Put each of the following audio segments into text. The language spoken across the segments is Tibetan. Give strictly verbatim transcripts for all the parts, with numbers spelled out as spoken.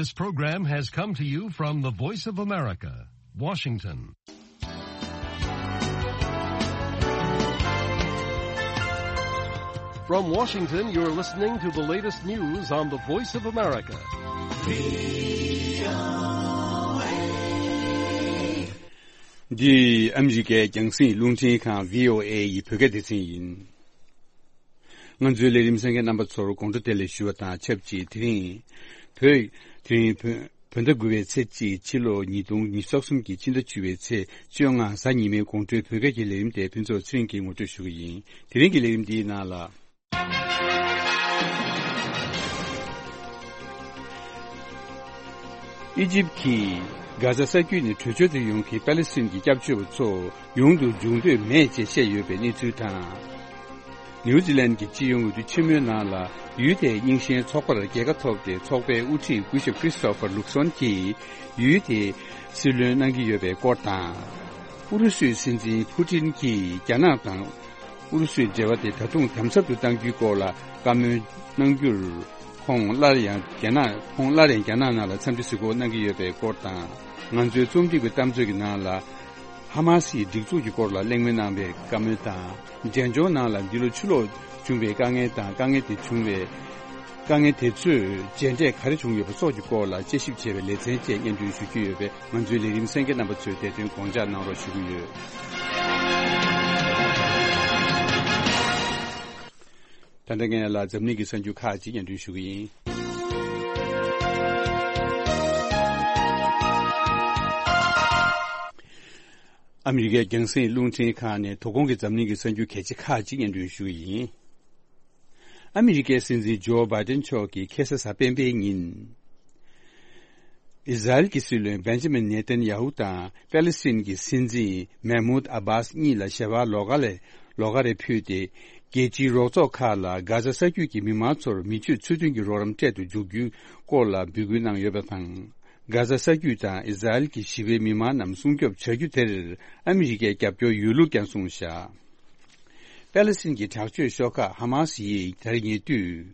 This program has come to you from the Voice of America, Washington. From Washington, you're listening to the latest news on the Voice of America. འདི་ཨ་མི་རི་ཀའི་རྒྱང་སྲིང་རླུང་འཕྲིན་ཁང་བྷི་ཨོ་ཨེ་ཡི་བོད་སྐད་སྡེ་ཚན་ཡིན། ང་ཚོའི་ལས་རིམ་གསན་མཁན་རྣམ་པ་ཚོར་དགོང་དྲོ་བདེ་ལེགས་ཞུ་བ་དང་ཆབས་ཅིག་དེ་རིང་བོད། དེ་རིང་བོད་བོད་ཟླ་དགུ་པའི་ཚེས་གཅིག་ཕྱི་ལོ་ཉིས་སྟོང་ཉི་ཤུ་རྩ་གསུམ་གྱི་ཕྱི་ཟླ་བཅུ་པའི་ཚེས་བཅོ་ལྔ་གཟའ་ཉི་མའི་དགོང་དྲོའི་བོད་སྐད་ཀྱི་ལས་རིམ་དེ་ཕུན་ཚོགས་ཚེ་རིང་གིས་ངོ་སྤྲོད་ཞུ་གི་ཡིན། དེ་རིང་གི་ལས་རིམ་འདིའི་ནང་ལ། ཨི་ཇིབ་ཀྱིས་གྷ་ཛ་ས་རྒྱུད་ནས་བྲོས་བྱོལ་དུ་ཡོང་མཁན་པ་ལི་སི་ཐན་གྱི་སྐྱབས་བཅོལ་བ་ཚོ་ཡོང་དུ་འཇུག་འདོད་མེད་ཅེས་བཤད་ཡོད་པའི་གནས་ཚུལ་དང་། ནིའུ་ཛི་ལན་གྱི་སྤྱི་ཡོངས་འོས་བསྡུ་ཆེན་མོའི་ནང་ལ་ཡུལ་དེའི་རྙིང་ཞེན་ཚོགས་པར་རྒྱལ་ཁ་ཐོབ་སྟེ་ཚོགས་པའི་དབུ་ཁྲིད་སྐུ་ཞབས་ཁྲིས་ཏོ་ཕར་ལུག་སོན་གྱིས་ཡུལ་དེའི་སྲིད་བློན་གནང་གི་ཡོད་པའི་སྐོར་དང་། ཨུ་རུ་སུའི་སྲིད་འཛིན་ཕུ་ཏིན་གྱིས་རྒྱ་ནག་དང་ཨུ་རུ་སུའི་འབྲེལ་བ་དེ་ད་དུང་དམ་ཟབ་ཏུ་གཏང་རྒྱུའི་སྐོར་ལ་བཀའ་མོལ་གནང་རྒྱུར། ཁོང་སླར་ཡང་རྒྱ་ནག་ཁོང་སླར་ཡང་རྒྱ་ནག་ནང་ལ་འཚམས་འདྲི་གཟིགས་སྐོར་གནང་གི་ཡོད་པའི་སྐོར་དང་། ང་ཚོའི་རྩོམ་སྒྲིག་པའི་གཏམ་བརྗོད་ཀྱི་ནང་ལ། ཧ་མ་སི་ཡི་སྒྲིག་འཛུགས་ཀྱི་སྐོར་ལ་གླེང་མོལ་གནང་བའི་བཀའ་མོལ་དང་། འབྲས་ལྗོངས་ནང་ལ་འདི་ལོ་ཕྱི་ལོགས་བྱུང་བའི་དཀའ་ངལ་དང་དཀའ་ངལ་དེ་བྱུང་བའི་དཀའ་ངལ་དེ་ཚོས་རྗེས་འབྲས་ག་རེ་བྱུང་ཡོད་པ་སོགས་ཀྱི་སྐོར་ལ་དཔྱད་ཞིབ་བྱས་པའི་ལེ་ཚན་བཅས་སྙན་སྒྲོན་ཞུ་རྒྱུ་ཡོད་པས། ང་ཚོའི་ལས་རིམ་གསན་མཁན་རྣམ་པ་ཚོས་དེ་དོན་དགོངས་འཇགས་གནང་རོགས་ཞུ་གི་ཡོད། ད་ལྟ་ངས་ལ་འཛམ་གླིང་གི་གསར་འགྱུར་ཁག་ཅིག་སྙན་སྒྲོན་ཞུ་གི་ཡིན། ཨ་མི་རི་ཀའི་རྒྱང་སྲིང་རླུང་འཕྲིན་ཁང་ནས་དོ་དགོང་གི་འཛམ་གླིང་གི་གསར་འགྱུར་གལ་ཆེ་ཁག་ཅིག་སྙན་སྒྲོན་ཞུ་གི་ཡིན། ཨ་མི་རི་ཀའི་སྲིད་འཛིན་ཇོ་བྷའི་ཏན་མཆོག་གིས་ཁ་སང་གཟའ་སྤེན་པའི་ཉིན། ཨི་ཟ་རེལ་གྱི་སྲིད་བློན་བེན་ཇ་མིན་ནེ་ཐན་ཡ་ཧུ་དང་པེ་ལི་སི་ཐན་གྱི་སྲིད་འཛིན་མེ་མུད་ཨ་བྷཱས་གཉིས་ལ་ཞལ་པར་ལོགས་ཀ་ལས་ལོགས་ཀ་རེ་ཕུལ་ཏེ། རྒྱལ་སྤྱིའི་རོགས་ཚོགས་ཁག་ལ་གྷ་ཛ་ས་རྒྱུད་ཀྱི་མི་མང་ཚོར་མི་སྤྱོད་ཚུལ་མཐུན་གྱི་རོགས་རམ་སྤྲད་དུ་འཇུག་རྒྱུའི་སྐོར་ལ་འབོད་སྐུལ་གནང་ཡོད་པ་དང་། གྷ་ཛ་ས་རྒྱུད་དང་ཨི་ཟ་རེལ་གྱི་ཞི་བའི་མི་མང་རྣམས་སྲུང་སྐྱོབ་བྱ་རྒྱུ་དེར་ཨ་མི་རི་ཀས་རྒྱབ་སྐྱོར་ཡོད་ལུགས་ཀྱང་གསུངས་བཞག་པེ་ལི་སི་ཐན་གྱི་དྲག་སྤྱོད་ཤོག་ཁག་ཧ་མ་སི་ཡིས་ད་རེས་ཉེ་དུས།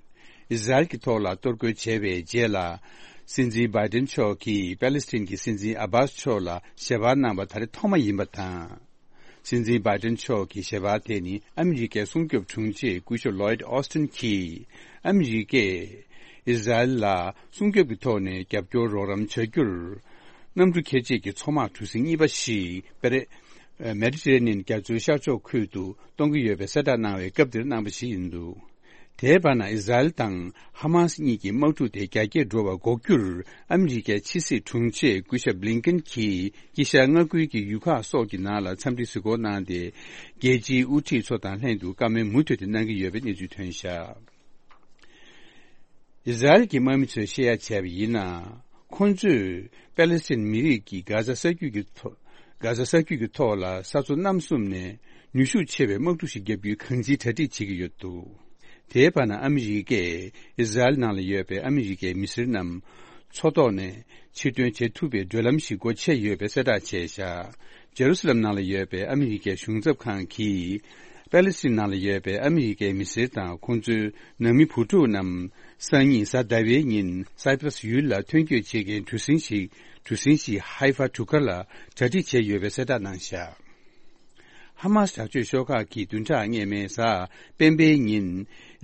ཨི་ཟ་རེལ་གྱི་ཐོག་ལ་གཏོར་རྒོལ་བྱས་པའི་རྗེས་ལ། སྲིད་འཛིན་བྷའི་ཏན་མཆོག་གིས་པེ་ལི་སི་ཐན་གྱི་སྲིད་འཛིན་ཨ་བྷཱས་མཆོག་ལ་ཞལ་པར་གནང་བ་ད་རེས་ཐོག་མ་ཡིན་པ་དང་། སྲིད་འཛིན་བྷའི་ཏན་མཆོག་གི་ཞལ་པར་དེ་ནི་ཨ་མི་རི་ཀའི་སྲུང་སྐྱོབ་དྲུང་ཆེ་སྐུ་ཞབས་ལོའིད་ཨོ་སི་ཏིན་གྱིས་ཨ་མི་རི་ཀས་ཨི་ཟ་རེལ་ལ་སྲུང་སྐྱོབ་ཀྱི་ཐོག་ནས་རྒྱབ་སྐྱོར་རོགས་རམ་བྱ་རྒྱུར། གནམ་གྲུ་འཁྱེར་བྱེད་ཀྱི་མཚོ་དམག་གྲུ་གཟིངས་གཉིས་པ་ཞིག་པེ་རེ། མེ་ཌི་ཊེ་རེ་ནི་ཡན་རྒྱ་མཚོའི་ཤར་ཕྱོགས་ཁུལ་དུ་གཏོང་གི་ཡོད་པའི་གསལ་བསྒྲགས་གནང་བའི་སྐབས་དེར་གནང་པ་ཞིག་ཡིན་འདུག་དེའི་བར་ན་ཨི་ཟ་རེལ་དང་ཧ་མ་སི་གཉིས་ཀྱི་དམག་འཁྲུག་དེ་རྒྱ་སྐྱེད་འགྲོ་བར་འགོག་རྒྱུར་ཨ་མི་རི་ཀའི་ཕྱི་སྲིད་དྲུང་ཆེ་སྐུ་ཞབས་བྷི་ལིན་ཀེན་གྱིས་དཀྱིལ་ཤར་མངའ་ཁུལ་གྱི་ཡུལ་ཁག་སོགས་ཀྱི་ནང་ལ་འཚམས་འདྲི་གཟིགས་སྐོར་གནང་སྟེ། རྒྱལ་སྤྱིའི་དབུ་ཁྲིད་ཚོ་དང་ལྷན་དུ་བཀའ་མོལ་མུ་མཐུད་དེ་གནང་གི་ཡོད་པའི་གནས་ཚུལ་ཐོན་བཞག་ཨི་ཟ་རེལ་གྱི་དམག་མི་ཚོས་བཤད་ཡ་བྱས་པ་ཡིན་ན། ཁོང་ཚོས་པེ་ལི་སི་ཐན་མི་རིགས་ཀྱིས་གྷ་ཛ་ས་རྒྱུད་ཀྱི་ཐོག་གྷ་ཛ་ས་རྒྱུད་ཀྱི་ཐོག་ལ་ས་མཚོ་གནམ་གསུམ་ནས་ནུས་ཤུགས་ཆེ་བའི་དམག་འཁྲུག་ཞིག་བརྒྱབ་རྒྱུའི་གང་ཅིའི་གྲ་སྒྲིག་བྱེད་ཀྱི་ཡོད་འདུག་དེའི་བར་ན་ཨ་མི་རི་ཀས་ཨི་ཟ་རེལ་ནང་ལ་ཡོད་པའི་ཨ་མི་རི་ཀའི་མི་སེར་རྣམས་མཚོ་ཐོག་ནས་ཕྱིར་ཐོན་བྱེད་ཐུབ་པའི་བགྲོད་ལམ་ཞིག་སྒོ་ཕྱེ་ཡོད་པའི་གསལ་བསྒྲགས་བྱས་བཞག་ཇེ་རུ་སི་ལམ་ནང་ལ་ཡོད་པའི་ཨ་མི་རི་ཀའི་གཞུང་ཚབ་ཁང་གིས། པེ་ལི་སི་ཐན་ནང་ལ་ཡོད་པའི་ཨ་མི་རི་ཀའི་མི་སེར་དང་ཁོང་ཚོའི་ནང་མི་བུ་ཕྲུག་རྣམས་སང་ཉིན་གཟའ་ཟླ་བའི་ཉིན་སཱི་པ་ར་སི་ཡུལ་ལ་ཐོན་སྐྱོད་བྱེད་མཁན་གྲུ་གཟིངས་ཤིག་གྲུ་གཟིངས་ཤིག་ཧའི་ཧྥ་གྲུ་ཁ་ལ་གྲ་སྒྲིག་བྱས་ཡོད་པའི་གསལ་བསྒྲགས་གནང་བཞག་ཧ་མ་སི་དྲག་སྤྱོད་ཤོག་ཁག་གིས་བདུན་ཕྲག་སྔོན་མའི་གཟའ་སྤེན་པའི་ཉིན་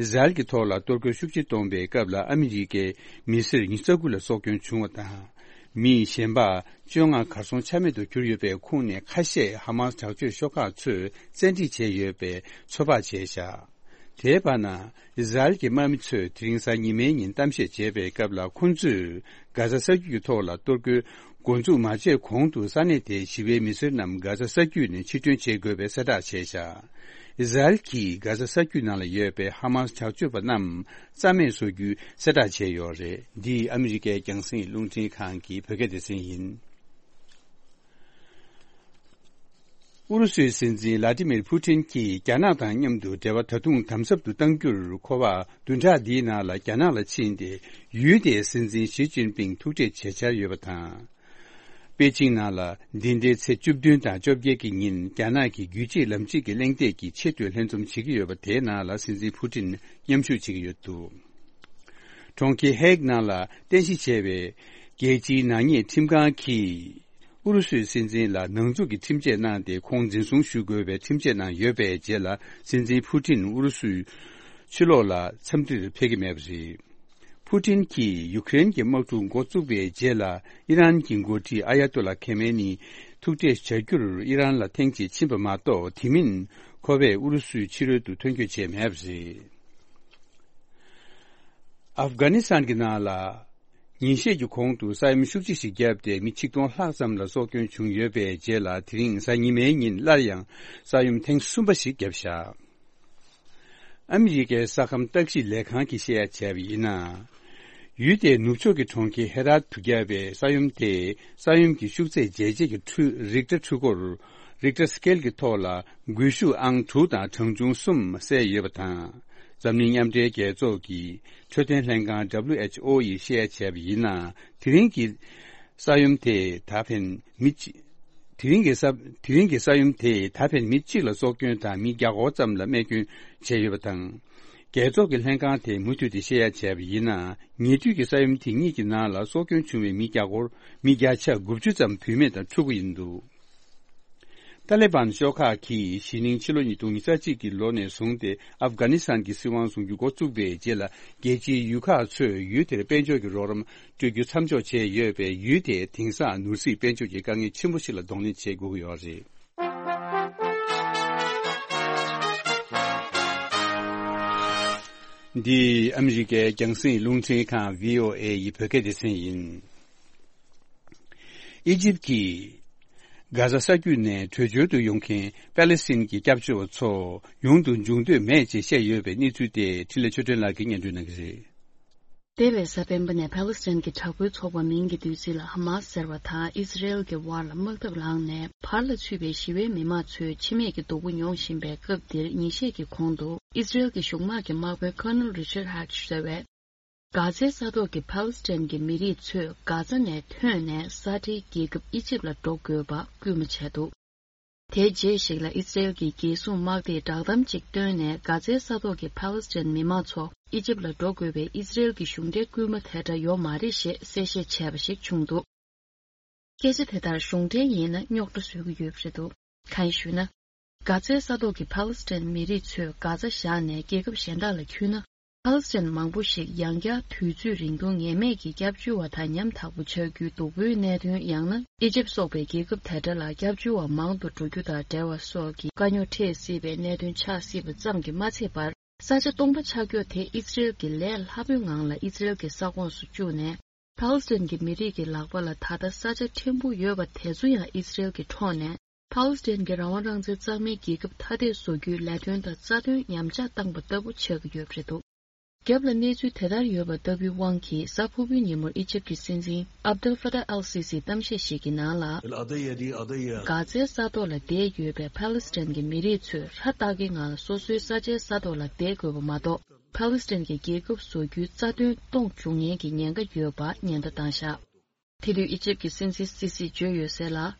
ཨི་ཟ་རེལ་གྱི་ཐོག་ལ་གཏོར་རྒོལ་ཤུགས་ཆེ་གཏོང་པའི་སྐབས་ལ་ཨ་མི་རི་ཀའི་མི་སེར་ཉི་ཤུ་རྩ་དགུ་ལ་སྲོག་སྐྱོན་བྱུང་བ་དང་། མི་གཞན་པ་བཅོ་ལྔ་གར་སོང་ཆ་མེད་དུ་གྱུར་ཡོད་པའི་ཁོངས་ནས་ཁ་ཤས་ཧ་མ་སི་དྲག་སྤྱོད་ཤོག་ཁག་ཚོས་བཙན་ཁྲིད་བྱས་ཡོད་པའི་ཚོད་དཔག་བྱས་བཞག་དེའི་བར་ན་ཨི་ཟ་རེལ་གྱི་དམག་མི་ཚོས་དེ་རིང་གཟའ་ཉི་མའི་ཉིན་གཏམ་བཤད་བྱས་པའི་སྐབས་ལ་ཁོང་ཚོས་གྷ་ཛ་ས་རྒྱུད་ཀྱི་ཐོག་ལ་གཏོར་རྒོལ་འགོ་འཛུགས་མ་བྱས་གོང་དུ་ས་གནས་དེའི་ཞི་བའི་མི་སེར་རྣམས་གྷ་ཛ་ས་རྒྱུད་ནས་ཕྱིར་ཐོན་བྱེད་དགོས་པའི་གསལ་བསྒྲགས་བྱས་བཞག་ཨི་ཟ་རེལ་གྱིས་གྷ་ཛ་ས་རྒྱུད་ནང་ལ་ཡོད་པའི་ཧ་མ་སི་དྲག་སྤྱོད་པ་རྣམས་རྩ་མེད་བཟོ་རྒྱུའི་གསལ་བསྒྲགས་བྱས་ཡོད་རེད། འདི་ཨ་མི་རི་ཀའི་རྒྱང་སྲིང་རླུང་འཕྲིན་ཁང་གི་བོད་སྐད་སྡེ་ཚན་ཡིན། ཨུ་རུ་སུའི་སྲིད་འཛིན་ལ་ཏི་མིར་ཕུ་ཏིན་གྱིས་རྒྱ་ནག་དང་མཉམ་དུ་འབྲེལ་བ་ད་དུང་དམ་ཟབ་ཏུ་གཏང་རྒྱུར་ཁོ་པ་བདུན་ཕྲག་འདིའི་ནང་ལ་རྒྱ་ནག་ལ་ཕྱིན་ཏེ་ཡུལ་དེའི་སྲིད་འཛིན་ཞི་ཅིན་ཕིང་ཐུག་འཕྲད་བྱེད་འཆར་ཡོད་པ་དང་། པེ་ཅིང་ནང་ལ་འདི་ཟླའི་ཚེས་བཅུ་བདུན་དང་བཅོ་བརྒྱད་ཀྱི་ཉིན་རྒྱ་ནག་གི་རྒྱུད་གཅིག་ལམ་གཅིག་གི་གླེང་སྟེགས་ཀྱི་ཆེས་མཐོའི་ལྷན་འཛོམས་བྱེད་ཀྱི་ཡོད་པ་དེའི་ནང་ལ་སྲིད་འཛིན་ཕུ་ཏིན་མཉམ་ཞུགས་བྱེད་ཀྱི་ཡོད་འདུག་གྲོང་ཁྱེར་ཧེག་ནང་ལ་རྟེན་གཞི་བྱས་པའི་རྒྱལ་སྤྱིའི་ནག་ཉེས་ཁྲིམས་ཁང་གིས་ཨུ་རུ་སུའི་སྲིད་འཛིན་ལ་ནང་འཛུགས་ཀྱི་ཁྲིམས་ཆད་གནང་སྟེ། ཁོང་འཛིན་བཟུང་ཞུ་དགོས་པའི་ཁྲིམས་ཆད་གནང་ཡོད་པའི་རྗེས་ལ། སྲིད་འཛིན་ཕུ་ཏིན་ཨུ་རུ་སུའི་ཕྱི་ལོགས་ལ་འཚམས་འདྲིར་ཕེབས་ཀྱི་མེད་པ་རེད། ཕུ་ཏིན་གྱིས་ཡུ་ཀེ་རེན་གྱི་དམག་འཁྲུག་འགོ་བཙུགས་པའི་རྗེས་ལ། ཨི་རན་གྱི་འགོ་ཁྲིད་ཨ་ཡ་ཏོ་ལ་ཁེ་མེ་ནི་ཐུག་འཕྲད་བྱ་རྒྱུར་ཨི་རན་ལ་ཐེངས་གཅིག་ཕྱིན་པ་མ་གཏོགས། དེ་མིན་ཁོ་པས་ཨུ་རུ་སུའི་ཕྱི་རོལ་དུ་ཐོན་སྐྱོད་བྱས་མེད་པ་རེད། ཨབ་གྷ་ནི་སི་ཐན་གྱི་ནང་ལ་ཉིན་ཤས་ཀྱི་གོང་དུ་ས་ཡོམ་ཤུགས་ཆེ་ཞིག་བརྒྱབ་སྟེ། མི་ཆིག་སྟོང་ལྷག་ཙམ་ལ་སྲོག་སྐྱོན་བྱུང་ཡོད་པའི་རྗེས་ལ། དེ་རིང་གཟའ་ཉི་མའི་ཉིན་སླར་ཡང་ས་ཡོམ་ཐེངས་གསུམ་པ་ཞིག་བརྒྱབ་བཞག། ཨ་མི་རི་ཀའི་ས་ཁམས་བརྟག་ཞིབ་ལས་ཁང་གིས་བཤད་ཡ་བྱས་པ་ཡིན་ན། ཡུལ་དེའི་ནུབ་ཕྱོགས་ཀྱི་གྲོང་ཁྱེར་ཧེ་ར་ཏུ་བརྒྱབ་པའི་ས་ཡོམ་དེས་ས་ཡོམ་གྱི་ཤུགས་ཚད་འཇལ་བྱེད་ཀྱི་འཕྲུལ། རིག་ཊར་འཕྲུལ་འཁོར། Richter scale གྱི་ཐོག་ལ་འགུལ་ཤུགས་ཨང་དྲུག་དང་གྲངས་ཆུང་གསུམ་གསལ་ཡོད་པ་དང་། འཛམ་གླིང་མཉམ་འབྲེལ་རྒྱལ་ཚོགས་ཀྱི་འཕྲོད་བསྟེན་ལྷན་ཁང་W H O ཡིས་བཤད་ཡ་བྱས་པ་ཡིན་ན། དེ་རིང་གི་ས་ཡོམ་དེས་ད་ཕན་མི་གཅིག་དེ་རིང་གི་ས། དེ་རིང་གི་ས་ཡོམ་དེས་ད་ཕན་མི་གཅིག་ལ་སྲོག་སྐྱོན་དང་། མི་བརྒྱ་སྐོར་ཙམ་ལ་རྨས་སྐྱོན་བྱས་ཡོད་པ་དང་། རྒྱལ་ཚོགས་ཀྱི་ལྷན་ཁང་དེས་མུ་མཐུད་དེ་བཤད་ཡ་བྱས་པ་ཡིན་ན། ཉེ་དུས་ཀྱི་ས་ཡོམ་དེ་གཉིས་ཀྱི་ནང་ལ་སྲོག་སྐྱོན་བྱུང་བའི་མི་བརྒྱ་སྐོར། མི་བརྒྱ་ཆ་དགུ་བཅུ་ཙམ་བུད་མེད་དང་ཕྲུ་གུ་ཡིན་འདུག། ཏཱ་ལི་བན་ཤོག་ཁག་གིས་གཞེས་ནིང་ཕྱི་ལོ་ཉིས་སྟོང་ཉི་ཤུ་རྩ་གཅིག་གི་ལོ་ནས་བཟུང་སྟེ་ཨབ་གྷ་ནི་སི་ཐན་གྱི་སྲིད་དབང་བཟུང་རྒྱུ་འགོ་བཙུགས་པའི་རྗེས་ལ། རྒྱལ་སྤྱིའི་ཡུལ་ཁག་ཚོས་ཡུལ་དེར་དཔལ་འབྱོར་གྱི་རོགས་རམ་སྤྲོད་རྒྱུ་མཚམས་འཇོག་བྱས་ཡོད་པས། ཡུལ་དེ་དེང་སང་ནོར་སྲིད་དཔལ་འབྱོར་གྱི་དཀའ་ངལ་ཆེན་པོ་ཞིག་ལ་གདོང་ལེན་བྱེད་དགོས་ཀྱི་ཡོད་རེད། འདི་ཨ་མི་རི་ཀའི་རྒྱང་སྲིང་རླུང་འཕྲིན་ཁང་V O A ཡི་བོད་སྐད་སྡེ་ཚན་ཡིན། ཨི་ཇིབ་ཀྱིས་གྷ་ཛ་ས་རྒྱུད་ནས་བྲོས་བྱོལ་དུ་ཡོང་མཁན་པ་ལེ་སི་ཐན་གྱི་སྐྱབས་བཅོལ་བ་ཚོ་ཡོང་དུ་འཇུག་འདོད་མེད་ཅེས་བཤད་ཡོད་པའི་གནས་ཚུལ་དེ་འཕྲིན་ལས་ཆོས་སྒྲོན་ལགས་ཀྱིས་སྙན་སྒྲོན་གནང་གི་རེད། འདས་པའི་གཟའ་སྤེན་པ་ནས་ཕཱ་ལེ་སི་ཐན་གྱི་དྲག་པོའི་ཚོགས་པ་མིང་གི་བསྡུས་ཚིག་ལ་ཧ་མཱ་སི་ཟེར་བ་དང་ཨི་ཟི་རེལ་གྱི་དབར་ལ་དམག་འཐབ་ལངས་ནས། བར་ལ་ཚུད་པའི་ཞི་བའི་མི་མང་ཚོས་འཆི་རྨས་ཀྱི་སྡུག་པོ་མྱོང་བཞིན་པའི་སྐབས་འདིར། ཉིན་ཤས་ཀྱི་གོང་དུ་ཨི་ཟི་རེལ་གྱི་གཞུང་དམག་གི་དམག་དཔོན་ཁོ་ནེལ་རི་ཆར་ཧེ་ཊི་ཟེར་བས། གྷ་ཛའི་ས་ཐོག་གི་ཕཱ་ལེ་སི་ཐན་གྱི་མི་རིགས་ཚོས་གྷ་ཛ་ནས་ཐོན་ནས་ས་འབྲེལ་རྒྱལ་ཁབ་ཨི་ཇིབ་ལ་འགྲོ་དགོས་པ་སྐུལ་མ་བྱས་འདུག། དེའི་རྗེས་ཤིག་ལ་ཨི་སི་རེལ་གྱི་རྒྱལ་སྲུང་དམག་སྡེས་བསྒྲགས་གཏམ་ཅིག་བཏོན་ནས། གྷ་ཛའི་ས་ཐོག་གི་ཕཱ་ལེ་སི་ཐན་མི་མང་ཚོ་ཨི་ཇིབ་ལ་འགྲོ་དགོས་པའི་ཨི་སི་རེལ་གྱི་གཞུང་འབྲེལ་སྐུལ་མ་དེ་འདྲ་ཡོད་མ་རེད་ཞེས་གསལ་བཤད་བྱས་པ་ཞིག་བྱུང་འདུག། སྐད་ཆ་དེ་ལྟར་གཞུང་འབྲེལ་ཡིན་ན་རྙོག་དྲ་བཟོ་གི་ཡོད་པ་རེད་འདུག། གང་ཡིན་ཞུས་ན། གྷ་ཛའི་ས་ཐོག་གི་ཕཱ་ལེ་སི་ཐན་མི་རིགས་ཚོས་གྷ་ཛ་བཞག་ནས་རྒྱལ་ཁབ་གཞན་དག་ལ་འཁྱུད་ན། ཕཱ་ལེ་སི་ཐན་མང་པོ་ཞིག་ཡང་བསྐྱར་དུས་ཚོད་རིང་ཐུང་ངེས་མེད་ཀྱི་སྐྱབས་བཅོལ་བ་དང་ཉམ་ཐག་པོ་ཆགས་རྒྱུའི་སྡུག་པོའི་གནད་དོན། ཡང་ན་ཨི་ཇིབ་སོགས་པའི་རྒྱལ་ཁབ་དེ་འདྲ་ལ་སྐྱབས་བཅོལ་བ་མང་དུ་འགྲོ་རྒྱུ་དང་འབྲེལ་བ་སོགས་ཀྱི་དཀའ་རྙོག་འཕྲད་སྲིད་པའི་གནད་དོན་ཆགས་སྲིད་པ་ཙམ་གྱིས་མ་ཚད་པར། ས་ཆ་སྟོང་པ་ཆགས་ཀྱོག་དེ་ཨི་སི་རེལ་གྱི་ལས་སླ་པོའི་ངང་ལ་ཨི་སི་རེལ་གྱི་ས་ཁོངས་སུ་བཅུག་ནས། ཕཱ་ལེ་སི་ཐན་གྱི་མི་རིགས་ཀྱི་ལག་པ་ལ་ད་ལྟ་ས་ཆ་ཕྲན་བུ་ཡོད་པ་དེ་ཚོ་ཡང་ཨི་སི་རེལ་གྱིས་འཕྲོག་ནས། ཕཱ་ལེ་སི་ཐན་གྱི་རང་དབང་རང་བཙན་གཙང་མའི་རྒྱལ་ཁབ་ཐ་དད་བཟོ་རྒྱུའི་ལས་དོན་དང་རྩ་དོན་ཉམས་ཆག་བཏང་པ་ལྟ་བུ་ཆགས་ཀྱི་ཡོད་པ་རེད་འདུག། རྒྱབ་ལ་གནས་ཚུལ་དེ་ལྟར་ཡོད་པ་ལྟ་བུའི་དབང་གིས། གཟའ་ཕུར་བུའི་ཉིན་མོར་ཨི་ཇིབ་ཀྱི་སྲིད་འཛིན་ཨབ་དེལ་ཧྥ་ཏཱ་ཨལ་སི་སིའི་གཏམ་བཤད་ཞིག་གི་ནང་ལ། གྷ་ཛའི་ས་ཐོག་ལ་བསྡད་ཡོད་པའི་ཕཱ་ལེ་སི་ཐན་གྱི་མི་རིགས་ཚོས་ཧྲ་ཏག་གི་ངང་ལ་སོ་སོའི་ས་ཆའི་ས་ཐོག་ལ་བསྡད་དགོས་པ་མ་གཏོགས། ཕཱ་ལེ་སི་ཐན་གྱི་རྒྱལ་ཁབ་བཟོ་རྒྱུའི་རྩ་དོན་སྟོང་འཇུག་ཉེན་གྱི་ཉེན་ཁ་ཡོད་པ་ཉེན་བརྡ་བཏང་བཞག། དེ་དུས་ཨི་ཇིབ་ཀྱི་སྲིད་འཛིན་སི་སིས་བརྗོད་ཡོད་གསལ་ལ།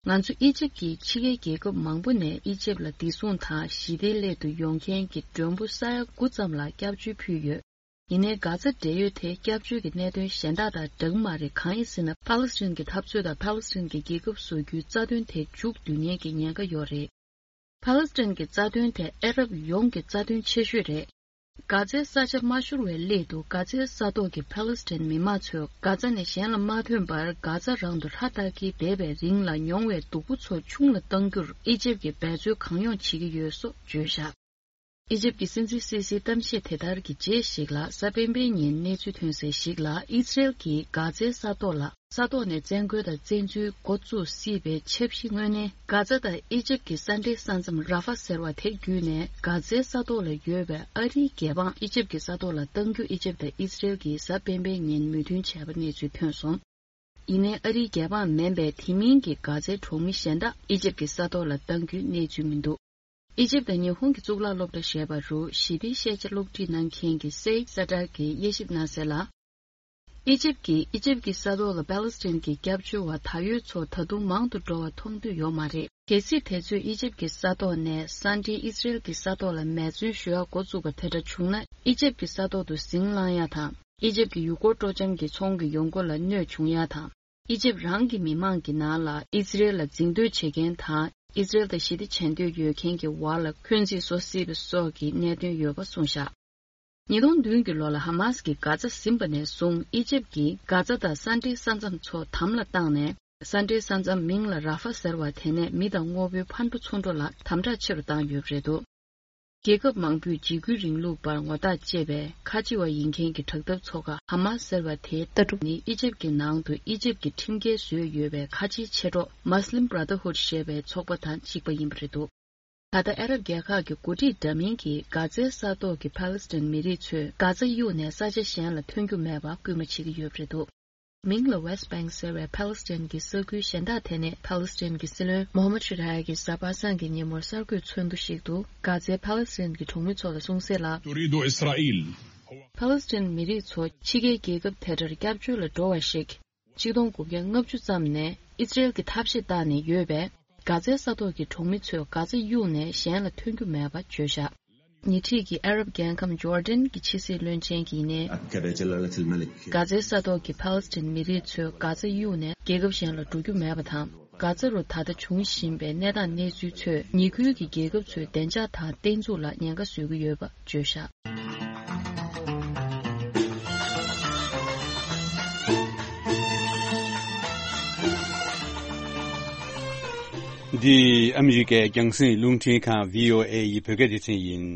ང་ཚོ་ཨི་ཇིབ་ཀྱིས་ཕྱི་རྒྱལ་རྒྱལ་ཁབ་མང་པོ་ནས་ཨི་ཇིབ་ལ་བདེ་སྲུང་དང་ཞི་བདེའི་སླད་དུ་ཡོང་མཁན་གྱི་མགྲོན་པོ་ས་ཡ་དགུ་ཙམ་ལ་སྐྱབས་བཅོལ་ཕུལ་ཡོད། ཡིན་ནའི་གྷ་ཛ་འབྲེལ་ཡོད་དེ་སྐྱབས་བཅོལ་གྱི་གནད་དོན་གཞན་དག་དང་འདྲ་གི་མ་རེད། གང་ཡིན་ཟེར་ན། ཕཱ་ལེ་སི་ཐན་གྱི་འཐབ་རྩོད་དང་ཕཱ་ལེ་སི་ཐན་གྱི་རྒྱལ་ཁབ་བཟོ་རྒྱུའི་རྩ་དོན་དེ་མཇུག་བསྡུ་ཉེན་གྱི་ཉེན་ཁ་ཡོད་རེད། ཕཱ་ལེ་སི་ཐན་གྱི་རྩ་དོན་དེ་ཨ་རབ་ཡོངས་ཀྱི་རྩ་དོན་ཆེ་ཤོས་རེད། གྷ་ཛའི་ས་ཆ་མ་ཤོར་བའི་སླད་དུ་གྷ་ཛའི་ས་ཐོག་གི་ཕཱ་ལེ་སི་ཐན་མི་མང་ཚོས་གྷ་ཛ་ནས་གཞན་ལ་མ་ཐོན་པར་གྷ་ཛ་རང་དུ་ཧྲ་ཏག་གིས་བསྡད་པའི་རིང་ལ་མྱོང་བའི་སྡུག་པོ་ཚོ་ཆུང་ལ་གཏང་རྒྱུར་ཨི་ཇིབ་ཀྱིས་འབད་རྩོལ་གང་ཡོང་བྱེད་ཀྱི་ཡོད་སོགས་བརྗོད་བཞག། ཨི་ཇིབ་ཀྱི་སྲིད་འཛིན་སི་སིའི་གཏམ་བཤད་དེ་ལྟར་གྱི་རྗེས་ཤིག་ལ། གཟའ་སྤེན་པའི་ཉིན་གནས་ཚུལ་ཐོན་གསལ་ཞིག་ལ། ཨི་སི་རེལ་གྱིས་གྷ་ཛའི་ས་ཐོག་ལ་ས་ཐོག་ནས་བཙན་རྒོལ་དང་བཙན་འཛུལ་འགོ་བཙུགས་སྲིད་པའི་འཆར་གཞི་དངོས་གནས་གྷ་ཛ་དང་ཨི་ཇིབ་ཀྱི་ས་འབྲེལ་ས་མཚམས་ར་ཧྥ་ཟེར་བ་དེ་བརྒྱུད་ནས་གྷ་ཛའི་ས་ཐོག་ལ་ཡོད་པའི་ཨ་རིའི་རྒྱལ་འབངས་ཨི་ཇིབ་ཀྱི་ས་ཐོག་ལ་གཏང་རྒྱུ་ཨི་ཇིབ་དང་ཨི་སི་རེལ་གྱིས་གཟའ་སྤེན་པའི་ཉིན་མོས་མཐུན་བྱས་པ་གནས་ཚུལ་ཐོན་སོང་། ཡིན་ནའི་ཨ་རིའི་རྒྱལ་འབངས་མིན་པའི་དེ་མིན་གྱི་གྷ་ཛའི་གྲོང་མི་གཞན་དག་ཨི་ཇིབ་ཀྱི་ས་ཐོག་ལ་གཏང་རྒྱུའི་གནས་ཚུལ་མི་འདུག། ཨི་ཇིབ་དང་ཉི་ཧོང་གི་གཙུག་ལག་སློབ་གྲྭ་ཞེས་པ་རུ་ཞི་བདེའི་ཤེས་བྱ་སློབ་ཁྲིད་གནང་མཁན་གྱི་སེ་ཡིག་ས་ཏྲར་གྱིས་དབྱེ་ཞིབ་གནང་གསལ་ལ། ཨི་ཇིབ་ཀྱིས་ཨི་ཇིབ་ཀྱི་ས་ཐོག་ལ་པཱ་ལེ་སི་ཐན་གྱི་སྐྱབས་བཅོལ་བ་ད་ཡོད་ཚོ་ད་དུང་མང་དུ་འགྲོ་བ་མཐོང་འདོད་ཡོད་མ་རེད། གལ་སྲིད་དེ་ཚོས་ཨི་ཇིབ་ཀྱི་ས་ཐོག་ནས་ས་འབྲེལ་ཨི་སི་རེལ་གྱི་ས་ཐོག་ལ་མེ་མཚོན་གཞུ་ཡག་འགོ་བཙུགས་པ་དེ་འདྲ་བྱུང་ན། ཨི་ཇིབ་ཀྱི་ས་ཐོག་ཏུ་ཟིང་ལངས་ཡ་དང་ ཨི་ཇེབ་ཀྱི་ཡུལ་སྐོར་སྤྲོ་འཆམ་གྱི་ཚོང་གི་ཡོང་སྒོ་ལ་གནོད་བྱུང་ཡ་དང་། ཨི་ཇེབ་རང་གི་མི་མང་གི་ནང་ལ་ཨི་ཛི་རེལ་ལ་འཛིང་འདོད་བྱེད་མཁན་དང་ཨི་ཛི་རེལ་དང་ཞི་བདེ་བྱེད་འདོད་ཡོད་མཁན་གྱི་བར་ལ་འཁོན་འཛིན་བཟོ་སྲིད་པ་སོགས་ཀྱི་གནད་དོན་ཡོད་པ་གསུངས་བཞག་ཉིས་སྟོང་བདུན་གྱི་ལོ་ལ་ཧ་མཱས་ཀྱིས་གྷ་ཛ་ཟིན་པ་ནས་བཟུང་ཨི་ཇེབ་ཀྱིས་གྷ་ཛ་དང་ས་འབྲེལ་ས་མཚམས་ཚོ་དམ་ལ་བཏང་ནས། ས་འབྲེལ་ས་མཚམས་མིང་ལ་ར་ཧྥ་ཟེར་བ་དེ་ནས་མི་དང་དངོས་པོའི་ཕར་འགྲོ་ཚུར་འགྲོ་ལ་དམ་དྲག་ཆེ་རུ་བཏང་ཡོད་པ་རེད་འདུག་རྒྱལ་ཁབ་མང་པོས་འཇིགས་སྐུལ་རིང་ལུགས་པར་ངོ་རྟགས་བཅད་པའི་ཁ་ཆེ་བ་ཡིན་མཁན་གྱི་དྲག་འཐབ་ཚོགས་ཁག་ཧ་མཱས་ཟེར་བ་དེའི་ལྟ་གྲུབ་ནི་ཨི་ཇེབ་ཀྱི་ནང་དུ་ཨི་ཇེབ་ཀྱི་ཁྲིམས་འགལ་བཟོས་ཡོད་པའི་ཁ་ཆེའི་མཆེད་གྲོགས་Muslim Brotherhood ཞེས་པའི་ཚོགས་པ་དང་གཅིག་པ་ཡིན་པ་རེད་འདུག་ད་ལྟ་ཨ་རབ་རྒྱལ་ཁག་གི་འགོ་ཁྲིད་འདྲ་མིན་གྱིས་གྷ་ཛའི་ས་ཐོག་གི་ཕཱ་ལེ་སི་ཐན་མི་རིགས་ཚོས་གྷ་ཛ་གཡུགས་ནས་ས་ཆ་གཞན་ལ་ཐོན་རྒྱུ་མེད་པར་སྐུལ་མ་བྱེད་ཀྱི་ཡོད་པ་རེད་འདུག་མིང་ལ་West Bank ཟེར་བའི་ཕཱ་ལེ་སི་ཐན་གྱི་ས་ཁུལ་གཞན་དག་དེ་ནས་ཕཱ་ལེ་སི་ཐན་གྱི་སྲིད་བློན་མོ་ཧམ་མད་ཤ་ཐ་ཡ་གིས་གཟའ་པ་སངས་ཀྱི་ཉིན་མོར་གསར་འགོད་ཚོགས་འདུ་ཞིག་ཏུ་གྷ་ཛའི་ཕཱ་ལེ་སི་ཐན་གྱི་གྲོང་མི་ཚོ་ལ་གསུངས་གསལ་ལ། تريد إسرائيل ཕཱ་ལེ་སི་ཐན་མི་རིགས་ཚོ་ཕྱི་རྒྱལ་རྒྱལ་ཁབ་དེ་འདྲར་སྐྱབས་བཅོལ་ལ་འགྲོ་བ་ཞིག་ཆིག་སྟོང་དགུ་བརྒྱ་ལྔ་བཅུ་ཙམ་ནས་ཨི་ཛི་རེལ་གྱི་ཐབས་ཤེས་བཏང་ནས་ཡོད་པས། གྷ་ཛའི་ས་ཐོག་གི་གྲོང་མི་ཚོས་གྷ་ཛ་གཡུགས་ནས་གཞན་ལ་ཐོན་རྒྱུ་མེད་པ་བརྗོད་བཞག་ཉེ་འཁྲིས་ཀྱི་ཨ་རབ་རྒྱལ་ཁམས་ཇོར་ཌན་གྱི་ཕྱི་སྲིད་བློན་ཆེན་གྱིས་ནི། أكد جلالة الملك གྷ་ཛའི་ས་ཐོག་གི་ཕཱ་ལེ་སི་ཐན་མི་རིགས་ཚོས་གྷ་ཛ་གཡུགས་ནས་རྒྱལ་ཁབ་གཞན་ལ་འགྲོ་རྒྱུ་མེད་པ་དང་། གྷ་ཛ་རུ་ད་ལྟ་འབྱུང་བཞིན་པའི་གནས་སྟངས་གནས་ཚུལ་ཚོས་ཉེ་ཁུལ་གྱི་རྒྱལ་ཁབ་ཚོའི་བདེ་འཇགས་དང་བརྟན་ཚུགས་ལ་ཉེན་ཁ་བཟོ་གི་ཡོད་པ་བརྗོད་བཞག་འདི་ཨ་མི་རི་ཀའི་རྒྱང་སྲིང་རླུང་འཕྲིན་ཁང་བྷི་ཨོ་ཨེ་ཡི་བོད་སྐད་སྡེ་ཚན་ཡིན།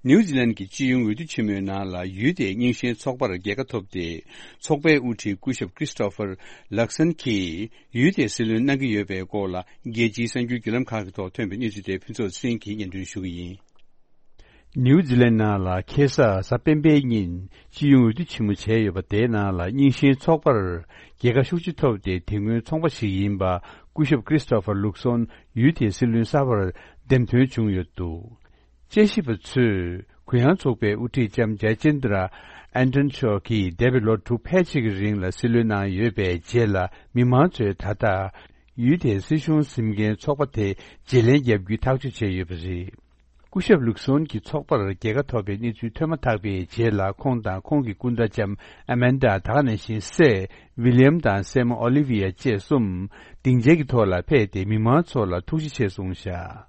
ནིའུ་ཛི་ལན་གྱི་སྤྱི་ཡོངས་འོས་བསྡུ་ཆེན་མོའི་ནང་ལ་ཡུལ་དེའི་རྙིང་ཞེན་ཚོགས་པར་རྒྱལ་ཁ་ཐོབ་སྟེ། ཚོགས་པའི་དབུ་ཁྲིད་སྐུ་ཞབས་ཀྲིས་ཏོ་ཕར་ལག་སན་གྱིས་ཡུལ་དེའི་སྲིད་བློན་གནང་གི་ཡོད་པའི་སྐོར་ལ། རྒྱལ་སྤྱིའི་གསར་འགྱུར་བརྒྱུད་ལམ་ཁག་གི་ཐོག་ཐོན་པའི་གནས་ཚུལ་དེ་ཕུན་ཚོགས་ཚེ་རིང་གིས་སྙན་སྒྲོན་ཞུ་གི་ཡིན། ནིའུ་ཛི་ལན་ནང་ལ་ཁ་སང་གཟའ་སྤེན་པའི་ཉིན་སྤྱི་ཡོངས་འོས་བསྡུ་ཆེན་མོ་བྱས་ཡོད་པ་དེའི་ནང་ལ་རྙིང་ཞེན་ཚོགས་པར་རྒྱལ་ཁ་ཤུགས་ཆེ་ཐོབ་སྟེ། དེ་སྔོན་ཚོང་པ་ཞིག་ཡིན་པ་སྐུ་ཞབས་ཀྲིས་ཏོ་ཕར་ལུག་སོན་ཡུལ་དེའི་སྲིད་བློན་གསར་པར་འདེམས་ཐོན་བྱུང་ཡོད་འདུག་དཔྱད་ཞིབ་པ་ཚོས་གུ་ཡངས་ཚོགས་པའི་དབུ་ཁྲིད་ལྕམ་ཇཱ་ཅིན་དྲ་ཨན་ཏོན་མཆོག་གིས་འདས་པའི་ལོ་དྲུག་ཕལ་ཆེར་གྱི་རིང་ལ་སྲིད་བློན་གནང་ཡོད་པའི་རྗེས་ལ། མི་མང་ཚོས་ད་ལྟ་ཡུལ་དེའི་སྲིད་གཞུང་འཛིན་མཁན་ཚོགས་པ་དེ་བརྗེ་ལེན་བརྒྱབ་རྒྱུའི་ཐག་གཅོད་བྱས་ཡོད་པ་རེད། སྐུ་ཞབས་ལུག་སོན་གྱི་ཚོགས་པར་རྒྱལ་ཁ་ཐོབ་པའི་གནས་ཚུལ་ཐོན་མ་ཐག་པའི་རྗེས་ལ། ཁོང་དང་ཁོང་གི་སྐུ་ཟླ་ལྕམ་ཨ་མན་ཌ། ད་ག་ནང་བཞིན་སྲས་ཝི་ལི་ཡམ་དང་སྲས་མོ་ཨོ་ལི་ཝི་ཡ་བཅས་གསུམ་སྡིངས་ཆའི་ཐོག་ལ་ཕེབས་ཏེ། མི་མང་ཚོ་ལ་ཐུགས་རྗེ་ཆེ་གསུངས་བཞག་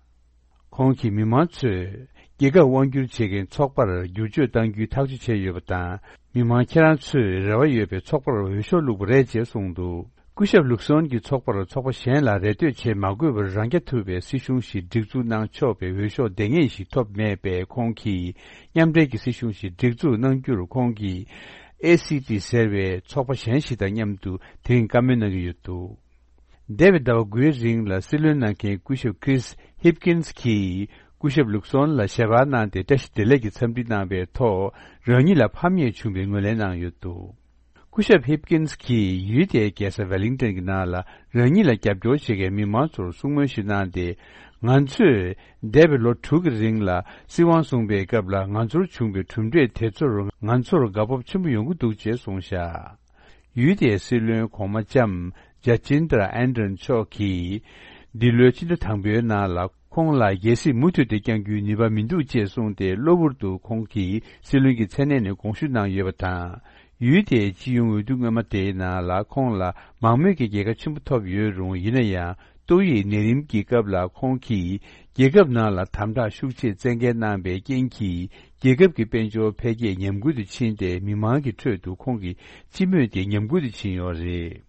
ཁོང་གིས་མི་མང་ཚོས་རྒྱལ་ཁབ་དབང་སྒྱུར་བྱེད་མཁན་ཚོགས་པར་བསྒྱུར་བཅོས་གཏང་རྒྱུའི་ཐག་གཅོད་བྱས་ཡོད་པ་དང་། མི་མང་ཁྱེད་རང་ཚོས་རེ་བ་ཡོད་པའི་ཚོགས་པར་འོས་ཤོག་བླུགས་པ་རེད་ཅེས་གསུངས་འདུག་སྐུ་ཞབས་ལུག་སོན་གྱི་ཚོགས་པར་ཚོགས་པ་གཞན་ལ་རེ་ལྟོས་བྱེད་མ་དགོས་པར། རང་རྐྱ་ཐུབ་པའི་སྲིད་གཞུང་ཞིག་སྒྲིག་འཛུགས་གནང་ཆོག་པའི་འོས་ཤོག་འདང་ངེས་ཤིག་ཐོབ་མེད་པས། ཁོང་གིས་མཉམ་འབྲེལ་གྱི་སྲིད་གཞུང་ཞིག་སྒྲིག་འཛུགས་གནང་རྒྱུར། ཁོང་གིས་ཨེ་སི་ཊི་ཟེར་བའི་ཚོགས་པ་གཞན་ཞིག་དང་མཉམ་དུ་དེ་རིང་བཀའ་མོལ་གནང་གི་ཡོད་འདུག་འདས་པའི་ཟླ་བ་དགུའི་རིང་ལ་སྲིད་བློན་གནང་མཁན་སྐུ་ཞབས་Chris Hipkins གྱིས་སྐུ་ཞབས་ལུག་སོན་ལ་ཞལ་པར་གནང་སྟེ། བཀྲ་ཤིས་བདེ་ལེགས་ཀྱི་འཚམས་འདྲི་གནང་བའི་ཐོག་རང་ཉིད་ལ་ཕམ་ཉེས་བྱུང་བའི་ངོས་ལེན་གནང་ཡོད་འདུག་སྐུ་ཞབས་Hipkins གྱིས་ཡུལ་དེའི་རྒྱལ་ས་Wellington གྱི་ནང་ལ། རང་ཉིད་ལ་རྒྱབ་སྐྱོར་བྱེད་མཁན་མི་མང་ཚོར་གསུང་མོལ་ཞིག་གནང་སྟེ། ང་ཚོས་འདས་པའི་ལོ་དྲུག་གི་རིང་ལ་སྲིད་དབང་བཟུང་བའི་སྐབས་ལ། ང་ཚོར་བྱུང་བའི་གྲུབ་འབྲས་དེ་ཚོར་ང་ཚོར་དགའ་སྤོབས་ཆེན་པོ་ཡོང་གི་འདུག་ཅེས་གསུངས་བཞག་ཡུལ་དེའི་སྲིད་བློན་གོང་མ་ལྕམ་ཇཱ་ཅིན་དྲ་ཨན་ཏོན་མཆོག་གིས། འདི་ལོའི་ཕྱི་ཟླ་དང་པོའི་ནང་ལ། ཁོང་ལ་རྒྱལ་སྲིད་མུ་མཐུད་དེ་བསྐྱང་རྒྱུའི་ནུས་པ་མི་འདུག་ཅེས་གསུངས་ཏེ། གློ་བུར་དུ་ཁོང་གིས་སྲིད་བློན་གྱི་མཚན་གནས་ནས་དགོངས་ཞུ་གནང་ཡོད་པ་དང་། ཡུལ་དེའི་སྤྱི་ཡོངས་འོས་བསྡུ་སྔོན་མ་དེའི་ནང་ལ། ཁོང་ལ་མང་མོས་ཀྱི་རྒྱལ་ཁ་ཆེན་པོ་ཐོབ་ཡོད་རུང་། ཡིན་ན་ཡང་། ཏོག་དབྱིབས་ནད་རིམས་ཀྱི་སྐབས་ལ། ཁོང་གིས་རྒྱལ་ཁབ་ནང་ལ་དམ་དྲག་ཤུགས་ཆེ་བཙན་འགེལ་གནང་བའི་རྐྱེན་གྱིས། རྒྱལ་ཁབ་ཀྱི་དཔལ་འབྱོར་འཕེལ་རྒྱས་ཉམས་རྒུད་དུ་ཕྱིན་ཏེ། མི་མང་གི་ཁྲོད་དུ་ཁོང་གི་སྤྱི་མོས་དེ་ཉམས་རྒུད་དུ་ཕྱིན་ཡོད་རེད།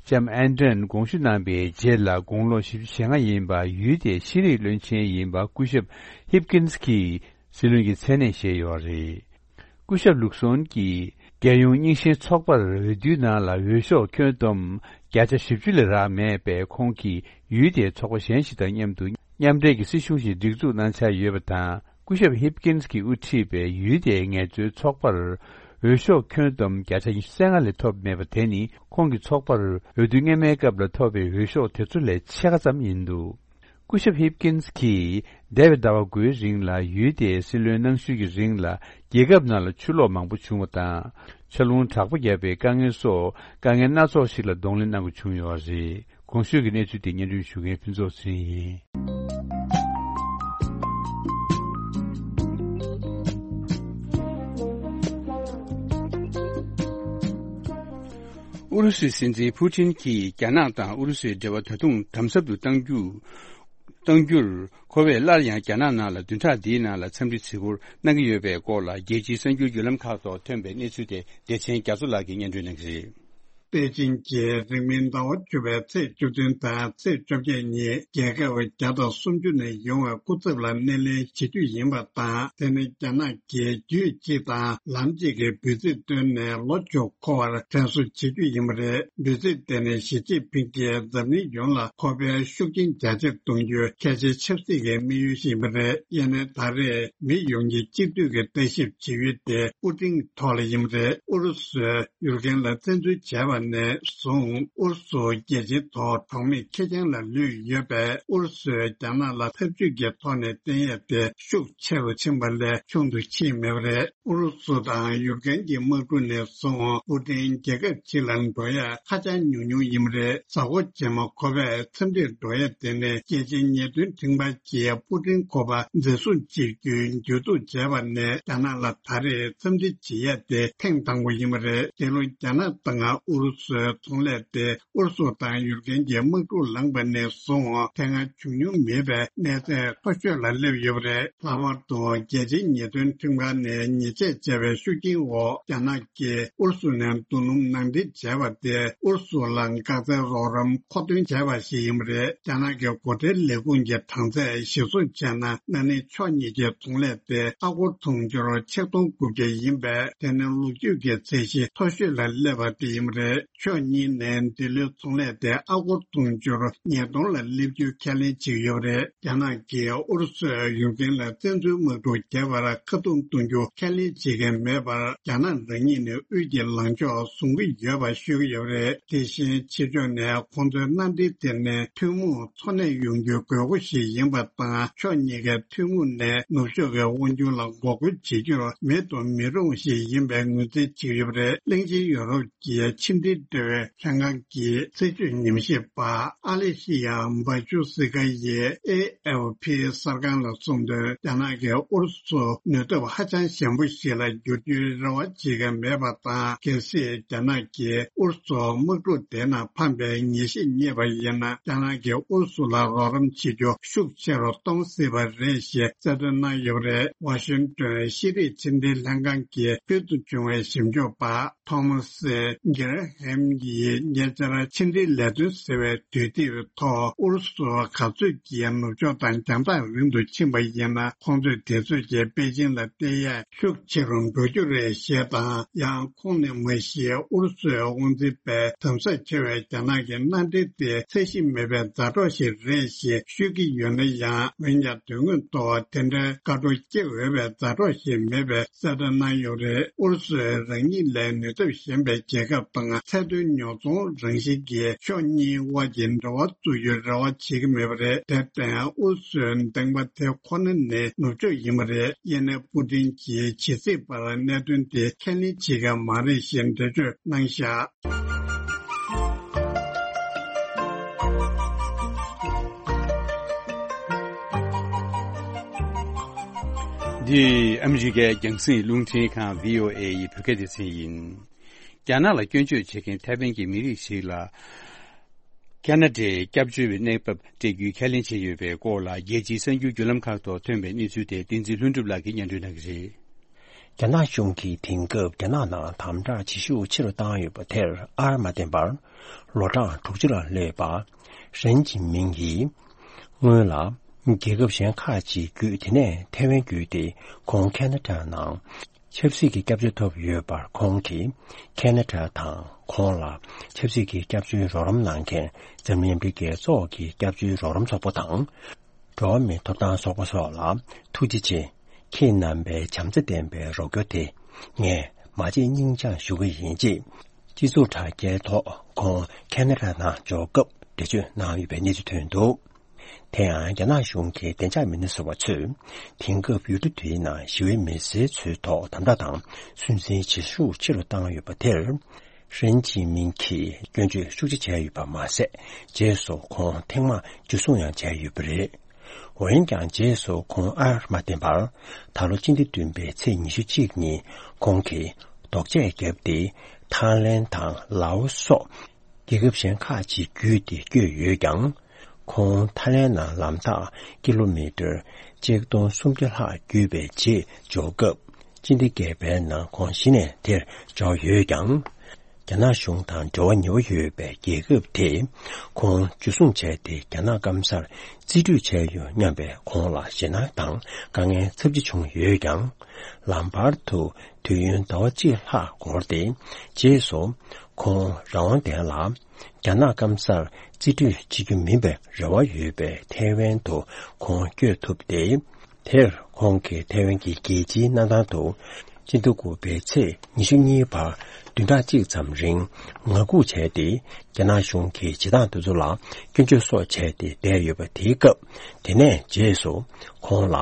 ལྕམ་ཨན་ཏོན་དགོངས་ཞུ་གནང་པའི་རྗེས་ལ། དགུང་ལོ་བཞི་བཅུ་ཞེ་ལྔ་ཡིན་པ། ཡུལ་དེའི་ཤེས་རིག་བློན་ཆེན་ཡིན་པ། སྐུ་ཞབས་ཧིབ་ཀིན་སི་གིས་སྲིད་བློན་གྱི་མཚན་གནས་བཞེས་ཡོད་རེད། སྐུ་ཞབས་ལུག་སོན་གྱིས་རྒྱལ་ཡོངས་རྙིང་ཞེན་ཚོགས་པར་འོས་བསྡུའི་ནང་ལ་འོས་ཤོག་ཁྱོན་བསྡོམས་བརྒྱ་ཆ་བཞི་བཅུ་ལས་རག་མེད་པས། ཁོང་གིས་ཡུལ་དེའི་ཚོགས་པ་གཞན་ཞིག་དང་མཉམ་དུ་མཉམ་འབྲེལ་གྱི་སྲིད་གཞུང་ཞིག་སྒྲིག་འཛུགས་གནང་འཆར་ཡོད་པ་དང་། སྐུ་ཞབས་ཧིབ་ཀིན་སི་གིས་དབུ་ཁྲིད་པའི་ཡུལ་དེའི་ངལ་རྩོལ་ཚོགས་པར་འོས་ཤོག་ཁྱོན་བསྡོམས་བརྒྱ་ཆ་ཉི་ཤུ་རྩ་ལྔ་ལས་ཐོབ་མེད་པ་དེ་ནི། ཁོང་གི་ཚོགས་པར་འོས་བསྡུ་སྔོན་མའི་སྐབས་ལ་ཐོབ་པའི་འོས་ཤོག་དེ་ཚོ་ལས་ཕྱེད་ཀ་ཙམ་ཡིན་འདུག་སྐུ་ཞབས་ཧིབ་ཀིན་སི་གིས་འདས་པའི་ཟླ་བ་དགུའི་རིང་ལ་ཡུལ་དེའི་སྲིད་བློན་གནང་ཤུལ་གྱི་རིང་ལ། རྒྱལ་ཁབ་ནང་ལ་ཆུ་ལོག་མང་པོ་བྱུང་བ་དང་། ཆར་རླུང་དྲག་པོ་བརྒྱབ་པའི་དཀའ་ངལ་སོགས་དཀའ་ངལ་སྣ་ཚོགས་ཤིག་ལ་གདོང་ལེན་གནང་དགོས་བྱུང་ཡོད་རེད། གོང་ཞུས་ཀྱི་གནས་ཚུལ་དེ་སྙན་སྒྲོན་ཞུ་མཁན་ཕུན་ཚོགས་ཚེ་རིང་ཡིན། ཨུ་རུ་སུའི་སྲིད་འཛིན་ཕུ་ཏིན་གྱིས་རྒྱ་ནག་དང་ཨུ་རུ་སུའི་འབྲེལ་བ་ད་དུང་དམ་ཟབ་ཏུ་གཏང་རྒྱུ། གཏང་རྒྱུར་ཁོ་བས་སླར་ཡང་རྒྱ་ནག་ནང་ལ་བདུན་ཕྲག་འདིའི་ནང་ལ་འཚམས་འདྲི་བརྩི་བཀུར་གནང་གི་ཡོད་པའི་སྐོར་ལ། རྒྱལ་སྤྱིའི་གསར་འགྱུར་བརྒྱུད་ལམ་ཁག་ཐོག་ཐོན་པའི་གནས་ཚུལ་དེ་བདེ་ཆེན་རྒྱ་མཚོ་ལགས་ཀྱིས་སྙན་སྒྲོན་གནང་གི་རེད། པེ་ཅིང་གིས་རིང་མིན་ཟླ་བ་བཅུ་པའི་ཚེས་བཅུ་བདུན་དང་ཚེས་བཅོ་བརྒྱད་ཉིན་རྒྱལ་ཁབ་བརྒྱ་དང་སུམ་ཅུ་ནས་ཡོང་བའི་སྐུ་ཚབ་ལ་སྣེ་ལེན་བྱེད་རྒྱུ་ཡིན་པ་དང་། དེ་ནི་རྒྱ་ནག་གིས་རྒྱུད་གཅིག་དང་ལམ་གཅིག་གི་འབོད་ཚིག་བཏོན་ནས་ལོ་བཅུ་འཁོར་བར་དྲན་གསོ་བྱེད་རྒྱུ་ཡིན་པ་རེད། འབོད་ཚིག་དེ་ནི་ཞི་ཅིན་ཕིང་གིས་འཛམ་གླིང་ཡོངས་ལ་ཁོ་པའི་ཤུགས་རྐྱེན་རྒྱ་ཆེར་གཏོང་རྒྱུའི་གལ་ཆེའི་ཆབ་སྲིད་ཀྱི་དམིགས་ཡུལ་ཞིག་ཡིན་པ་རེད། ཡིན་ནའི་ད་རེས་མི་ཡོངས་ཀྱིས་གཅིག་སྡུད་ཀྱི་ལྟ་ཞིབ་བྱེད་ཡུལ་དེ་པུ་ཏིན་ཐོག་ལ་ཡིན་པ་རེད། ཨུ་རུ་སུས་ཡུཀ་རེན་ལ་བཙན་འཛུལ་བྱས་པ་ནས་བཟུང་ཨུ་རུ་སུ་རྒྱལ་སྤྱིའི་ཐོག་གྲོགས་མེད་ཁེར་རྐྱང་ལ་ལུས་ཡོད་པས། ཨུ་རུ་སུས་རྒྱ་ནག་ལ་འཐབ་ཇུས་ཀྱི་ཐོག་ནས་བརྟེན་ཡས་དེ་ཤུགས་ཆེ་རུ་ཕྱིན་པ་ལས་ཆུང་དུ་ཕྱིན་མེད་པ་རེད། ཨུ་རུ་སུ་དང་ཡུཀ་རེན་གྱི་དམག་འཁྲུག་ནས་བཟུང་པུ་ཏིན་རྒྱལ་ཁབ་ཕྱི་ལ་འགྲོ་ཡས་ཧ་ཅང་ཉུང་ཉུང་ཡིན་པ་རེད། གཟའ་འཁོར་རྗེས་མ་ཁོ་པས་འཚམས་འདྲིར་འགྲོ་ཡས་དེ་ནི་རྒྱལ་སྤྱིའི་ཉེས་དོན་ཁྲིམས་ཁང་གིས་པུ་ཏིན་ཁོ་པ་འཛིན་བཟུང་བྱེད་རྒྱུའི་འཇུ་གཏུག་བྱས་པ་ནས་རྒྱ་ནག་ལ་ད་རེས་འཚམས་འདྲི་བྱེད་ཡས་དེ་ཐེངས་དང་པོ་ཡིན་པ་རེད། འདི་ལོ་རྒྱ་ནག་དང་ཨུ་རུ་སུའི་ཚོང་ལས་དེ་ཨུ་རུ་སུ་དང་ཡུཀ་རེན་གྱི་དམག་འཁྲུག་ལངས་པ་ནས་བཟུང་དེ་སྔ་བྱུང་མྱོང་མེད་པའི་གནས་ཚད་མཐོ་ཤོས་ལ་སླེབས་ཡོད་པ་རེད། ལྷག་པར་དུ་རྒྱལ་སྤྱིའི་ཉེས་དོན་ཁྲིམས་ཁང་ནས་ཉེས་ཆད་བཅད་པའི་ཤུགས་རྐྱེན་འོག་རྒྱ་ནག་གིས་ཨུ་རུ་སུ་ནས་རྡོ་སྣུམ་ནང་འདྲེན་བྱས་པ་དེ་ཨུ་རུ་སུ་ལ་འགག་རྩའི་རོགས་རམ་མཁོ་འདོན་བྱས་པ་ཞིག་ཡིན་པ་རེད། རྒྱ་ནག་གི་སྒོ་ཁྲལ་ལས་ཁུངས་ཀྱི་གྲངས་ཚད་གཞིར་བཟུང་བྱས་ན། ན་ནིང་ཕྱོགས་གཉིས་ཀྱི་ཚོང་ལས་དེ་ཨ་སྒོར་དུང་ཕྱུར་ཆིག་སྟོང་དགུ་བརྒྱ་ཡིན་པས། དེ་ནི་ལོ་རྒྱུས་ཀྱི་ཚད་གཞི་མཐོ་ཤོས་ལ་སླེབས་པ་དེ་ཡིན་པ་རེད། ཕྱོགས་གཉིས་ནས་འདི་ལོའི་ཚོང་ལས་དེ་ཨ་སྒོར་དུང་ཕྱུར་ཉིས་སྟོང་ལ་སླེབས་རྒྱུ་ཁས་ལེན་བྱེད་ཀྱི་ཡོད་པ་རེད། རྒྱ་ནག་གིས་ཨུ་རུ་སུས་ཡུཀ་རེན་ལ་བཙན་འཛུལ་དམག་འཁྲུག་བརྒྱབ་པར་ཁ་རྡུང་གཏོང་རྒྱུ་ཁས་ལེན་བྱེད་མཁན་མེད་པར། རྒྱ་ནག་རང་ཉིད་ནས་དབུས་ཀྱི་ལངས་ཕྱོགས་བཟུང་གི་ཡོད་པ་ཤོད་ཀྱི་ཡོད་པ་རེད། དེ་བཞིན་ཕྱི་ཕྱོགས་ནས་ཁོང་ཚོའི་མནའ་འབྲེལ་དེ་ནི་ཐུན་མོང་འཚོ་གནས་ཡོང་རྒྱུའི་དགོས་མཁོ་ཞིག་ཡིན་པ་དང་། ཕྱོགས་གཉིས་ཀའི་ཐུན་མོང་ནས་ནུབ་ཕྱོགས་ཀྱི་དབང་སྒྱུར་ལ་འགོག་རྒོལ་བྱེད་རྒྱུར་མེད་དུ་མི་རུང་ཞིག་ཡིན་པའི་ངོས་འཛིན་བྱེད་ཀྱི་ཡོད་པ་རེད། གླིང་ཆེན་ཡོ་རོབ་ཀྱི་ཕྱི་འབྲེལ་འབྲེལ་བའི་ལྷན་ཁང་གི་སྲིད་བྱུས་ཉམས་ཞིབ་པ་ཨ་ལེ་ཤི་ཡ་བྷ་ཆུ་སི་ཀ་ཡིས་ཨེ་ཨེཕ་ཕི་གསར་ཁང་ལ་གསུངས་དོན། རྒྱ་ནག་གིས་ཨུ་རུ་སུ་ནུས་སྟོབས་ཧ་ཅང་ཞན་པོ་ཞིག་ལ་འགྱུར་རྒྱུའི་རེ་བ་བྱེད་ཀྱི་མེད་པ་དང་། གལ་སྲིད་རྒྱ་ནག་གིས་ཨུ་རུ་སུ་དམག་འཁྲུག་དེ་ནང་ཕམ་པའི་ངེས་ཤེས་རྙེད་པ་ཡིན་ན། རྒྱ་ནག་གིས་ཨུ་རུ་སུ་ལ་རོགས་རམ་བྱེད་རྒྱུ་ཤུགས་ཆེ་རུ་གཏོང་སྲིད་པ་རེད་ཞེས་གསལ་སྟོན་གནང་ཡོད་པ་རེད། ཝ་ཤིང་ཏོན་ཤེས་རིག་ཕྱི་འབྲེལ་ལྷན་ཁང་གི་ཕུལ་དུ་བྱུང་བའི་ཞིབ་འཇུག་པ་ཐོ་མ་སི་གྷེར་ཧེམ་གྱིས་ཉེ་ཆར་ཕྱི་འབྲེལ་ལས་དོན་ཟེར་བའི་དུས་དེབ་ཐོག་ཨུ་རུ་སུ་ག་ཚོད་ཀྱིས་ནུབ་ཕྱོགས་དང་རྒྱང་ཐག་རིང་དུ་ཕྱིན་པ་ཡིན་ན། ཁོང་ཚོས་དེ་ཚོད་ཀྱིས་པེ་ཅིང་ལ་བལྟ་ཡས་ཤུགས་ཆེ་རུ་འགྲོ་རྒྱུ་རེད་ཞེས་དང་། ཡང་ཁོང་ནས་མ་གཞི་ཨུ་རུ་སུའི་དབང་འཛིན་པས་དམ་ཟབ་ཆེ་བའི་རྒྱ་ནག་གི་མནའ་འབྲེལ་དེ་ཚད་གཞི་མེད་པའི་མཛའ་གྲོགས་ཤིག་རེད་ཞེས་ཤོད་ཀྱི་ཡོད་ན་ཡང་། འོན་ཀྱང་དོན་དངོས་ཐོག་དེ་འདྲའི་བཀའ་བྲོ་སྐྱེ་འོས་པའི་མཛའ་གྲོགས་ཤིག་མེད་པའི་གསལ་སྟོན་གནང་ཡོད་རེད། ཨུ་རུ་སུས་རང་ཉིད་ལས་ནུས་སྟོབས་ཞན་པའི་རྒྱལ་ཁབ་དང་ཚད་མཐོའི་ཉོ་ཚོང་རང་བཞིན་གྱིས་ཕྱོགས་གཉིས་དབར་གྱི་འབྲེལ་བ་བཙུགས་རྒྱུའི་རེ་བ་བྱེད་ཀྱི་མེད་པ་རེད། དེར་བརྟེན་ཨུ་རུ་སུའི་འདེང་པ་དེ་ཁོ་ན་ནི་ནུབ་ཕྱོགས་ཡིན་པ་རེད། ཡིན་ནའི་པུ་ཏིན་གྱིས་ཇི་སྲིད་བར་གནད་དོན་དེ་ཁས་ལེན་བྱེད་མཁན་མ་རེད་ཞེས་འགྲེལ་བརྗོད་གནང་བཞག་འདི་ཨ་མི་རི་ཀའི་རྒྱང་སྲིང་རླུང་འཕྲིན་ཁང་བྷི་ཨོ་ཨེ་ཡི་བོད་སྐད་སྡེ་ཚན་ཡིན། རྒྱ་ནག་ལ་སྐྱོན་བརྗོད་བྱེད་མཁན་ཐའེ་ཝན་གྱི་མི་རིགས་ཤིག་ལ་ཁ་ན་ཌའི་སྐྱབས་བཅོལ་བའི་གནས་བབ་སྤྲད་རྒྱུའི་ཁས་ལེན་བྱས་ཡོད་པའི་སྐོར་ལ། རྒྱལ་སྤྱིའི་གསར་འགྱུར་བརྒྱུད་ལམ་ཁག་ཐོག་ཐོན་པའི་གནས་ཚུལ་དེ་བསྟན་འཛིན་ལྷུན་གྲུབ་ལགས་ཀྱིས་སྙན་སྒྲོན་གནང་གི་རེད། རྒྱ་ནག་གཞུང་གིས་དེང་སྐབས་རྒྱ་ནག་ནང་དམ་དྲག་བྱེད་ཤུགས་ཆེ་རུ་བཏང་ཡོད་པ་དེར་ཨར་མ་བརྟེན་པར། ལོ་གྲངས་དྲུག་ཅུ་ལ་སླེབས་པ་ཧྲེན་ཅིན་མིང་གིས་སྔོན་ལ་རྒྱལ་ཁབ་གཞན་ཁག་ཅིག་བརྒྱུད། དེ་ནས་ཐའེ་ཝན་བརྒྱུད་དེ་ཁོང་ཁ་ན་ཌ་ནང་ཆབ་སྲིད་ཀྱི་སྐྱབས་བཅོལ་ཐོབ་ཡོད་པར། ཁོང་གིས་ཁ་ན་ཌ་དང་ཁོང་ལ་ཆབ་སྲིད་ཀྱི་སྐྱབས་བཅོལ་རོགས་རམ་གནང་མཁན་འཛམ་གླིང་ཨ་མི་རི་ཀའི་ཨ་མི་རི་ཀའི་ཚོགས་ཀྱི་སྐྱབས་བཅོལ་རོགས་རམ་ཚོགས་པ་དང་། འགྲོ་བ་མིའི་ཐོབ་ཐང་ཚོགས་པ་སོགས་ལ་ཐུགས་རྗེ་ཆེ། ཁྱེད་རྣམ་པའི་བྱམས་བརྩེ་ལྡན་པའི་རོགས་སྐྱོར་དེ་ངས་མ་བརྗེད་སྙིང་བཅངས་ཞུ་གི་ཡིན། ཅེས་སྤྱི་ཚོགས་དྲ་རྒྱའི་ཐོག་ཁོང་ཁ་ན་ཌ་ནང་འབྱོར་སྐབས་འགྲེལ་བརྗོད་གནང་ཡོད་པའི་གནས་ཚུལ་ཐོན་འདུག་དེ་ཡང་རྒྱ་ནག་གཞུང་གི་བདེ་འཇགས་མི་སྣ་ཟུར་པ་ཚོས་དེང་སྐབས་ཡུལ་གྲུ་དེའི་ནང་ཞི་བའི་མི་སེར་ཚོའི་ཐོག་དམ་དྲག་དང་སུན་གཙེར་བྱེད་ཤུགས་ཆེ་རུ་བཏང་ཡོད་པ་དེར། ཧྲེན་ཅིན་མིང་གིས་སྐྱོན་བརྗོད་ཤུགས་ཆེ་བྱས་ཡོད་པ་མ་ཟད། རྗེས་སུ་ཁོང་ཐེངས་མང་འཇུ་བཟུང་ཡང་བྱས་ཡོད་པ་རེད། འོན་ཀྱང་རྗེས་སུ་ཁོང་ཨར་མ་བརྟེན་པར། ད་ལོ་སྤྱི་ཟླ་བདུན་པའི་ཚེས་ཉི་ཤུ་གཅིག་ཉིན་ཁོང་གིས་ལྡོག་ཆས་བརྒྱབ་སྟེ། ཐའི་ལན་དང་ལའོ་སོགས་རྒྱལ་ཁབ་གཞན་ཁག་ཅིག་བརྒྱུད་དེ་བསྐྱོད་ཡོད་ཀྱང་། ཁོང་ཐའི་ལན་ནང་ལམ་ཐག་ཀི་ལོ་མི་ཊར་ཆིག་སྟོང་སུམ་བརྒྱ་ལྷག་བརྒྱུད་པའི་རྗེས་འབྱོར་སྐབས། སྤྱི་ཟླ་བརྒྱད་པའི་ནང་ཁོང་གཞི་ནས་དེར་འབྱོར་ཡོད་ཀྱང་། རྒྱ་ནག་གཞུང་དང་འབྲེལ་བ་ཉེ་བོ་ཡོད་པའི་རྒྱལ་ཁབ་དེས་ཁོང་འཇུ་བཟུང་བྱས་ཏེ། རྒྱ་ནག་སྐམ་སར་རྩིས་སྤྲོད་བྱས་ཡོད་སྙམ་པའི་ཁོང་ལ་ཞེད་སྣང་དང་དཀའ་ངལ་ཚབས་ཆེ་བྱུང་ཡོད་ཀྱང་། ལམ་བར་དུ་དུས་ཡུན་ཟླ་བ་གཅིག་ལྷག་འགོར་ཏེ། རྗེས་སུ་ཁོང་རང་དབང་ལྡན་ལ་རྒྱ་ནག་སྐམ་སར་རྩིས་སྤྲོད་བྱེད་རྒྱུ་མིན་པའི་རེ་བ་ཡོད་པའི་ཐའེ་ཝན་དུ་ཁོང་བསྐྱོད་ཐུབ་སྟེ། དེར་ཁོང་གིས་ཐའེ་ཝན་གྱི་རྒྱལ་སྤྱིའི་གནས་སྟངས་ཐོག་སྤྱི་ཟླ་དགུ་པའི་ཚེས་ཉི་ཤུ་གཉིས་བར་བདུན་ཕྲག་གཅིག་ཙམ་རིང་ངང་སྒུག་བྱས་ཏེ། རྒྱ་ནག་གཞུང་གིས་བྱེད་སྟངས་དེ་ཚོ་ལ་སྐྱོན་བརྗོད་སོགས་བྱས་ཏེ་བསྡད་ཡོད་པ་དེའི་སྐབས། དེ་ནས་རྗེས་སུ་ཁོང་ལ་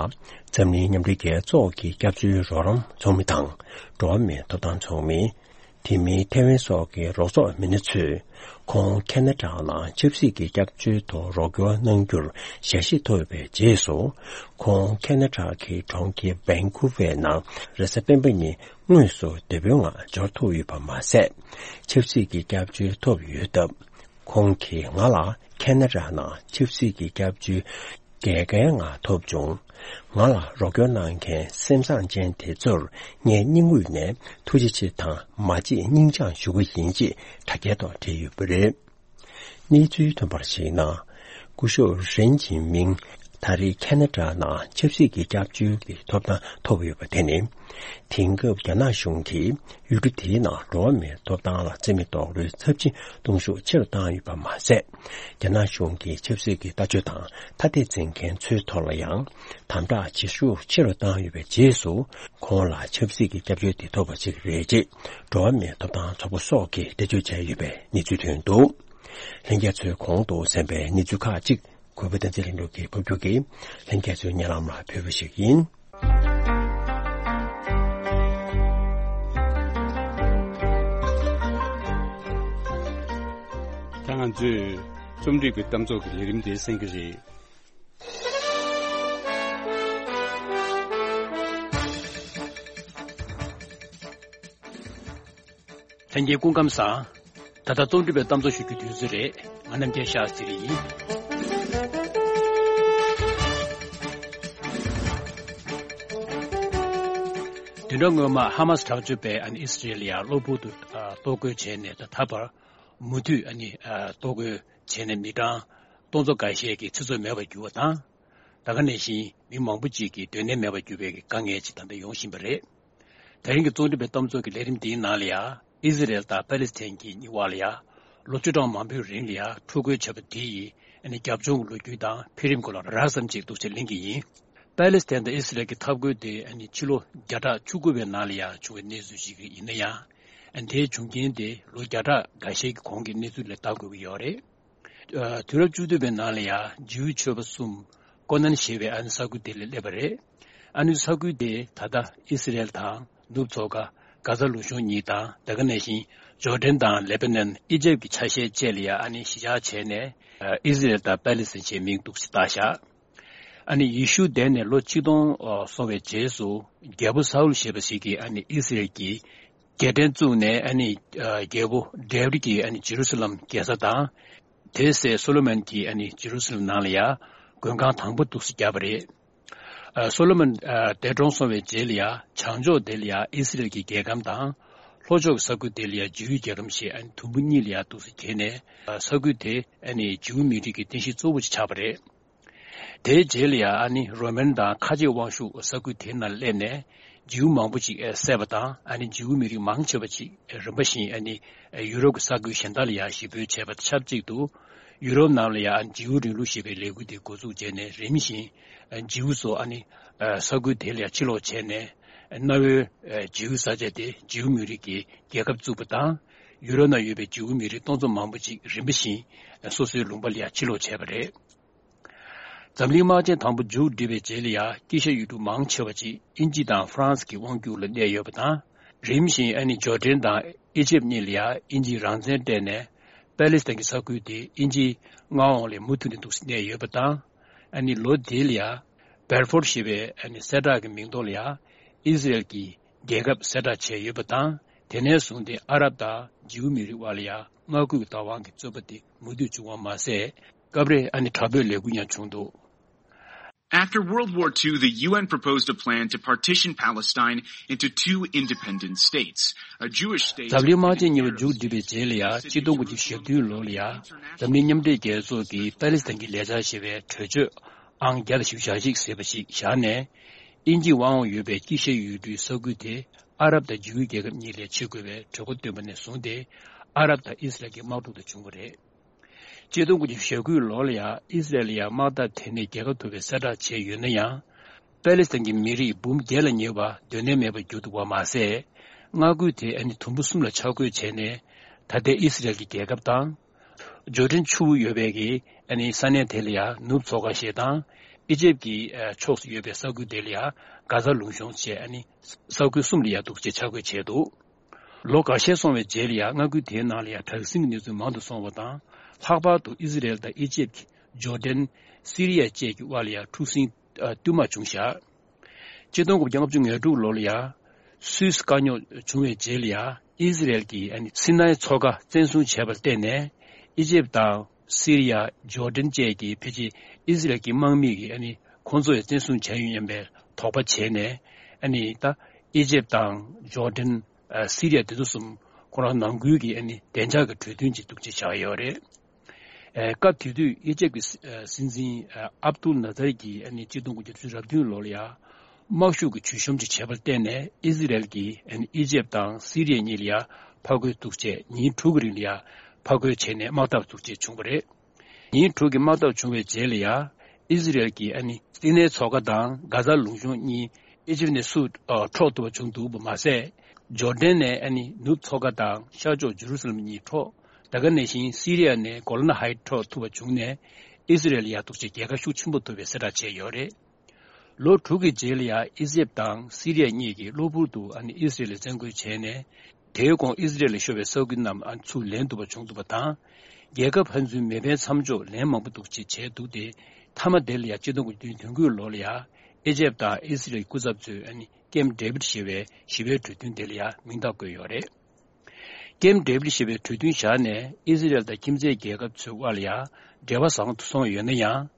འཛམ་གླིང་མཉམ་འབྲེལ་རྒྱལ་ཚོགས་ཀྱི་སྐྱབས་བཅོལ་རོགས་རམ་ཚོགས་མི་དང་། འགྲོ་བ་མིའི་ཐོབ་ཐང་ཚོགས་མི། དེ་མིན་ཐའེ་ཝན་སོགས་ཀྱི་རོགས་ཚོགས་མི་སྣ་ཚོས་ཁོང་ཁེ་ན་ཌ་ནང་ཆབ་སྲིད་ཀྱི་སྐྱབས་བཅོལ་དུ་རོགས་སྐྱོར་གནང་རྒྱུར་ཞལ་བཞེས་ཐོབ་པའི་རྗེས་སུ། ཁོང་ཁེ་ན་ཌ་གི་གྲོང་ཁྱེར་བན་ཀུ་ཝེ་ནང་རེས་གཟའ་སྤེན་པ་ཉིན་དངོས་སུ་བདེ་པོའི་ངང་འབྱོར་ཐུབ་ཡོད་པ་མ་ཟད། ཆབ་སྲིད་ཀྱི་སྐྱབས་བཅོལ་ཐོབ་ཡོད་སྟབས། ཁོང་གིས་ང་ལ་ཁེ་ན་ཌ་ནང་ཆབ་སྲིད་ཀྱི་སྐྱབས་བཅོལ་དགེ་རྒན་ང་ཐོབ་བྱུང་། ང་ལ་རོགས་སྐྱོར་གནང་མཁན་སེམས་བཟང་ཅན་དེ་ཚོར་ངས་སྙིང་དབུས་ནས་ཐུགས་རྗེ་ཆེ་དང་མ་བརྗེད་སྙིང་བཅངས་ཞུ་གི་ཡིན་ཅེས་དྲ་རྒྱའི་ཐོག་བྲིས་ཡོད་པ་རེད། གནས་ཚུལ་ཐོན་པར་གཞིགས་ན། སྐུ་ཞབས་རེན་ཅིན་མིང་ད་རེས་ཁེ་ན་ཌ་ནང་ཆབ་སྲིད་ཀྱི་སྐྱབས་བཅོལ་གྱི་ཐོབ་ཐང་ཐོབ་ཡོད་པ་དེ་ནི། དེང་སྐབས་རྒྱ་ནག་གཞུང་གིས་ཡུལ་གྲུ་དེའི་ནང་འགྲོ་བ་མིའི་ཐོབ་ཐང་ལ་བརྩི་མེད་རྡོག་རོལ་ཚབས་ཆེན་གཏོང་ཤུགས་ཆེ་རུ་བཏང་ཡོད་པ་མ་ཟད། རྒྱ་ནག་གཞུང་གིས་ཆབ་སྲིད་ཀྱི་ལྟ་སྤྱོད་དང་ཐ་དད་འཛིན་མཁན་ཚོའི་ཐོག་ལ་ཡང་དམ་དྲག་བྱེད་ཤུགས་ཆེ་རུ་བཏང་ཡོད་པའི་རྗེས་སུ། ཁོང་ལ་ཆབ་སྲིད་ཀྱི་སྐྱབས་བཅོལ་དེ་ཐོབ་པ་ཞིག་རེད་ཅེས་འགྲོ་བ་མིའི་ཐོབ་ཐང་ཚོགས་པ་སོགས་ཀྱིས་འགྲེལ་བརྗོད་བྱས་ཡོད་པའི་གནས་ཚུལ་ཐོན་འདུག་ལྷན་རྒྱས་ཚོས་གོང་དུ་གསན་པའི་གནས་ཚུལ་ཁག་ཅིག་གུས་པ་བསྟན་འཛིན་ལྷུན་གྲུབ་ཀྱིས་ཕབ་སྒྱུར་གྱིས་ལྷན་རྒྱས་ཚོའི་སྙན་ལམ་ལ་ཕུལ་བ་ཞིག་ཡིན། ད་ང་ཚོས་རྩོམ་སྒྲིག་པའི་གཏམ་ཚོགས་ཀྱི་ལས་རིམ་དེ་གསན་གྱི་རེད། ལྷན་རྒྱས་སྐུ་ཁམས་བཟང་། ད་ལྟ་རྩོམ་སྒྲིག་པའི་གཏམ་ཚོགས་ཞུ་རྒྱུའི་དུས་ཚོད་རེད། ང་རྣམ་རྒྱལ་ཤཱ་སྟྲི་ཡིན། བདུན་ཕྲག་སྔོན་མ་ཧ་མ་སི་དྲག་སྤྱོད་པས་ཨ་ནི་ཨི་སི་རེལ་ཡ་གློ་བུར་དུ་ཨ་གཏོར་རྒོལ་བྱས་ནས། ད་ད་བར་མུ་མཐུད་ཨ་ནི་ཨ་གཏོར་རྒོལ་བྱས་ནས་མི་གྲངས་སྟོང་ཚོ་འགའ་ཤས་ཀྱི་ཚེ་སྲོག་མེད་པར་གྱུར་བ་དང་། ད་ག་ནང་བཞིན་མི་མང་པོ་ཅིག་གི་སྡོད་གནས་མེད་པར་གྱུར་བའི་དཀའ་ངལ་ཅིག་ད་ལྟ་ཡོང་བཞིན་པ་རེད། ད་རིང་གི་རྩོམ་སྒྲིག་པའི་གཏམ་ཚོགས་ཀྱི་ལས་རིམ་འདིའི་ནང་ལ་ཡང་ཨི་ཟི་རེལ་དང་པ་ལི་སི་ཐན་གྱི་གཉིས་བར་ལ་ཡང་ལོ་བཅུ་གྲངས་མང་པོའི་རིང་ལ་ཡང་འཁྲུག་རྒོལ་བྱས་པ་དེ་ཡི་ཨ་ནི་རྒྱབ་ལྗོངས་ཀྱི་ལོ་རྒྱུས་དང་འཕེལ་རིམ་སྐོར་ལ་རགས་ཙམ་ཅིག་འདུག་སེ་གླེང་གི་ཡིན། པ་ལི་སི་ཐན་དང་ཨི་ཟི་རེལ་གྱི་འཐབ་རྒོལ་དེ་ཨ་ནི་ཕྱི་ལོ་བརྒྱ་ཕྲག་བཅུ་དགུ་པའི་ནང་ལ་ཡང་བྱུང་བའི་གནས་ཚུལ་ཞིག་ཡིན་ན་ཡང་། ཨ་ནི་དེའི་བྱུང་རྐྱེན་དེ་ལོ་བརྒྱ་ཕྲག་འགའ་ཤས་ཀྱི་གོང་གི་གནས་ཚུལ་ལ་ལྟ་དགོས་ཀྱི་ཡོད་རེད། ཨ། དུས་རབས་བཅུ་བདུན་པའི་ནང་ལ་ཡང་ཇིའུ་ཆོས་པ་གསུམ་ཀོ་ནན་ཞེས་པའི་ཨ་ནི་ས་ཁུལ་དེ་ལ་སླེབས་པ་རེད། ཨ་ནི་ས་ཁུལ་དེ་ད་ལྟ་ཨི་སི་རེལ་དང་ནུབ་མཚོ་ཁ་གྷ་ཛ་ལུང་གཤོང་གཉིས་དང་། ད་ག་ནང་བཞིན་ཇོར་ཌན་དང་ལེ་པ་ནན། ཨི་ཇེབ་ཀྱི་ཆ་ཤས་བཅས་ལ་ཡང་ཨ་ནི་གཞིས་ཆགས་བྱས་ནས། ཨ། ཨི་སི་རེལ་དང་པ་ལི་སི་ཐན་ཞེས་མིང་འདུག་སེ་བཏགས་བཞག་ཨ་ནི་ཡེ་ཤུ་འདས་ནས་ལོ་ཆིག་སྟོང་སོང་བའི་རྗེས་སུ། རྒྱལ་པོ་ས་ཨུལ་ཞེས་པ་ཞིག་གིས་ཨ་ནི་ཨི་སི་རེལ་གྱི་རྒྱལ་ཕྲན་བཙུགས་ནས། ཨ་ནི་ཨ་རྒྱལ་པོ་དཱ་བིད་ཀྱིས་ཨ་ནི་ཇེ་རུ་སི་ལམ་རྒྱལ་ས་དང་། དེའི་སྲས་སོ་ལོ་མོན་གྱིས་ཨ་ནི་ཇེ་རུ་སི་ལམ་ནང་ལ་ཡང་མགོན་ཁང་དང་པོ་འདུག་སེ་བརྒྱབ་པ་རེད། ཨ། སོ་ལོ་མོན་ཨ་འདས་གྲོངས་སོང་བའི་རྗེས་ལ་ཡང་བྱང་ཕྱོགས་དེ་ལ་ཡང་ཨི་སི་རེལ་གྱི་རྒྱལ་ཁམས་དང་། ལྷོ་ཕྱོགས་ཀྱི་ས་ཁུལ་དེ་ལ་ཡང་ཇིའུ་རྒྱལ་ཁམས་ཞེས་ཨ་ནི་དུམ་བུ་གཉིས་ལ་ཡང་འདུག་སེ་གྱེས་ནས། ཨ། ས་ཁུལ་དེ་ཨ་ནི་ཇིའུ་མི་རིགས་ཀྱི་རྟེན་གཞི་གཙོ་བོ་ཞིག་ཆགས་པ་རེད། དེའི་རྗེས་ལ་ཡང་ཨ་ནི་རོ་མན་དང་ཁ་ཆེ་དབང་ཤུགས་ས་ཁུལ་དེའི་ནང་སླེབས་ནས་ཇིའུ་མང་པོ་ཅིག་བསད་པ་དང་། ཨ་ནི་ཇིའུ་མི་རིགས་མང་ཆེ་བ་ཅིག་རིམ་པ་བཞིན་ཨ་ནི་ཡུ་རོབ་ཀྱི་ས་ཁུལ་གཞན་དག་ལ་ཡང་ཞི་རྒོལ་བྱས་པ་དང་ཆབས་ཅིག་ཏུ། ཡུ་རོབ་ནང་ལ་ཡང་ཇིའུ་རིང་ལུགས་ཞེས་པའི་ལས་འགུལ་དེ་འགོ་འཛུགས་བྱས་ནས། རིམ་བཞིན་ཇིའུ་ཚོ་ཨ་ནི་ས་ཁུལ་དེ་ལ་ཡང་ཕྱིར་ལོག་བྱས་ནས། གནའ་བོའི་ཇིའུ་ས་ཆ་དེ་ཇིའུ་མི་རིགས་ཀྱི་རྒྱལ་ཁབ་བཙུགས་པ་དང་། ཡུ་རོབ་ནང་ཡོད་པའི་ཇིའུ་མི་རིགས་སྟོང་ཚོ་མང་པོ་ཅིག་རིམ་པ་བཞིན་སོ་སོའི་ལུང་པ་ལ་ཡང་ཕྱིར་ལོག་བྱས་པ་རེད། འཛམ་གླིང་དམག་ཆེན་དང་པོ་མཇུག་བསྒྲིལ་བའི་རྗེས་ལ་ཡང་དཀྱིལ་ཤར་ཡུལ་གྲུ་མང་ཆེ་བ་ཅིག་དབྱིན་ཇི་དང་ཧྥ་རན་སི་གི་དབང་སྒྱུར་ལ་གནས་ཡོད་པ་དང་། རིམ་བཞིན་ཨ་ནི་ཇོར་ཌན་དང་ཨི་ཇེབ་གཉིས་ལ་ཡང་དབྱིན་ཇིས་རང་བཙན་སྤྲད་ནས། པ་ལི་སི་ཐན་གྱི་ས་ཁུལ་དེ་དབྱིན་ཇིའི་མངའ་འོག་ལ་མུ་མཐུད་ནས་འདུག་སེ་གནས་ཡོད་པ་དང་། ཨ་ནི་ལོ་དེ་ལ་ཡང་བེལ་ཧྥོར་ཞེས་པའི་ཨ་ནི་གསལ་བསྒྲགས་ཀྱི་མིང་ཐོག་ལ་ཡང་ཨི་སི་རེལ་གྱི་རྒྱལ་ཁབ་གསལ་བསྒྲགས་བྱས་ཡོད་པ་དང་། དེ་ནས་བཟུང་སྟེ་ཨ་རབ་དང་ཇིའུ་མི་རིགས་དབར་ལ་ཡང་མངའ་ཁུལ་གྱི་བདག་དབང་གི་རྩོད་པ་དེ་མུ་མཐུད་བྱུང་བ་མ་ཟད། སྐབས་རེ་ཨ་ནི་དྲག་པོའི་ལས་འགུལ་ཡང་བྱུང་འདུག། After World War Two, the U N proposed a plan to partition Palestine into two independent states, a Jewish state. འཛམ་གླིང་དམག་ཆེན་གཉིས་པ་མཇུག་བསྒྲིལ་བའི་རྗེས་ལ་ཡང་ཆིག་སྟོང་དགུ་བརྒྱ་ཞེ་བདུན་ལོ་ལ་ཡང་འཛམ་གླིང་མཉམ་འབྲེལ་རྒྱལ་ཚོགས་ཀྱིས་པ་ལི་སི་ཐན་གྱི་ལས་འཆར་ཞེས་པའི་གྲོས་ཆོད་ཨང་བརྒྱ་དང་བཞི་བཅུ་ཞེ་གཅིག་ཟེར་བ་ཞིག་བཞག་ནས། དབྱིན་ཇིའི་དབང་འོག་ཡོད་པའི་དཀྱིལ་ཤར་ཡུལ་གྲུའི་ས་ཁུལ་དེ་ཨ་རབ་དང་ཇིའུ་རྒྱལ་ཁབ་གཉིས་ལ་ཕྱེ་དགོས་པའི་གྲོས་འགོ་བཏོན་པ་ནས་བཟུང་སྟེ། ཨ་རབ་དང་ཨི་སི་རལ་གྱི་དམག་འཁྲུག་དེ་བྱུང་བ་རེད། ཆིག་སྟོང་དགུ་བརྒྱ་ཞེ་དགུ་ལོ་ལ་ཡང་ཨི་སི་རལ་ལ་ཡང་དམག་འཐབ་དེ་ནས་རྒྱལ་ཁ་ཐོབ་པའི་གསལ་བསྒྲགས་བྱས་ཡོད་ན་ཡང་། པ་ལི་སི་ཐན་གྱི་མི་རིགས་འབུམ་བརྒྱད་ལ་ཉེ་བ་སྡོད་གནས་མེད་པར་གྱུར་འདུག་པ་མ་ཟད། མངའ་ཁུལ་དེ་ཨ་ནི་དུམ་བུ་གསུམ་ལ་ཆ་བགོས་བྱས་ནས། ད་ལྟའི་ཨི་སི་རལ་གྱི་རྒྱལ་ཁབ་དང་། ཇོར་ཌན་ཆུ་བོ་ཡོད་པའི་གི་ཨ་ནི་ས་གནས་དེ་ལ་ཡང་ནུབ་མཚོ་ཁ་ཞེས་དང་། ཨི་ཇེབ་ཀྱི་ཕྱོགས་སུ་ཡོད་པའི་ས་ཁུལ་དེ་ལ་ཡང་གྷ་ཛ་ལུང་གཤོང་ཞེས་ཨ་ནི་ས་ཁུལ་གསུམ་ལ་ཡང་འདུག་ཅེས་ཆ་བགོས་བྱས་འདུག། ལོ་འགའ་ཤས་སོང་བའི་རྗེས་ལ་ཡང་མངའ་ཁུལ་དེའི་ནང་ལ་ཡང་དྲག་ཟིང་གི་གནས་ཚུལ་མང་དུ་སོང་བ་དང་། ལྷག་པར་དུ་ཨི་ཟི་རེལ་དང་ཨི་ཇེབ་ཀྱི་ཇོར་ཌན། སི་རི་ཡ་བཅས་ཀྱི་དབར་ལ་ཡང་འཁྲུག་ཟིང་ཨ་བསྟུད་མར་བྱུང་བཞག། ཆིག་སྟོང་དགུ་བརྒྱ་ལྔ་བཅུ་ང་དྲུག་ལོ་ལ་ཡང་སུད་སི་དཀའ་རྙོག་བྱུང་བའི་རྗེས་ལ་ཡང་ཨི་ཟི་རེལ་གྱིས་ཨ་ནི་སི་ནའི་མཚོ་ཁ་བཙན་བཟུང་བྱས་པར་བརྟེན་ནས། ཨི་ཇེབ་དང་སི་རི་ཡ། ཇོར་ཌན་བཅས་ཀྱིས་ཕལ་ཆེར་ཨི་ཟི་རེལ་གྱི་དམག་མི་གིས་ཨ་ནི་ཁོང་ཚོ་ཡང་བཙན་བཟུང་བྱས་ཡོད་སྙམ་པའི་དོགས་པ་བྱས་ནས། ཨ་ནི་ད་ཨི་ཇེབ་དང་ཇོར་ཌན། ཨ་སི་རི་ཡ་དེ་ཚོ་གསུམ་ཁོ་རང་ནང་ཁུལ་གྱི་ཨ་ནི་བདེ་འཇགས་ཀྱི་གྲོས་མཐུན་ཅིག་འདུག་ཅེས་བཞག་ཡོད་རེད། ཨ་སྐབས་དེ་དུས་ཨི་ཇེབ་ཀྱི་སྲིད་འཛིན་ཨ་ཨབ་ཏུལ་ནཱ་ཛར་གྱིས་ཨ་ནི་ཆིག་སྟོང་དགུ་བརྒྱ་དྲུག་ཅུ་རེ་བདུན་ལོ་ལ་ཡང་དམག་ཤུགས་ཀྱི་བྱུས་གཤོམ་ཅིག་བྱས་པར་བརྟེན་ནས། ཨི་ཟི་རེལ་གྱིས་ཨ་ནི་ཨི་ཇེབ་དང་སི་རི་ཡ་གཉིས་ལ་ཡང་ཕར་རྒོལ་འདུག་ཅེས། ཉིན་དྲུག་གི་རིང་ལ་ཡང་ཕར་རྒོལ་བྱས་ནས་དམག་འཐབ་འདུག་ཅེས་བྱུང་བ་རེད། ཉིན་དྲུག་གི་དམག་འཐབ་བྱུང་བའི་རྗེས་ལ་ཡང་ཨི་ཟི་རེལ་གྱིས་ཨ་ནི་སི་ནའི་མཚོ་ཁ་དང་གྷ་ཛ་ལུང་གཤོང་གཉིས་ཨི་ཇིབ་ནས་སུ་ཨ་འཕྲོག་ཐུབ་པ་བྱུང་འདུག་པ་མ་ཟད། ཇོར་ཌན་ནས་ཨ་ནི་ནུབ་མཚོ་ཁ་དང་ཤར་ཕྱོགས་ཇེ་རུ་སཱ་ལམ་གཉིས་འཕྲོག། ད་ག་ནང་བཞིན་སི་རི་ཡ་ནས་གོ་ལན་ཧའི་ཊི་འཕྲོག་ཐུབ་པ་བྱུང་ནས། ཨི་ཟི་རེལ་ཡ་འདུག་ཅེས་རྒྱལ་ཁ་ཤུགས་ཆེན་པོ་ཐོབ་པའི་གསལ་བསྒྲགས་བྱས་ཡོད་རེད། ལོ་དྲུག་གི་རྗེས་ལ་ཡང་ཨི་ཇེབ་དང་སི་རི་ཡ་གཉིས་ཀྱིས་གློ་བུར་དུ་ཨ་ནི་ཨི་སི་རེལ་ལ་བཙན་རྒོལ་བྱས་ནས། དེའི་གོང་ཨི་སི་རེལ་ལ་ཤོར་བའི་ས་ཁུལ་རྣམས་ཨ་ནི་ཚུར་ལེན་ཐུབ་པ་བྱུང་འདུག་པ་དང་། རྒྱལ་ཁབ་ཕན་ཚུན་མེད་པའི་མཚམས་འཇོག་ལན་མང་པོ་འདུག་ཅེས་བྱས་འདུག་སྟེ། མཐའ་མ་དེ་ལ་ཡང་ཆིག་སྟོང་དགུ་བརྒྱ་དོན་དགུ་ལོ་ལ་ཡང་ཨི་ཇེབ་དང་ཨི་སི་རེལ་སྐུ་ཚབ་ཚོས་ཨ་ནི་ཀེམ་ཌེ་བིད་ཞེས་པའི་ཞི་བའི་གྲོས་མཐུན་དེ་ལ་ཡང་མིང་རྟགས་བཀོད་ཡོད་རེད། ཀེམ་ཌེ་བིད་ཞེས་པའི་གྲོས་མཐུན་བཞག་ནས་ཨི་སི་རེལ་དང་ཁྱིམ་མཚེས་རྒྱལ་ཁབ་ཚོའི་དབར་ལ་ཡང་འབྲེལ་བ་བཟང་དུ་སོང་ཡོད་ན་ཡང་།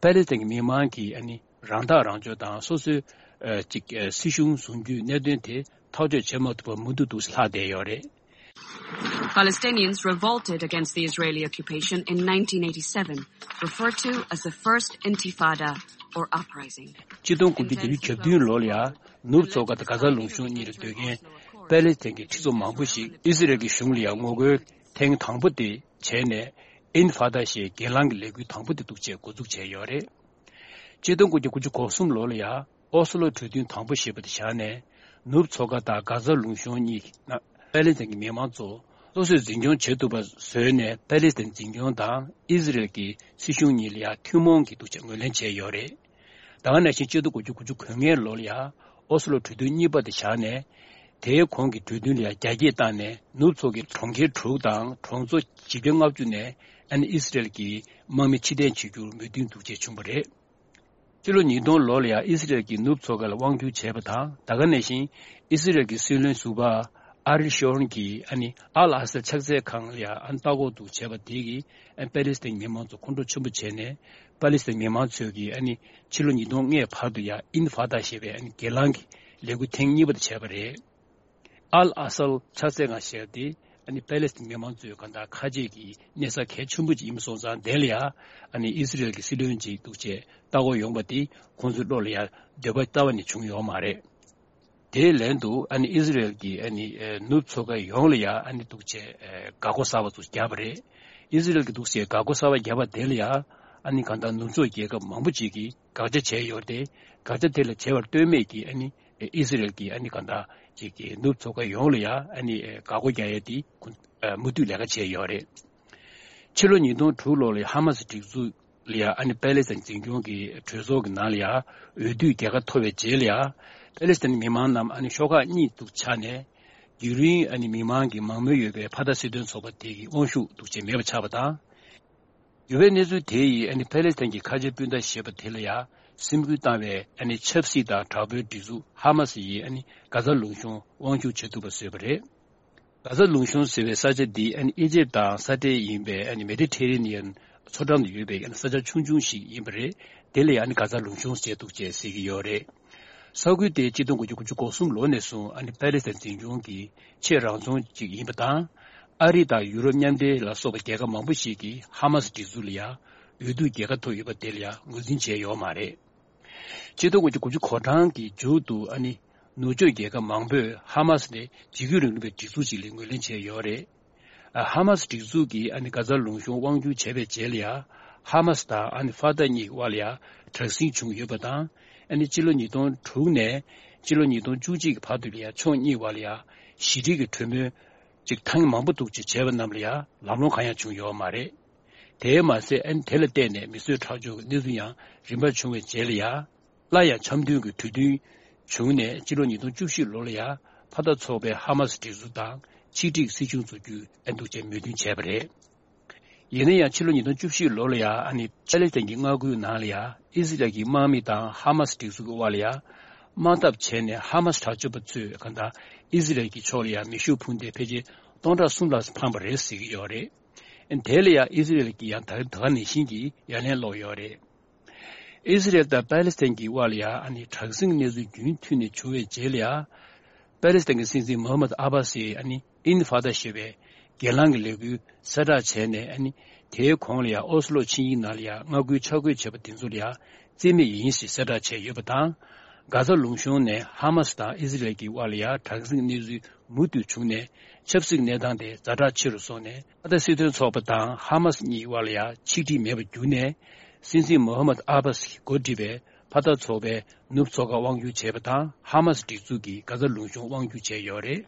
པ་ལི་སི་ཐན་གྱི་མི་མང་གིས་ཨ་ནི་རང་ཐག་རང་གཅོད་དང་སོ་སོའི་ཨ་ཅིག་ཨ་སྲིད་གཞུང་བཟུང་རྒྱུའི་གནད་དོན་དེ་ཐག་གཅོད་བྱེད་མ་ཐུབ་པར་མུ་མཐུད་དུ་ལྷག་བསྡད་ཡོད་རེད། Palestinians revolted against the Israeli occupation in nineteen eighty-seven, referred to as the First Intifada or uprising. ཆིག་སྟོང་དགུ་བརྒྱ་བརྒྱད་ཅུ་གྱ་བདུན་ལོ་ལ་ཡང་ནུབ་མཚོ་ཁ་དང་གྷ་ཛ་ལུང་གཤོང་གཉིས་ལ་སྡོད་མཁན་པ་ལི་སི་ཐན་གྱི་ཁྲི་ཚོ་མང་པོ་ཞིག་ཨི་སི་རེལ་གྱི་གཞུང་ལ་ཡང་ངོ་རྒོལ་ཐེངས་དང་པོ་དེ་བྱས་ནས། ཨིན་ཧྥ་ད་ཞེས་སྒེར་ལངས་ཀྱི་ལས་འགུལ་དང་པོ་དེ་འདུག་ཅེས་འགོ་འཛུགས་བྱས་ཡོད་རེད། ཆིག་སྟོང་དགུ་བརྒྱ་དགུ་བཅུ་གོ་གསུམ་ལོ་ལ་ཡང་ཨོ་སི་ལོ་གྲོས་མཐུན་དང་པོ་ཞེས་པ་དེ་བཞག་ནས། ནུབ་མཚོ་ཁ་དང་གྷ་ཛ་ལུང་གཤོང་གཉིས་ནང་པ་ལི་སི་ཐན་གྱི་མི་མང་ཚོ་སོ་སོས་འཛིན་སྐྱོང་བྱེད་ཐུབ་པ་བཟོས་ནས། པ་ལི་སི་ཐན་འཛིན་སྐྱོང་དང་ཨི་སི་རེལ་གྱི་སྲིད་གཞུང་གཉིས་ལ་ཡང་ཐུན་མོང་གི་འདུག་ཅེས་ངོས་ལེན་བྱས་ཡོད་རེད། ད་ག་ནང་བཞིན་ཆིག་སྟོང་དགུ་བརྒྱ་དགུ་བཅུ་གོ་ལྔ་ལོ་ལ་ཡང་ཨོ་སི་ལོ་གྲོས་མཐུན་གཉིས་པ་དེ་བཞག་ནས། དེའི་གོང་གི་གྲོས་མཐུན་ལ་ཡང་རྒྱ་སྐྱེད་བཏང་ནས། ནུབ་མཚོ་ཁའི་གྲོང་ཁྱེར་དྲུག་དང་གྲོང་ཚོ་བཞི་བརྒྱ་ལྔ་བཅུ་ནས་ཨ་ནི་ཨི་སི་རེལ་གྱི་དམག་མི་ཕྱིར་འཐེན་བྱེད་རྒྱུར་མོས་མཐུན་འདུག་ཅེས་བྱུང་བ་རེད། ཕྱི་ལོ་ཉིས་སྟོང་ལོ་ལ་ཡང་ཨི་སི་རེལ་གྱིས་ནུབ་མཚོ་ཁ་ལ་དབང་བསྒྱུར་བྱས་པ་དང་། ད་ག་ནང་བཞིན་ཨི་སི་རེལ་གྱི་སྲིད་བློན་ཟུར་པ་ཨ་རི་ཤོན་གྱིས་ཨ་ནི་ཨལ་ཨ་སལ་ཕྱག་འཚལ་ཁང་ལ་ཡང་ཨ་ནི་ལྟ་སྐོར་དུ་བྱས་པ་དེ་གིས་ཨ་ནི་པ་ལི་སི་ཐན་མི་མང་ཚོ་ཁོང་ཁྲོ་ཆེན་པོ་བྱས་ནས། པ་ལི་སི་ཐན་མི་མང་ཚོས་ཀྱིས་ཨ་ནི་ཕྱི་ལོ་ཉིས་སྟོང་ལྔའི་བར་དུ་ཡང་ཨིན་ཧྥ་ད་ཞེས་པའི་ཨ་ནི་སྒེར་ལངས་ཀྱི་ལས་འགུལ་ཐེངས་གཉིས་པ་དེ་བྱས་པ་རེད། ཨལ་ཨ་སལ་ཕྱག་འཚལ་ཁང་ཞེས་པ་དེ་ཨ་ནི་པ་ལི་སི་ཐན་མི་མང་ཚོའི་གང་ལྟར་ཁ་རྗེ་གི་གནས་ས་གལ་ཆེན་པོ་ཅིག་ཡིན་པ་སོང་ཙང་། དེ་ལ་ཡང་ཨ་ནི་ཨི་སི་རེལ་གྱི་སྲིད་བློན་ཅིག་འདུག་ཅེས་ལྟ་སྐོར་ཡོང་པ་དེ་ཁོང་ཚོའི་བློ་ལ་ཡང་འདོད་པ་རྩ་བ་ནས་བྱུང་ཡོད་མ་རེད། དེའི་ལན་དུ་ཨ་ནི་ཨི་སི་རེལ་གྱིས་ཨ་ནི་ཨེ་ནུབ་མཚོ་ཁ་ཡོངས་ལ་ཡང་ཨ་ནི་འདུག་ཅེས་ཨེ་འགག་སྒོ་གསར་པ་ཚོ་བརྒྱབ་པ་རེད། ཨི་སི་རེལ་གྱིས་འདུག་ཅེས་འགག་སྒོ་གསར་པ་བརྒྱབ་པ་དེ་ལ་ཡང་ཨ་ནི་གང་ལྟར་ནུབ་ཕྱོགས་རྒྱལ་ཁབ་མང་པོ་ཅིག་གིས་དགག་བྱ་བྱས་ཡོད་དེ། དགག་བྱ་དེ་ལ་བྱས་པར་ལྟོས་མེད་ཀྱིས་ཨ་ནི་ཨི་སི་རེལ་གྱིས་ཨ་ནི་གང་ལྟར་ཅིག་གིས་ནུབ་མཚོ་ཁ་ཡོངས་ལ་ཡང་ཨ་ནི་ཨེ་འགག་སྒོ་རྒྱག་ཡས་དེ་ཁོ་ཨེ་མུ་མཐུད་ལས་ཀ་བྱས་ཡོད་རེད། ཕྱི་ལོ་ཉིས་སྟོང་དྲུག་ལོ་ལ་ཧ་མ་སི་སྒྲིག་འཛུགས་ལ་ཡང་ཨ་ནི་པེ་ལེ་སི་ཐན་འཛིན་སྐྱོང་གི་གྲོས་ཚོགས་ཀྱི་ནང་ལ་ཡང་འོས་བསྡུ་རྒྱལ་ཁ་ཐོབ་པའི་རྗེས་ལ་ཡང་པེ་ལེ་སི་ཐན་མི་མང་རྣམས་ཨ་ནི་ཤོག་ཁག་གཉིས་སུ་ཆགས་ནས། རྒྱུན་རིང་ཨ་ནི་མི་མང་གི་མང་མོས་ཡོད་པའི་ཕ་ཐག་སྲིད་དོན་ཚོགས་པ་དེ་གི་དབང་ཤུགས་འདུག་ཅེས་མེད་པ་ཆགས་པ་དང་། འགྱུར་བའི་གནས་ཚུལ་དེ་ཡིས་ཨ་ནི་པེ་ལེ་སི་ཐན་གྱི་ཁ་ཆེ་སྤུན་ཟླ་ཞེས་པ་དེ་ལ་ཡང་སེམས་འགུལ་བཏང་བའི་ཨ་ནི་ཆབ་སྲིད་དང་དྲག་པོའི་སྒྲིག་འཛུགས་ཧ་མ་སི་ཡིས་ཨ་ནི་གྷ་ཛ་ལུང་གཤོང་དབང་སྒྱུར་བྱེད་ཐུབ་པ་བཟོས་པ་རེད། གྷ་ཛ་ལུང་གཤོང་ཟེར་བའི་ས་ཆ་འདི་ཨ་ནི་ཨི་ཇེབ་དང་ས་འབྲེལ་ཡིན་པའི་ཨ་ནི་མེ་ཌི་ཊེ་རེ་ནི་ཡན་མཚོ་འགྲམ་དུ་ཡོད་པའི་ཨ་ནི་ས་ཆ་ཆུང་ཆུང་ཞིག་ཡིན་པ་རེད། དེ་ལ་ཡང་ཨ་ནི་གྷ་ཛ་ལུང་གཤོང་ཟེར་འདུག་ཅེས་ཟེར་གྱི་ཡོད་རེད། ས་ཁུལ་དེ་ཆིག་སྟོང་དགུ་བརྒྱ་དགུ་བཅུ་གོ་གསུམ་ལོ་ནས་བཟུང་ཨ་ནི་པེ་ལེ་སི་ཐན་འཛིན་སྐྱོང་གི་ཆེས་རང་རྫོང་ཅིག་ཡིན་པ་དང་། ཨ་རི་དང་ཡུ་རོབ་མཉམ་འབྲེལ་ལ་སོགས་པ་རྒྱལ་ཁབ་མང་པོ་ཞིག་གིས་ཧ་མ་སི་སྒྲིག་འཛུགས་ལ་ཡང་འོས་བསྡུ་རྒྱལ་ཁ་ཐོབ་ཡོད་པ་དེ་ལ་ཡང་ངོས་འཛིན་བྱས་ཡོད་མ་རེད། ཆིག་སྟོང་དགུ་བརྒྱ་དགུ་བཅུ་གོ་གྲངས་ཀྱི་མཇུག་ཏུ་ཨ་ནི་ནུབ་ཕྱོགས་རྒྱལ་ཁབ་མང་པོས་ཧ་མ་སི་ནི་འཇིགས་སྐུལ་རིང་ལུགས་པའི་སྒྲིག་འཛུགས་ཤིག་ལ་ངོས་ལེན་བྱས་ཡོད་རེད། ཨ་ཧ་མ་སི་སྒྲིག་འཛུགས་ཀྱིས་ཨ་ནི་གྷ་ཛ་ལུང་གཤོང་དབང་སྒྱུར་བྱས་པའི་རྗེས་ལ་ཡང་ཧ་མ་སི་དང་ཨ་ནི་ཧྥ་ཏཱ་གཉིས་དབར་ལ་ཡང་དྲག་ཟིང་བྱུང་ཡོད་པ་དང་། ཨ་ནི་ཕྱི་ལོ་ཉིས་སྟོང་དྲུག་ནས་ཕྱི་ལོ་ཉིས་སྟོང་བཅུ་གཅིག་གི་བར་དུ་ལ་ཡང་ཕྱོགས་གཉིས་དབར་ལ་ཡང་ཞི་འགྲིག་གི་གྲོས་མོལ་ཅིག་ཐེངས་མང་པོ་འདུག་ཅེས་བྱས་པ་རྣམས་ལ་ཡང་ལམ་ལྷོང་གང་ཡང་བྱུང་ཡོད་མ་རེད། དེས་མ་ཟད་ཨ་ནི་དེ་ལ་བརྟེན་ནས་མི་གསོད་ཁྲག་སྦྱོར་གྱི་གནས་ཚུལ་ཡང་རིམ་པར་བྱུང་བའི་རྗེས་ལ་ཡང་། སླར་ཡང་འཆམ་མཐུན་གྱི་གྲོས་མཐུན་བྱུང་ནས་ཕྱི་ལོ་ཉིས་སྟོང་བཅུ་བཞི་ལོ་ལ་ཡང་ཕ་མཐའ་ཚོགས་པའི་ཧ་མ་སི་སྒྲིག་འཛུགས་དང་ཆིག་སྒྲིལ་སྲིད་གཞུང་འཛུགས་རྒྱུའི་ཨ་འདུག་ཅེས་མོས་མཐུན་བྱས་པ་རེད། ཡིན་ན་ཡང་ཕྱི་ལོ་ཉིས་སྟོང་བཅུ་བཞི་ལོ་ལ་ཡང་ཨ་ནི་པེ་ལེ་སི་ཐན་གྱི་མངའ་ཁུལ་ནང་ལ་ཡང་ཨི་ཟི་རལ་གྱི་དམག་མི་དང་ཧ་མ་སི་སྒྲིག་འཛུགས་ཀྱི་དབར་ལ་ཡང་དམག་འཐབ་བྱས་ནས་ཧ་མ་སི་དྲག་སྤྱོད་པ་ཚོས་གང་ལྟར་ཨི་ཟི་རལ་གྱི་ཕྱོགས་ལ་ཡང་མེ་ཤུགས་འཕུར་མདེལ་ཕལ་ཆེར་སྟོང་ཕྲག་གསུམ་ལྷག་འཕངས་པ་རེད་ཟེར་གྱི་ཡོད་རེད། དེ་ལ་ཡང་ཨི་ཟི་རལ་གྱིས་ཡང་ད་ག་ནང་བཞིན་གྱི་ཡ་ལན་སློག་ཡོད་རེད། ཨི་ཟི་རེལ་དང་པ་ལེ་སི་ཐན་གྱི་དབར་ལ་ཡང་ཨ་ནི་དྲག་ཟིང་གནས་ཚུལ་རྒྱུན་མཐུད་ནས་བྱུང་བའི་རྗེས་ལ་ཡང་། པ་ལེ་སི་ཐན་གྱི་སྲིད་འཛིན་མོ་ཧམ་མད་ཨ་བྷ་སིས་ཨ་ནི་ཨིན་ཧྥ་ཏཱ་ཞེས་པའི་སྒེར་ལངས་ཀྱི་ལས་འགུལ་གསལ་བསྒྲགས་བྱས་ནས། ཨ་ནི་དེའི་གོང་ལ་ཡང་ཨོ་སི་ལོ་ཆིངས་ཡིག་ནང་ལ་ཡང་མངའ་ཁུལ་ཆ་བགོས་བྱས་པ་དེ་ཚོ་ལ་ཡང་རྩིས་མེད་ཡིན་ཞེས་གསལ་བསྒྲགས་བྱས་ཡོད་པ་དང་། གྷ་ཛ་ལུང་གཤོང་ནས་ཧ་མ་སི་དང་ཨི་ཟི་རེལ་གྱི་དབར་ལ་ཡང་དྲག་ཟིང་གནས་ཚུལ་མུ་མཐུད་བྱུང་ནས། ཆབ་སྲིད་གནས་སྟངས་དེ་ཛ་དྲག་ཆེ་རུ་སོང་ནས། ཨ་ད་སྲིད་དོན་ཚོགས་པ་དང་ཧ་མ་སི་གཉིས་དབར་ལ་ཡང་ཆིག་སྒྲིལ་མེད་པར་གྱུར་ནས། སྲིད་འཛིན་མོ་ཧམ་མད་ཨ་བྷ་སི་གིས་འགོ་ཁྲིད་པའི་ཕ་མཐའ་ཚོགས་པས་ནུབ་མཚོ་ཁ་དབང་སྒྱུར་བྱས་པ་དང་། ཧ་མ་སི་སྒྲིག་འཛུགས་ཀྱིས་གྷ་ཛ་ལུང་གཤོང་དབང་སྒྱུར་བྱས་ཡོད་རེད།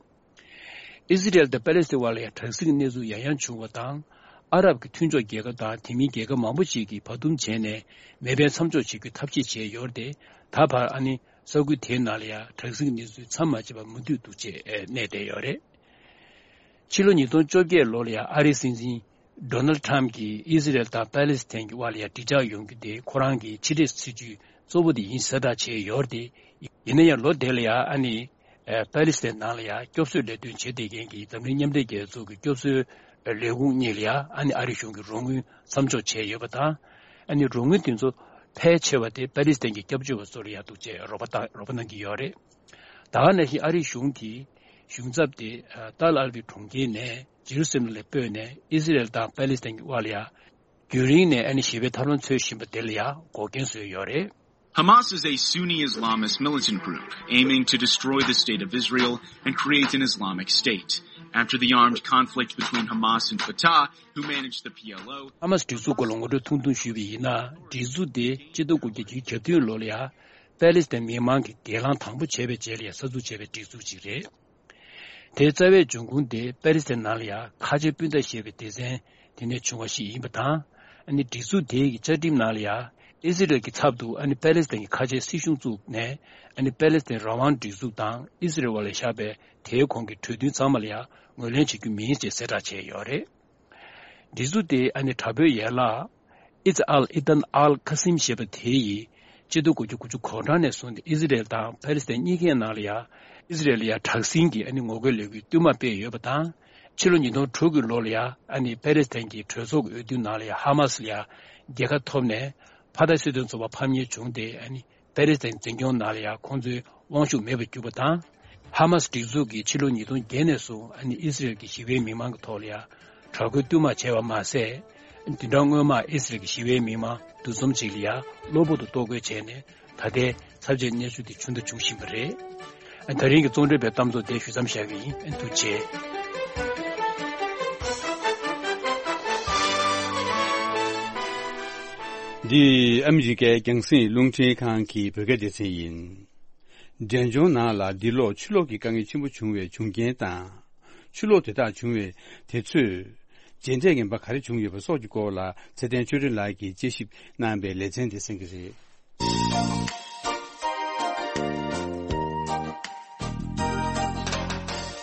ཨི་ཟི་རེལ་དང་པ་ལེ་སི་ཐན་དབར་ལ་ཡང་དྲག་ཟིང་གནས་ཚུལ་ཡང་ཡང་བྱུང་བ་དང་། ཨ་རབ་ཀྱི་མཐུན་ཕྱོགས་རྒྱལ་ཁབ་དང་དེ་མིན་རྒྱལ་ཁབ་མང་པོ་ཞིག་གིས་བར་འདུམ་བྱས་ནས་མེ་འཕེན་མཚམས་འཇོག་བྱེད་རྒྱུའི་ཐབས་ཤེས་བྱས་ཡོད་རེད་དེ། ད་བར་ཨ་ནི་ས་ཁུལ་དེའི་ནང་ལ་ཡང་དྲག་ཟིང་གནས་ཚུལ་མཚམས་མ་ཆད་པར་མུ་མཐུད་འདུག་ཅེས་གནས་བསྡད་ཡོད་རེད། ཕྱི་ལོ་ཉིས་སྟོང་བཅོ་བརྒྱད་ལོ་ལ་ཡང་ཨ་རིའི་སྲིད་འཛིན་ཌོ་ནལ་ཊམ་གྱིས་ཨི་ཟི་རེལ་དང་པ་ལེ་སི་ཐན་གྱི་དབར་ལ་ཡང་འགྲིག་འཇགས་ཡོང་རྒྱུ་དེ་ཁོ་རང་གི་ཕྱི་འབྲེལ་སྲིད་ཇུས་གཙོ་བོ་དེ་ཡིན་གསལ་བསྒྲགས་བྱས་ཡོད་རེད་དེ། ཡིན་ན་ཡང་ལོ་དེ་ལ་ཡང་ཨ་ནི་ཨེ། པ་ལེ་སི་ཐན་ནང་ལ་ཡང་སྐྱོབ་གསོའི་ལས་དོན་བྱེད་བསྡད་མཁན་གྱི་འཛམ་གླིང་མཉམ་འབྲེལ་རྒྱལ་ཚོགས་ཀྱི་སྐྱོབ་གསོའི་ལས་ཁུངས་གཉིས་ལ་ཡང་ཨ་ནི་ཨ་རི་གཞུང་གིས་རོགས་དངུལ་མཚམས་འཇོག་བྱས་ཡོད་པ་དང་། ཨ་ནི་རོགས་དངུལ་དེ་ཚོ་ཕལ་ཆེ་བ་དེ་པ་ལེ་སི་ཐན་གྱི་སྐྱབས་བཅོལ་བ་ཚོ་ལ་ཡང་འདུག་ཅེས་རོགས་པ་དང་རོགས་པ་གནང་གི་ཡོད་རེད། ད་ག་ནང་བཞིན་ཨ་རི་གཞུང་གིས་གཞུང་ཚབ་དེ་ཏཱལ་ཨལ་བྷི་གྲོང་ཁྱེར་ནས་ཇེ་རུ་སི་ལམ་ལ་སྤོས་ནས་ཨི་ཟི་རེལ་དང་པ་ལེ་སི་ཐན་གྱི་དབར་ལ་ཡང་རྒྱུན་རིང་ནས་ཨ་ནི་ཞི་བའི་ཐབས་ལམ་འཚོལ་བཞིན་པ་དེ་ལ་ཡང་འགོག་རྐྱེན་བཟོས་ཡོད་རེད། Hamas is a Sunni Islamist militant group aiming to destroy the state of Israel and create an Islamic State. After the armed conflict between Hamas and Fatah, who manage the P L O, ཧ་མ་སི་སྒྲིག་འཛུགས་སྐོར་ལ་ངོ་སྤྲོད་ཐུང་ཐུང་ཞུས་པ་ཡིན་ན། སྒྲིག་འཛུགས་དེ་ཆིག་སྟོང་དགུ་བརྒྱ་བརྒྱད་ཅུ་གྱ་བདུན་ལོ་ལ་ཡང་པ་ལེ་སི་ཐན་མི་མང་གི་སྒེར་ལངས་དང་པོ་བྱས་པའི་རྗེས་ལ་ཡང་གསར་འཛུགས་བྱས་པའི་སྒྲིག་འཛུགས་ཅིག་རེད། དེའི་རྩ་བའི་འབྱུང་ཁུངས་དེ་པ་ལེ་སི་ཐན་ནང་ལ་ཡང་ཁ་ཆེ་སྤུན་ཟླ་ཞེས་པའི་སྡེ་ཚན་དེ་ནས་བྱུང་བ་ཞིག་ཡིན་པ་དང་། ཨ་ནི་སྒྲིག་འཛུགས་དེའི་བཅའ་ཁྲིམས་ནང་ལ་ཡང་ཨི་ཟི་རེལ་གྱི་ཚབ་ཏུ་ཨ་ནི་པ་ལེ་སི་ཐན་གྱི་ཁ་ཆེའི་སྲིད་གཞུང་བཙུགས་ནས། ཨ་ནི་པ་ལེ་སི་ཐན་རང་དབང་སྒྲིག་འཛུགས་དང་ཨི་ཟི་རེལ་དབར་ལ་བཞག་པའི་དེའི་གོང་གི་གྲོས་མཐུན་ཚང་མ་ལ་ཡང་ངོས་ལེན་བྱེད་རྒྱུ་མིན་ཞེས་གསལ་བསྒྲགས་བྱས་ཡོད་རེད། སྒྲིག་འཛུགས་དེ་ཨ་ནི་དྲག་པོའི་ཡན་ལག་ཨི་ཛ་ཨལ་ཨི་ཏན་ཨལ་ཁ་སིམ་ཞེས་པ་དེ་ཡིས་ཆིག་སྟོང་དགུ་བརྒྱ་དགུ་བཅུ་གོ་གྲངས་ནས་བཟུང་སྟེ་ཨི་ཟི་རེལ་དང་པ་ལེ་སི་ཐན་གཉིས་ཀའི་ནང་ལ་ཡང་ཨི་ཟི་རེལ་ལ་ཡང་དྲག་ཟིང་གི་ཨ་ནི་ངོ་རྒོལ་ལས་འགུལ་བསྟུད་མར་སྤེལ་ཡོད་པ་དང་། ཕྱི་ལོ་ཉིས་སྟོང་དྲུག་གི་ལོ་ལ་ཡང་ཨ་ནི་པ་ལེ་སི་ཐན་གྱི་གྲོས་ཚོགས་ཀྱི་འོས་བསྡུ་ནང་ལ་ཡང་ཧ་མ་སི་ལ་ཡང་རྒྱལ་ཁ་ཐོབ་ནས། ཕ་མཐའ་སྲིད་དོན་ཚོགས་པ་ཕམ་ཉེས་བྱུང་སྟེ། ཨ་ནི་པེ་རི་སི་དང་འཛིན་སྐྱོང་ནང་ལ་ཡང་ཁོང་ཚོའི་དབང་ཤུགས་མེད་པར་གྱུར་པ་དང་། ཧ་མ་སི་སྒྲིག་འཛུགས་ཀྱིས་ཕྱི་ལོ་ཉིས་སྟོང་བརྒྱད་ནས་བཟུང་ཨ་ནི་ཨི་སི་རེལ་གྱི་ཞི་བའི་མི་མང་གི་ཐོག་ལ་ཡང་དྲག་རྒོལ་བསྟུད་མར་བྱས་པ་མ་ཟད། བདུན་ཕྲག་སྔོན་མར་ཨི་སི་རེལ་གྱི་ཞི་བའི་མི་མང་འདུ་འཛོམས་ཅིག་ལ་ཡང་གློ་བུར་དུ་གཏོར་རྒོལ་བྱས་ནས། ད་ལྟའི་ཚབས་ཆེའི་གནས་ཚུལ་དེ་བྱུང་དང་འབྱུང་བཞིན་པ་རེད། ད་རིང་གི་གཙོ་འགྲེལ་པའི་གཏམ་ཚོགས་དེ་ཞུ་མཚམས་བཞག་གི་ཡིན། ཐུགས་རྗེ་ཆེ། འདི་ཨ་མི་རི་ཀའི་རྒྱང་སྲིང་རླུང་འཕྲིན་ཁང་གི་བོད་སྐད་སྡེ་ཚན་ཡིན། འབྲས་ལྗོངས་ནང་ལ་འདི་ལོ་ཆུ་ལོག་གི་དཀའ་ངལ་ཆེན་པོ་བྱུང་བའི་བྱུང་རྐྱེན་དང་། ཆུ་ལོག་དེ་དག་བྱུང་བའི་དུས་ཚོད། རྗེས་འབྲས་ངན་པ་ག་རེ་བྱུང་ཡོད་པ་སོགས་ཀྱི་སྐོར་ལ་ཚེ་བརྟན་ཆོས་སྒྲོན་ལགས་ཀྱིས་དཔྱད་ཞིབ་གནང་བའི་ལེ་ཚན་དེ་གསན་གྱི་རེད།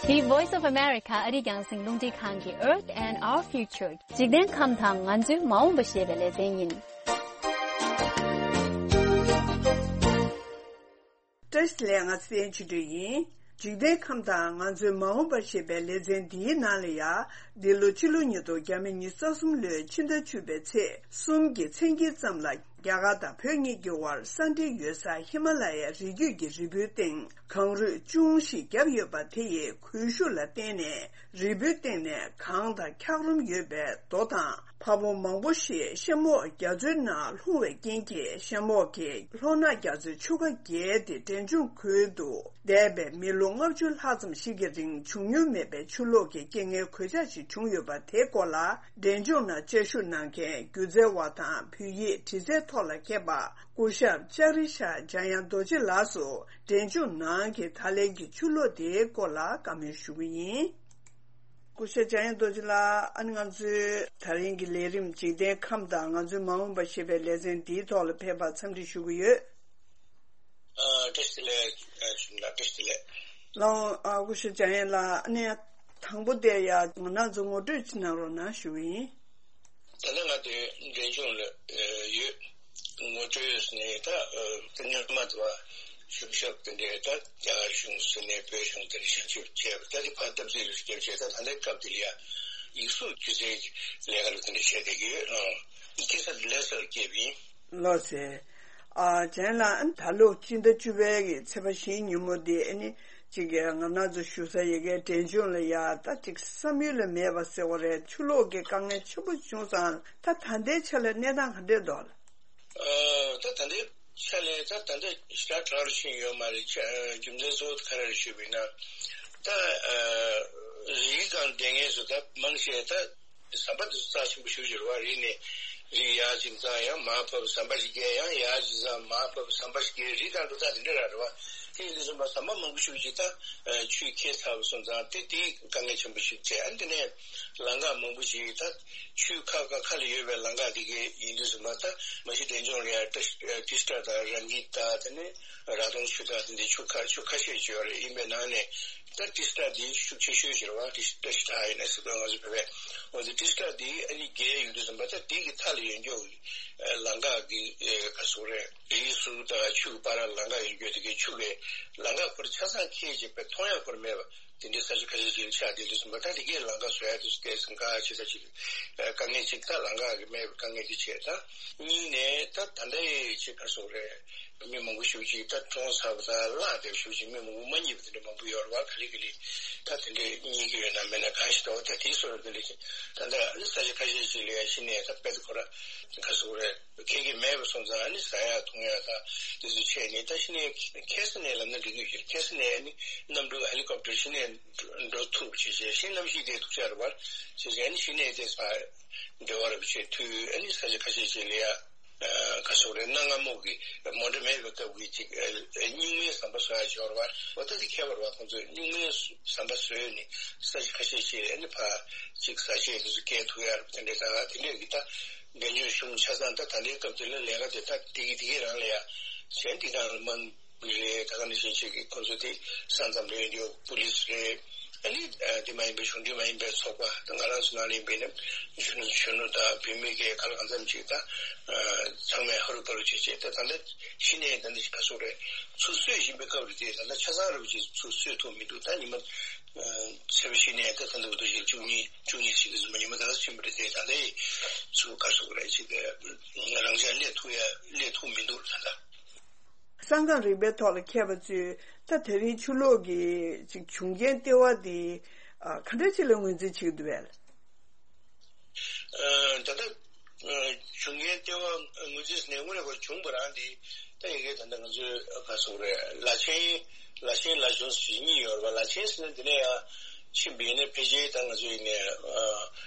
འདི་Voice of America ཨ་རིའི་རྒྱང་སྲིང་རླུང་འཕྲིན་ཁང་གི་Earth and Our Future འཇིག་རྟེན་ཁམས་དང་ང་ཚོའི་མ་འོངས་པ་ཞེས་པའི་ལེ་ཚན་ཡིན། བཀྲ་ཤིས་བདེ་ལེགས། ང་ཚེ་བརྟན་ཆོས་སྒྲོན་ཡིན། འཇིག་རྟེན་ཁམས་དང་ང་ཚོའི་མ་འོངས་པ་ཞེས་པའི་ལེ་ཚན་འདིའི་ནང་ལ་ཡང་། འདི་ལོ་ཕྱི་ལོ་ཉིས་སྟོང་ཉི་ཤུ་རྩ་གསུམ་ལོའི་ཕྱི་ཟླ་བཅུ་པའི་ཚེས་གསུམ་གྱི་མཚན་དཀྱིལ་ཙམ་ལ། རྒྱ་གར་དང་བོད་གཉིས་ཀྱི་དབར་ས་འབྲེལ་ཡོད་ས་ཧི་མ་ལ་ཡའི་རི་རྒྱུད་ཀྱི་རི་བོའི་སྟེང་གངས་རུད་ཅུང་ཞིག་བརྒྱབ་ཡོད་པ་དེ་ཡི་གོས་ཤུགས་ལ་བརྟེན་ནས། རི་བོའི་སྟེང་ནས་གངས་དང་འཁྱགས་རོམ་ཡོད་པའི་རྡོ་དང་། ཕ་བོང་མང་པོ་ཞིག་གཤམ་འོག་རྒྱ་མཚོའི་ནང་ལྷུང་བའི་རྐྱེན་གྱིས། གཤམ་འོག་གི་ལྷོ་ནག་རྒྱ་མཚོའི་ཆུ་ཁ་བརྒལ་ཏེ་འབྲས་ལྗོངས་ཁུལ་དུ་འདས་པའི་མི་ལོ་ལྔ་བཅུ་ལྷག་ཙམ་ཞིག་གི་རིང་བྱུང་མྱོང་མེད་པའི་ཆུ་ལོག་གི་རྐྱེན་ངན་གོད་ཆག་ཞིག་བྱུང་ཡོད་པ་དེའི་སྐོར་ལ། འབྲས་ལྗོངས་ནང་བཅའ་བཞུགས་གནང་མཁན་སྒྱུ་རྩལ་བ་དང་བོད་ཡིག་འབྲི་རྩལ་ཐོག་ལ་མཁས་པ་སྐུ་ཞབས་ལྕགས་རི་ཤར་འཇམ་དབྱངས་རྡོ་རྗེ་ལགས་སུ། འབྲས་ལྗོངས་ནང་གི་ད་ལན་གྱི་ཆུ་ལོག་དེའི་སྐོར་ལ་བཀའ་མོལ་ཞུ་གི་ཡིན། སྐུ་ཞབས་འཇམ་དབྱངས་རྡོ་རྗེ་ལགས། ཨ་ནི་ང་ཚོའི་ད་རིང་གི་ལས་རིམ་འཇིག་རྟེན་ཁམས་དང་ང་ཚོའི་མ་འོངས་པ་ཞེས་པའི་ལེ་ཚན་འདིའི་ཐོག་ལ་ཕེབས་པར་འཚམས་འདྲི་ཞུ་གི་ཡོད། ཨ། བཀྲ་ཤིས་བདེ་ལེགས། ཨ། ཞུ་ལ་བཀྲ་ཤིས་བདེ་ལེགས། ལགས། ཨ། སྐུ་ཞབས་འཇམ་དབྱངས་ལགས། ཨ་ནི་དང་པོ་དེ་ཡ་ང་རང་ཚོ་ངོ་སྤྲོད་ཅིག་གནང་རོགས་གནང་ཞུ་གི་ཡིན། ད་ལྟ་ང་དེ་འབྲས་ལྗོངས་ལ་ཡོད། ངོ་སྤྲོད་ནས་ད་ཨ་ཉི་མ་དུ་བ་གཞུང་ཞབས་དེ་འདྲའི་ད་རྒྱ་གར་གཞུང་ཟེར་ནས་བོད་གཞུང་དེ་འདྲ་ཞབས་ཞུ་བྱས་པ། ད་དེ་ཕར་སྟབས་བདེ་རུ་སྐྱབས་བྱས། ད་ད་ལྟའི་སྐབས་དེ་ལ་ཡ་ཡིག་གཟུགས་སྒྱུ་རྩལ་གྱི་ལས་ཀ་ལ་དེ་འདྲ་བྱས་བསྡད་ཀྱི་ཡོད། ཨང་། སྐྱེས་ས་དེ་ལྷ་སར་སྐྱེས་པ་ཡིན། ལགས་སེ། ཨ། འཇམ་དབྱངས་ལགས། ཨ་ནི་ད་ལོ་སྤྱི་ཟླ་བཅུ་པའི་གི་ཚེས་པ་བཞིའི་ཉིན་མོ་འདི་ཨ་ནི་ཅིག་ང་རང་ཚོ་བཞུགས་ས་ཡ་གི་འབྲས་ལྗོངས་ལ་ཡ་ད་ཅིག་བསམ་ཡུལ་ལ་མེད་པ་ཟེར་བ་རེད། ཆུ་ལོག་གི་དཀའ་ངལ་ཆེན་པོ་བྱུང་ཙང་། ད་ད་ལྟའི་ཆ་ལ་གནས་སྟངས་ག་འདྲས་འདུག་ལགས། ཨ། ད་ད་ལྟའི་ཆ་ལ་ད་ད་ལྟ་ཞེ་དྲག་དྲག་རུ་ཕྱིན་ཡོད་མ་རེད། ཆ་རྒྱུ་མཚན་གཙོ་བོ་ག་རེ་རེད་ཞུས་པ་ཡིན་ན། ད་ཨ་རི་སྒང་བསྡད་མཁན་ཚོ་ད་མང་ཆེ་ད་ཟམ་པ་དེ་ཚོ་རྩ་ཆེན་པོ་ཞེ་པོ་ཅིག་རེད་བ། རི་ནས་རི་ཡར་ཅིག་འཛེགས་ཡང་མར་བབས། ཟམ་པ་ཞིག་བརྒལ་ཡང་ཡར་ཅིག་འཛེགས་མར་བབས། ཟམ་པ་ཞིག་བརྒལ། རི་སྒང་འགྲོ་སྟངས་དེ་འདྲ་རང་རེད་བ། དེ་ཡིན་དུས་ཙམ་པ་ཟམ་པ་མང་པོ་ཞེ་པོ་ཅིག་ད་ཨ་ཆུས་ཁྱེར་ཚར་བ་སོང་ཙང་། དེ་དེ་དཀའ་ངལ་ཆེན་པོ་ཞིག་བྱས། ཨ་ནི་དེ་ནས་ལམ་ཁ་མང་པོ་ཞིག་ད་ཆུའི་ཁ་ཁ་ཁ་ལ་ཡོད་པའི་ལམ་ཁ་དེ་གའི་ཡིན་དུས་ཙམ་པ། ད་མ་གཞི་འབྲས་ལྗོངས་ལ་ཡ་ཏྲི་ཏྲི་སི་ཊ་དང་རང་གི་ད་དེ་ནས་ར་དོང་ཆུ་དང་དེ་འདྲའི་ཆུ་ཁ་ཆུ་ཁ་ཤས་ཅིག་ཡོད་རེད། ཡིན་པའི་ནང་ནས་ད་ཏྲི་སི་ཊ་དེ་ཤུགས་ཆེ་ཤོས་ཅིག་རེད་བ། ཏྲི་ཏྲི་སི་ཊ་ཡིན་ན་སྲིད་དོན་ང་ཚོ་བོད་པས། འོ་དེ་ཏྲི་སི་ཊ་དེ་ཨ་ནི་བརྒལ་ཡོང་དུས་ཙམ་པ། ད་དེ་གི་མཐའ་ལ་ཡོད་མཁན་གྱི་ལམ་ཁ་གི་ཨ་ག་ཟེར་དགོས་རེད། རིའི་ཟུར་དང་ཆུ་གི་བར་ལ་ལམ་ཁ་ཡོད་རྒྱུ་དེ་གའི་ཆུ་གི་ལམ་ཁ་ཁོ་རང་ཆ་ཚང་ཁེལ་བྱས་པའི་མཐོང་ཡ་ཁོ་རང་མེད་པ། དེ་འདྲའི་ས་ཆ་ཁ་ཤས་ཅིག་ཆགས་བསྡད་དུས་ཙམ་པ། ད་དེ་གའི་ལམ་ཁ་བཟོ་ཡ་དེ་ཚོ་ཏོག་ཙམ་དཀའ་ཆེ་ས་ཅིག་ཨ་དཀའ་ངལ་ཅིག་ད་ལམ་ཁ་གི་མེད་པའི་དཀའ་ངལ་དེ་བྱས། ད་གཉིས་ནས་ད་ད་ལྟའི་ཅིག་ག་ཟེར་དགོས་རེད། མི་མང་པོ་ཞེ་པོ་ཅིག་ད་གྲོངས་ཚར་བ་དང་བརླགས་བསྡད་པ་ཞེ་པོ་ཅིག་མི་མང་པོ་མ་རྙེད་པ་དེ་འདྲ་མང་པོ་ཡོད་རེད་བ། ག་ལེ་ག་ལེ་ད་དེ་འདྲ་རྙེད་ཀྱི་ཡོད་ན་མེད་ན་གང་ཞིག་འདྲ་བོ། ད་དེའི་བཟོ་འདྲ་དེ་ལས་ཀྱང་ད་ལྟ་ཨ་ནི་ས་ཆ་ཁ་ཤས་ཅིག་ལ་ཡ་གཞི་ནས་ད་དཔེ་ད་ཁོ་རང་ག་ཟེར་དགོས་རེད། ཁེལ་གྱི་མེད་པ་སོང་ཙང་། ཨ་ནི་ཟ་ཡ་འཐུང་ཡ་དང་དེ་ཚོ་བྱས་ནས། ད་གཞི་ནས་ཁ་སང་ནས་ལབ་ན་འགྲིག་གི་ཡོད། ཁ་སང་ནས་ཨ་ནི་གནམ་གྲུ་ཧེ་ལི་ཀོབ་ཊར་གཞི་ནས་འགྲོ་ཐུབ་བྱས་བྱས། གཞི་གནམ་གཤིས་དེ་ཐུགས་ཆགས་རེད་བ། བྱས་བྱས་ཨ་ནི་གཞི་ནས་དེ་ས་འབྲེལ་བ་རེད་བྱས་དུས། ཨ་ནི་ས་ཆ་ཁ་ཤས་ཅིག་ལ་ཡ་ཨ་ག་ཟེར་དགོས་རེད། གནའ་སྔ་མོ་གི་མོ་ཊ་མེད་པའི་སྐབས་ཀྱི་ཅིག་ཨ་སྨྱུག་མའི་ཟམ་པ་བཟོ་ཡ་ཅིག་ཡོད་རེད་བ། འོ་ད་དེ་ཁྱད་པར་བ། ཁོང་ཚོས་སྨྱུག་མའི་ཟམ་པ་བཟོས་ནས་ས་ཆ་ཁ་ཤས་ཅིག་ཨ་ནི་ཕར་ཅིག་ཟ་ཆས་དེ་ཚོ་སྐྱེལ་ཐུབ་ཡ་རེད། དེ་འདྲའི་ད་དེ་འདྲའི་གི་ད་འབྲས་ལྗོངས་གཞུང་ཆ་ཚང་ད་ད་ལྟའི་སྐབས་དེ་ལ་ལས་ཀ་དེ་ད་དེ་གི་དེ་གི་རང་ལ་ཡ་གཞན་དེ་གང་ལ་མ་དགོས་རེད། ད་ག་ནང་བཞིན་ཅིག་གི་ཁོང་ཚོ་དེ་ས་མཚམས་ལ་ཡོད་རྒྱུ་པུ་ལིས་རེད། ཨ་ནི་ཨ་དེ་མ་ཡིན་པའི་གཞུང་འབྲེལ་མ་ཡིན་པའི་ཚོགས་པ། ད་ང་རང་ཚོ་ནང་ལ་ཡིན་པའི་ནི་གཞོན་ནུ་གཞོན་ནུ་དང་བུད་མེད་ཀྱི་ག་ལ་གང་འཚམ་ཅིག་ད་ཨ་ཚང་མས་ཧ་རུ་པ་རུ་བྱས་བྱས། ད་ད་ལྟ་གཞི་ནས་ད་ལྟ་ཅིག་ག་ཟེར་དགོས་རེད། ཚུར་གསོས་བཞིན་པའི་སྐབས་རེད་དེ། ད་ལྟ་ཆ་ཚང་རུ་ཅིག་ཚུར་གསོས་ཐུབ་མི་འདུག་ད་ཉི་མ་ཨ་ཚེས་པ་གཞི་ནས་ད་ད་ལྟ་བར་དུ་ཞིག་བཅུ་གཉིས་བཅུ་གཉིས་ཞིག་གི་ཟིན་པ་ཉི་མ་ད་ལྟ་ཕྱིན་པ་རེད་དེ། ད་ལྟའི་ཚུར་ག་ཟེར་དགོས་རེད། ཅིག་རང་འཇགས་སླེབས་ཐུབ་ཡ་སླེབས་ཐུབ་མི་འདུག་ད་ལྟ། གསང་སྒང་རིག་པའི་ཐོག་ལ་མཁས་པ་ཚོས་ད་དེ་རིང་ཆུ་ལོག་གི་ཅིག་བྱུང་རྐྱེན་ལྟེ་བ་འདི་ཨ་ག་འདྲ་ཅིག་ལ་ངོས་འཛིན་བྱེད་ཀྱི་འདུག་པས། ཨ་ད་ལྟ་ཨ་བྱུང་རྐྱེན་ལྟེ་བ་ངོས་འཛིན་ནས་དངོས་གནས་ཁོ་བྱུང་བ་རང་འདི་ད་ཡ་གི་ད་ལྟ་ང་ཚོའི་ག་ཟེར་དགོས་རེད། ལ་ཆེན་ལ་ཆེན་ལ་ཆུང་ཞེས་གཉིས་ཡོད་རེད་པ། ལ་ཆེན་ཟེར་ན་འདི་ནས་ཡང་ཕྱིན་པ་ཡིན་ན་ཕལ་ཆེར་ད་ང་ཚོ་ཡིན་ནའི་ཨ་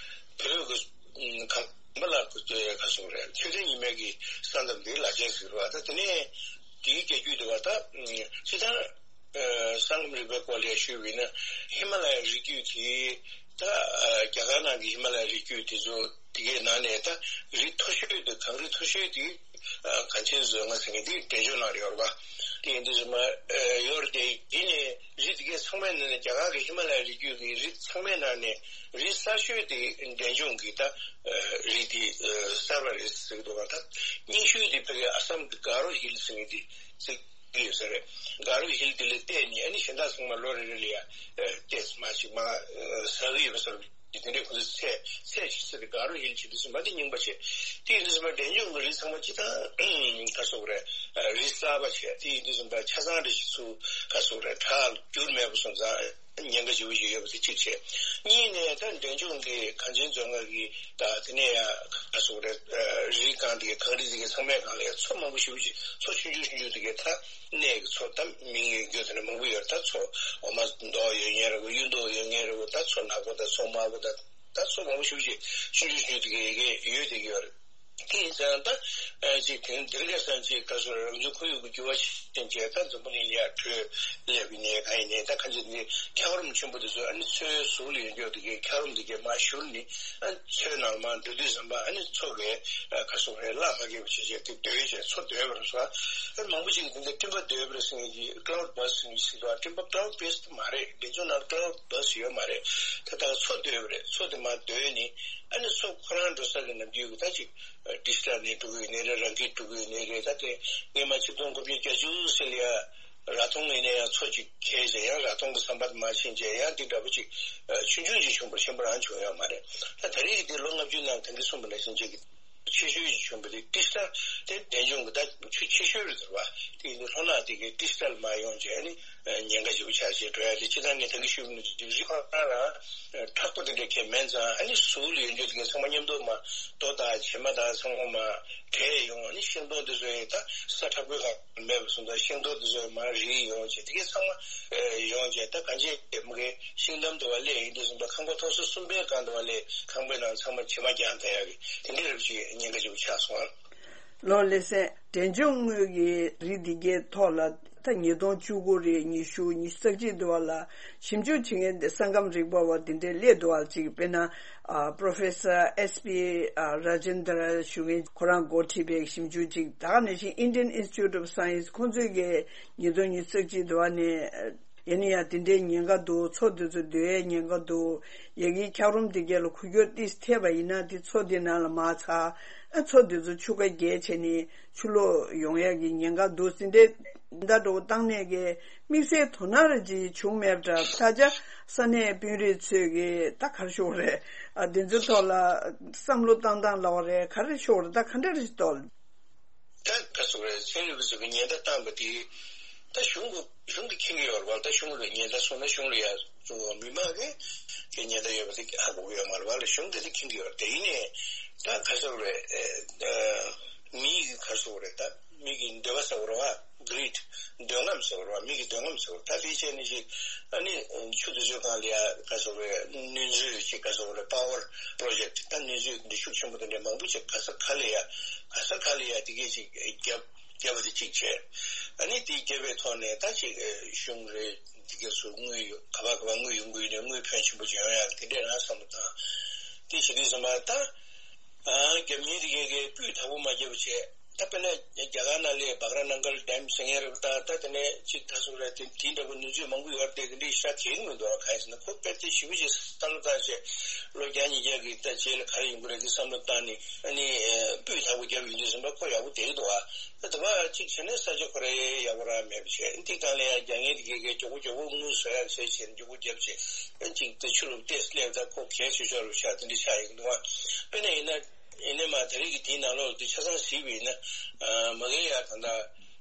བོད་ཀྱི་ཁམས་པ་ལ་ག་ཟེར་དགོས་རེད། མཆོད་རྟེན་ཉི་མའི་གི་ས་མཚམས་འདི་ལ་ཆེན་ཟེར་བ། ད་དེ་ནས་དེའི་རྒྱལ་རྒྱུད་འདི་བ་ད་སྤྱིར་བཏང་ཨ་གསང་སྒང་རིག་པའི་སྐོར་ལ་ཞུས་པ་ཡིན་ན། ཧི་མ་ལ་ཡའི་རི་རྒྱུད་དེ་ད་ཨ་རྒྱ་གར་ནང་གི་ཧི་མ་ལ་ཡའི་རི་རྒྱུད་དེ་ཚོ་དེ་གའི་ནང་ནས་ད་རི་མཐོ་ཤོས་དེ། གངས་རི་མཐོ་ཤོས་དེ་ཨ་གངས་ཅན་རྫོང་ཟེར་མཁན་དེ་འབྲས་ལྗོངས་ནང་ལ་ཡོད་རེད་པ། དེ་ཡིན་དུས་ཙམ་པ་ཨ་ཡོད་རེད་དེ། ཡིན་ནའི་རི་དེ་གའི་ཚང་མའི་ནང་ནས་རྒྱ་གར་གྱི་ཧི་མ་ལ་ཡའི་རི་རྒྱུད་ཀྱི་རི་ཚང་མའི་ནང་ནས་རི་གསར་ཤོས་དེ་འབྲས་ལྗོངས་ཀྱི་ད་ཨ་རི་དེ་ཨ་གསར་པ་རེད་ཟེར་གྱི་འདུག་ག་ད་རྙིང་ཤོས་དེ་ཕ་གི་ཨ་སམ་གྱི་ག་རོ་ཧིལ་ཟེར་མཁན་དེ་ཟེར། གི་ཡོད་ས་རེད། དགའ་རོ་ཧིལ་དེ་ལ་བལྟས་ནས་ཨ་ནི་གཞན་དག་ཚང་མ་ལོ་རེ་རེ་ལ་ཡ་ཨ་བལྟས་མ་ཅིག་མ་ཨ་ཟ་གི་ཡོད་པ་ཟེར་གི་དེ་འདྲའི་ཁོ་ཚོ་ཚད་ཚད་ཅིག་ཚད་དེ་དགའ་རོ་ཧིལ་བྱེད་དུས་ཙམ་པ་དེ་རྙིང་པ་བྱས། དེ་ཡིན་དུས་ཙམ་པ་འབྲས་ལྗོངས་ཀྱི་རི་ཚང་མ་སྤྱིར་བཏང་ག་སོག་རེད། རི་གསར་པ་བྱས། དེ་ཡིན་དུས་ཙམ་པ་ཆ་ཚང་རེ་ཞིག་ཚུར་ག་སོག་རེད། བྲག་བསྒྱུར་མེད་པ་སོང་ཙང་ཉེན་ཁ་ཞེ་པོ་ཞིག་ཡོད་པ་དེ་གཅིག་བྱས། གཉིས་ནས་ད་འབྲས་ལྗོངས་ཀྱི་གངས་ཅན་མཛོད་ལྔ་གི་ད་དེ་ནས་ཡང་ག་སོག་རེད། རི་སྒང་དེ་གའི་གངས་རི་དེ་གའི་ཚང་མའི་སྒང་ལ་ཡང་མཚོ་མང་པོ་ཞེ་པོ་ཅིག་མཚོ་ཆུང་ཆུང་ཆུང་ཆུང་དེ་གའི་ད་གནས་ཀྱི་མཚོ་ད་མིང་ཡོད་རྒྱུ་དེ་འདྲ་མང་པོ་ཡོད། ད་མཚོ་འོ་མ་མདོག་ཡོད་མཁན་རེད་གོ། གཡུ་མདོག་ཡོད་མཁན་རེད་གོ། ད་མཚོ་ནག་པོ་དང་མཚོ་དམར་པོ་དང་ད་མཚོ་མང་པོ་ཞེ་པོ་ཅིག་ཆུང་ཆུང་ཆུང་ཆུང་དེ་གའི་ཡ་གི་ཡོད་དེ་གི་ཡོད་རེད། དེ་ཡིན་ཙང་ད་ཨ་ཅིག་དེང་འདིར་ག་སང་ཅིག་ག་སོག་རང་བྱུང་ཁོར་ཡུག་གི་འགྱུར་བ་ཤེས་བྱས་ད་འཛམ་བུ་གླིང་ལ་ཡ་བྲོས་སླེབས་ཡིན་ནའི་གང་ཡིན་ནའི་ད་གང་ཅི་འདི་འཁྱགས་རོམ་ཆེན་པོ་དེ་ཚོ་ཨ་ནི་མཚོའི་ཟུར་ལ་ཡོད་འགྱོག་དེ་གའི་འཁྱགས་རོམ་དེ་གའི་མར་བཞུར་ནས་ཨ་མཚོའི་ནང་ལ་མར་འགྲོ་དུས་ཙམ་པ་ཨ་ནི་མཚོ་གའི་ཨ་ག་སོག་རེད་བརླག་མ་གས་པ་བྱས་བྱས་དེ་རྡོལ་བྱས་མཚོ་རྡོལ་བ་རེད་སོ། ཨ་མང་པོ་ཅིག་དེ་འདྲ་སྤྲིན་པ་རྡོལ་བ་རེད་ཟེར་མཁན་གྱི་cloud burst་ཟེར་མཁན་ཞིག་འདུག་སྤྲིན་པ་cloud burst་མ་རེད། འབྲས་ལྗོངས་ནང་cloud burst་ཡོད་མ་རེད། ད་ལྟ་མཚོ་རྡོལ་བ་རེད། མཚོ་དེ་མར་རྡོལ་ནས་ཨ་ནི་མཚོ་ཁོ་རང་འགྲོ་ས་གི་ནམ་རྒྱུད་ཀྱི་ད་ཅིག་ཏི་ཤ་ནས་འགྲོ་གི་ཡོད་ནའི་རེད། རང་གིས་འགྲོ་གི་ཡོད་ནའི་རེད། ད་དེ་སྔོན་མ་ཆིག་སྟོང་དགུ་བརྒྱ་བརྒྱད་ཅུ་ཟེར་ལ་ཡ་ར་ཐོང་ཡིན་ན་ཡང་མཚོ་གཅིག་འཁེལ་བྱས་ཡང་ར་ཐོང་གི་ཟམ་པ་དེ་མར་ཕྱིན་བྱས་ཡང་འདི་འདྲ་པོ་ཅིག་ཆུང་ཆུང་ཅིག་བྱུང་བ་ཆེན་པོ་རང་བྱུང་ཡོད་མ་རེད། ད་ད་རེས་ཀྱི་འདི་ལོ་ལྔ་བཅུའི་ནང་ད་གིན་གསུངས་པ་ནང་བཞིན་ཅིག་གི་ཆེ་ཤོས་ཅིག་བྱུང་བ་དེ་ཏི་ཤ་དེ་འབྲས་ལྗོངས་ཀྱི་ད་ཆུ་ཆེ་ཤོས་རེད་ཟེར་བ། དེ་ཡིན་དུས་ལྷོ་ནག་དེ་གའི་ཏི་ཤ་ལ་མར་ཡོང་བྱས་ནི་ཉེན་ཁ་ཞེ་པོ་ཆགས་བྱས་འགྲོ་ཡ་དེ་སྤྱིར་བཏང་ངས་ད་གིན་ཞུས་པ་ནང་བཞིན་རི་ཁོ་རང་རང་མཁྲེགས་པོ་དེ་འདྲ་གས་མིན་ཙང་ཨ་ནི་ཟུར་ལ་ཡོད་རྒྱུ་དེ་གའི་ཚང་མ་མཉམ་དུ་མར་རྡོ་དང་བྱེ་མ་དང་ཚང་མ་མར་བྲེགས་ཡོང་། ཨ་ནི་ཤིང་སྡོང་དེ་ཚོ་ཡང་ད་ས་མཁྲེགས་པོའི་སྒང་མེད་པ་སོང་ཙང་ཤིང་སྡོང་དེ་ཚོ་མར་རིལ་ཡོང་བྱས་དེ་གའི་ཚང་མ་ཡོང་བྱས་ད་གང་ཅི་མ་གའི་ཤིང་འདམ་དུ་བ་སླེབས་ཡིན་དུས་ཙམ་པ་ཁང་པ་མཐོ་ས་གསུམ་པའི་སྒང་དུ་བ་སླེབས། ཁང་པའི་ནང་ཚང་མ་བྱེ་མ་རྒྱག་ད་ཡ་གི་དེ་འདྲའི་རབས་ཅིག་ཉེན་ཁ་ཅིག་ཆགས་སོང་ཨ། ལོ་ལེ་ཚན་འབྲས་ལྗོངས་དངོས་ཀྱི་རི་འདི་གའི་ཐོག་ལ་ད་ཉིས་སྟོང་བཅུ་དགུ་རེད། ཉི་ཤུ་ཉི་ཤུ་རྩ་གཅིག་འདུག་བ་ལ་ཞིབ་འཇུག་བྱེད་མཁན་དེ་ས་ཁམས་རིག་པ་བ་དེ་འདྲའི་སླེབས་འདུག་བ། ཅིག་དཔེར་ན་ཨ་Professor S P ཨ་Rajendra ཞུ་མཁན་ཁོ་རང་འགོ་ཁྲིད་པའི་ཞིབ་འཇུག་ཅིག་ད་ག་ནང་བཞིན་Indian Institute of Science ཁོང་ཚོས་ཀྱི་ཉིས་སྟོང་ཉི་ཤུ་རྩ་གཅིག་འདུག་བ་ནས། ཡིན་ན་ཡང་དེ་འདྲའི་ཉེན་ཁ་འདུག་མཚོ་དེ་ཚོ་རྡོལ་ཡའི་ཉེན་ཁ་འདུག་ཡ་གིའི་འཁྱགས་རོམ་དེ་གས་ལ་འགུལ་སྐྱོད་ཏིས་ཐེབས་པ་ཡིན་ན་དེ་མཚོ་དེ་ནང་ལ་མར་ཚ། ཨ་མཚོ་དེ་ཚོ་ཆུ་ཁ་རྒྱས་བྱས་ནས་ཆུ་ལོག་ཡོང་ཡ་གི་ཉེན་ཁ་འདུག་ཟེར་འདྲའི་ད་འགྲོ་བཏང་ནས་གི་དམིགས་བསལ་དོ་སྣང་རེ་ཅིག་བྱུང་མེད་པ་འདྲ། ད་ཆ་ས་གནས་དཔོན་རིགས་ཚོས་གི་ད་ག་རེ་ཞུ་དགོས་རེད། ཨ་དེ་ཚོའི་ཐོག་ལ་བསམ་བློ་བཏང་སྟངས་ལབ་པ་རེད། ག་རེ་ཞུ་དགོས་རེད། ད་ག་འདྲ་རེད་ཞིག་འདུག་ད་ག་ཚོད་རེད། ཚན་རིག་པ་ཚོས་ཀྱི་ཉེན་བརྡ་བཏང་བ་དེ་ད་གཞུང་གི་གཞུང་གིས་མཁྱེན་གྱི་ཡོད་རེད་བ། ད་གཞུང་ལ་ཉེན་བརྡ་སོང་ན་གཞུང་ལ་ཡ་མི་མང་གིས་དེ་ཉེན་བརྡ་ཡོད་པ་དེ་ཧ་གོ་གི་ཡོད་མ་རེད་བ་ལ། གཞུང་གིས་དེ་མཁྱེན་གྱི་ཡོད་རེད། དེ་ཡིན་ནའི་ད་ག་ཚོད་རེད། ཨ་མི་གི་ག་ཚོད་རེད། ད་མི་གི་འདོད་པ་ཟེར་བ་རེད་བ། greed འདོད་རྔམ་ཟེར་བ་རེད་བ། མི་གི་འདོད་རྔམ་ཟེར་བ། ད་དེ་བྱས་ནས་ཅིག་ཨ་ནི་ཆུ་དེ་ཚོའི་སྒང་ལ་ཡ་ག་ཚོད་རེད། སྣོད་འཛུལ་ཅིག་ག་ཚོད་རེད། power project ད་སྣོད་འཛུལ་འདི་ཤུགས་ཆེན་པོ་དེ་འདྲ་མང་པོ་ཅིག་ག་ས་ག་ལ་ཡ་ག་ས་ག་ལ་ཡ་དེ་གས་ཅིག་བརྒྱབ། བརྒྱབ་པ་དེ་གཅིག་བྱས། ཨ་ནི་དེ་བརྒྱབ་པའི་ཐོག་ནས་ད་ཅིག་ཨེ་གཞུང་རེད། དེ་གས་སུ་དངུལ་ཡོད་ག་པ་ག་པ་དངུལ་ཡོང་གི་ཡོད་ནས་དངུལ་ཕོན་ཆེན་པོ་ཅིག་ཡོང་ཡག་དེ་འདྲས་རང་བསམ་བློ་བཏང་། དེ་བྱེད་དུས་ཙམ་པ་ད་ཨ་རྒྱབ་གཉེར་དེ་གས་གས་སྤུས་དག་པོ་མ་བརྒྱབ་པ་བྱས། ད་དཔེར་ན་རྒྱ་གར་ནང་ལས་བྷག་ར་ནང་གལ་ཌེམ་ཟེར་མཁན་རེད་པ། ད་ད་དེ་ནས་ཅིག་ད་སུ་རེད། དེ་དེ་འདྲ་པོ་ནུས་ཚོད་མང་པོ་ཡོད་རེད། དེ་འདྲས་ཤ་གས་གི་མི་འདུག་ག་ཡིན་ཟེར་ན་ཁོ་དཔེ་དེ་ཞིབ་པོ་ཅིག་བསམ་བློ་བཏང་བྱས་ལོ་བརྒྱ་ཉིས་བརྒྱ་གི་ད་རྗེས་ལ་ག་རེ་ཡོང་གི་རེད་དེ་བསམ་བློ་བཏང་ནས། ཨ་ནི་ཨ་སྤུས་དག་པོ་བརྒྱབ་ཡོང་དུས་ཙམ་པ་ཁོ་ཡག་པོ་བསྡད་ཀྱི་འདུག་ཨ། ད་དེ་བ་གཅིག་བྱས་ན་ས་ཆ་ཁོ་རང་ཡག་པོ་རང་མེད་པ་བྱས། འདི་སྒང་ལ་ཡང་རྒྱ་ངན་དེ་གས་གས་མགྱོགས་པོ་མགྱོགས་པོ་དངུལ་བཟོ་ཡག་བྱས་བྱས་མགྱོགས་པོ་བརྒྱབ་བྱས། ཨ་གཅིག་དེ་ཆུ་རུབ་ཏེ་སླེབས། ད་ཁོ་གས་ཆེ་ཤོས་རུ་ཆགས་དེ་འདྲ་ཆགས་ཡོང་གི་འདུག་ཨ། དཔེར་ན་ཡིན་ན་ཡིན་ནའི་མ་ད་རེས་ཀྱི་དེའི་ནང་ལོགས་དེ་ཆ་ཚང་གཟིགས་པ་ཡིན་ན་ཨ་མ་གི་ཡ་ད་ལྟ་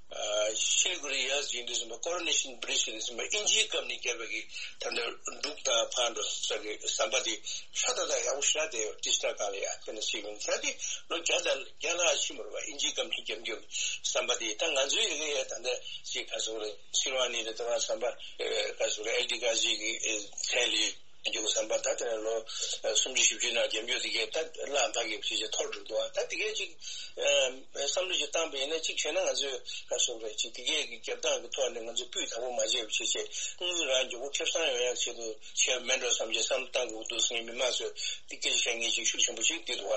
ཨ་ཤིལ་གུ་རི་ཡར་ཡིན་དུས་ཙམ་པ་Coronation Bridge ཡིན་དུས་ཙམ་པ་ཨིན་ཇིའི་སྐབས་ནས་བརྒྱབ་པའི་གི་ད་ལྟ་འབྲུག་དང་ཕར་འགྲོ་ས་གི་ཟམ་པ་དེ་ཧྲ་ཏག་ཏག་ཡག་པོ་ཞེ་དྲག་བསྡད་ཡོད། ཏི་སྟ་གང་ལ་ཡ་དཔེར་ན་ཞིག་ཡིན་ད་དེ་ལོ་བརྒྱ་དང་བརྒྱ་ལྷག་ཕྱིན་པ་རེད་བ། ཨིན་ཇིའི་སྐབས་ནས་བརྒྱབ་རྒྱུ་ཟམ་པ་དེ་ད་ང་ཚོའི་ཡི་གེ་ཡ་ད་ལྟ་ཞིག་ག་ཚོད་རེད། སིལ་ཝ་ནི་རེད། ད་བ་ཟམ་པ་ག་ཚོད་རེད། ཨེལ་ཏི་ག་ཞིག་གི་ཚན་ལས། རྒྱུ་བསམ་པ་ད་དེ་ལོ་སུམ་ཅུ་བཞི་བཅུ་ནང་རྒྱབ་འཇུག་དེ་གས་ད་བླ་འཕགས་ཀྱི་ཕྱི་ཆ་ཐོར་འགྲོ་འདུག་ད་དེ་གས་ཅིག་བསམ་བློ་ཅིག་བཏང་པ་ཡིན་ན་ཅིག་བྱས་ན་ང་ཚོས་ག་སོག་རེད་ཅིག་དེ་གས་ཀྱི་རྒྱབ་སྟངས་ཀྱི་ཐོག་ནས་ང་ཚོས་སྤུས་དག་པོ་མ་བྱས་པ་བྱས་བྱས་དངུལ་རང་མགྱོགས་པོ་ཁེ་བཟང་ཡོང་ཡག་ཆེད་དུ་བྱས་མེད་འགྲོ་བསམ་བྱས་བསམ་བློ་བཏང་དགོས་འདུག་ཟེར་ནས་མི་མང་ཚོས་དེ་སྐད་ཆ་བཤད་མཁན་ཅིག་ཤུགས་ཆེན་པོ་ཅིག་འདི་འདུག་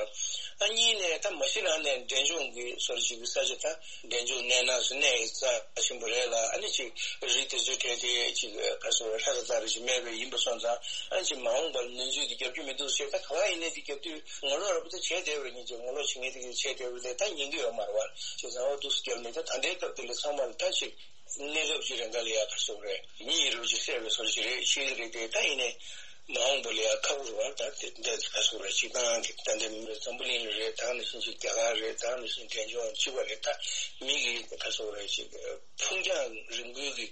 ཨ་གཉིས་ནས་ད་མ་གཞི་རང་ནས་འབྲས་ལྗོངས་ཀྱི་སོར་ཅིག་གི་ས་ཆ་ད་འབྲས་ལྗོངས་གནས་ན་སུ་གནས་ཡི་རྩ་ཆེན་པོ་རེད་ལ་ཨ་ནི་ཅིག་རི་དེ་ཚོའི་གྲས་དེ་ཅིག་ག་སོག་རེད་ཧྲ་ས་ད་རི་ཅིག་མེད་པས་ཡིན་པ་སོང་ཙང་ ཨ་ཅེ་མ་འོངས་པར་ནུས་ཚོད་དེ་རྒྱབ་རྒྱུ་མི་འདུག་ཟེར། ད་ག་བ་ཡིན་ནའི་དེ་རྒྱབ་དུས་ངོ་ལོག་ར་པོ་ད་བྱས་བསྡད་པ་རེད། སྙིང་རྗེ་ངོ་ལོག་བྱེད་མཁན་དེ་གིས་བྱས་བསྡད་པ་རེད། ད་ཉན་གི་ཡོད་མ་རེད་བ། བྱས་ཙང་ཨོ་འདུག་སེ་རྒྱབ་ནས་ད་ད་ལྟའི་སྐབས་དེ་ལ་ཚང་མ་ལ་ད་ཅིག་གནས་སྐབས་ཀྱི་རེ་འགའ་ལ་ཡ་ག་སོགས་རེད། མི་ཡི་རུ་ཅིག་བསད་པའི་བཟོ་ཅིག་རེད། ཤེས་ཀྱི་རེད་དེ། ད་ཡིན་ནའི་མ་འོངས་པ་ལ་ཡ་ཁག་པོ་རེད་བ། ད་དེ་འདྲ་ག་སོགས་རེད། སྤྱིར་བཏང་གི་ད་འདི་འཛམ་བུ་གླིང་ལ་རེད། ད་ནང་བཞིན་ཅིག་རྒྱ་གར་རེད། ད་ནང་བཞིན་འབྲས་ལྗོངས་སྤྱི་པ་རེད། ད་མི་གི་ག་སོགས་རེད། ཅིག་ཕུང་རྒྱང་རིང་པོའི་གི་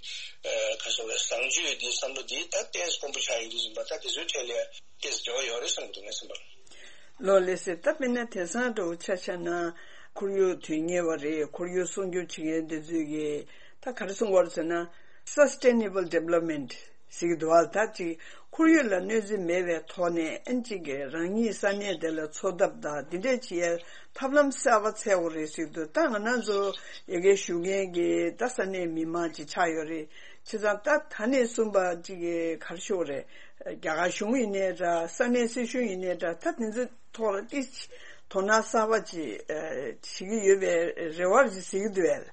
ག་སོགས་རེད། བཟང་སྤྱོད་འདི་བསམ་བློ་འདི་ད་ཏོག་ཙམ་དཀོན་པོ་ཆགས་ཡོང་དུས་ཙམ་པ། ད་དེ་ཚོའི་གྲས་ལ་ཡ་ཏོག་ཙམ་འབྲེལ་བ་ཡོད་རེད་བསམ་གྱི་འདུག་ངའི་བསམ་པར། ལགས་ལགས་སེ། ད་དཔེར་ན་དེང་སང་འདྲ་བོ་ཆ་བཞག་ན་ཁོར་ཡུག་དོན་གཉེར་བ་རེད། ཁོར་ཡུག་སྲུང་སྐྱོབ་བྱེད་མཁན་དེ་ཚོས་ཀྱི་ད་ག་རེ་གསུང་གི་ཡོད་རེད་ཟེར་ན། Sustainable Development ཟེར་གྱི་འདུག་བ། ད་ཅིག་ཁོར་ཡུག་ལ་གནོད་འཚེ་མེད་པའི་ཐོག་ནས་ཨ་ཅིག་གི་རང་ཉིད་ས་གནས་དེ་ལ་འཚོ་ཐབས་དང་འདི་འདྲས་བྱེད་ཡ་ཐབས་ལམ་གསར་པ་འཚོལ་དགོས་རེད་ཟེར་གྱི་འདུག་ད་ང་རང་ཚོ་ཡ་གིར་བཞུགས་མཁན་གྱི་ད་ས་གནས་མི་མང་ཅིག་ཆགས་ཡོད་རེད། བྱས་ཙང་ད་ད་ནས་བཟུང་པ་ཅིག་གི་ག་རེ་ཞུ་དགོས་རེད། རྒྱ་གར་གཞུང་ཡིན་ནའི་འདྲ། ས་གནས་སྲིད་གཞུང་ཡིན་ནའི་འདྲ། ད་དེ་ཚོའི་ཐོག་ལ་ཏིག་ཙམ་དོ་སྣང་གསར་པ་ཅིག་ཨ་བྱེད་ཀྱི་ཡོད་པའི་རེ་བ་ཅིག་གཟིགས་ཀྱི་འདུག་བས།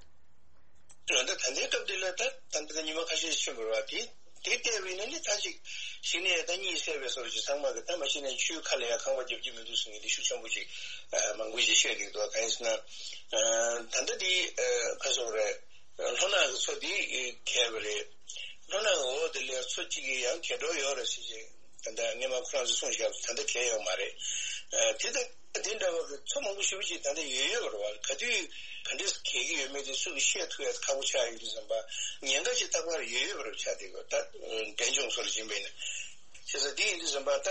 ད་ལྟ་ད་ལྟའི་སྐབས་འདི་ལ་ད་ད་ལྟ་ཉི་མ་ཁ་ཤས་ཕྱིན་པ་རེད་བ། དེ་དེ་བལྟས་པ་ཡིན་ན་ནི་ད་ཅིག་གཞི་ནས་ད་གཉིད་སད་པའི་བཟོ་འདྲ་ཅིག་ཚང་མ་གི་ད་མ་གཞི་ནས་ཆུའི་ཁ་ལ་ཡ་ཁང་པ་རྒྱབ་ཀྱི་མི་འདུག་ཟེར་མཁན་དེ་ཤུགས་ཆེན་པོ་ཅིག་ཨ་མང་པོ་ཅིག་བཤད་བསྡད་འདུག་གང་ཡིན་ཟེར་ན། ཨ་ད་ལྟ་དེ་ཨ་ག་སོགས་རེད། ལྷོ་ནག་གི་མཚོ་འདི་གས་པ་རེད། ལྷོ་ནག་གི་འོག་དེ་ལ་མཚོ་གཅིག་གི་ཡང་གས་འགྲོ་ཡོད་རེད་ཟེར་བྱས། ད་ལྟ་སྔོན་མ་ཁོ་རང་ཚོས་གསུངས་བཞག་པ་ད་ལྟ་གས་ཡོད་མ་རེད། ཨ་དེ་ད་དེ་འདྲ་བ་གི་མཚོ་མང་པོ་ཞེ་པོ་ཅིག་ད་ལྟ་ཡོད་ཡོད་རེད་བ། ག་དུས་ག་འདྲས་གས་ཀྱི་ཡོད་མེད་དེ་སུ་གིས་བཤད་ཐུབ་ཡ་ཁག་པོ་ཆགས་ཡོད་དུས་ཙམ་པ་ཉེན་ཁ་ཅིག་རྟག་པར་ཡོད་ཡོད་པ་རེད་ཆགས་བསྡད་ཡོད། ད་འབྲས་ལྗོངས་སོགས་ལ་ཕྱིན་པ་ཡིན་ན། བྱས་ཙང་དེ་ཡིན་དུས་ཙམ་པ་ད་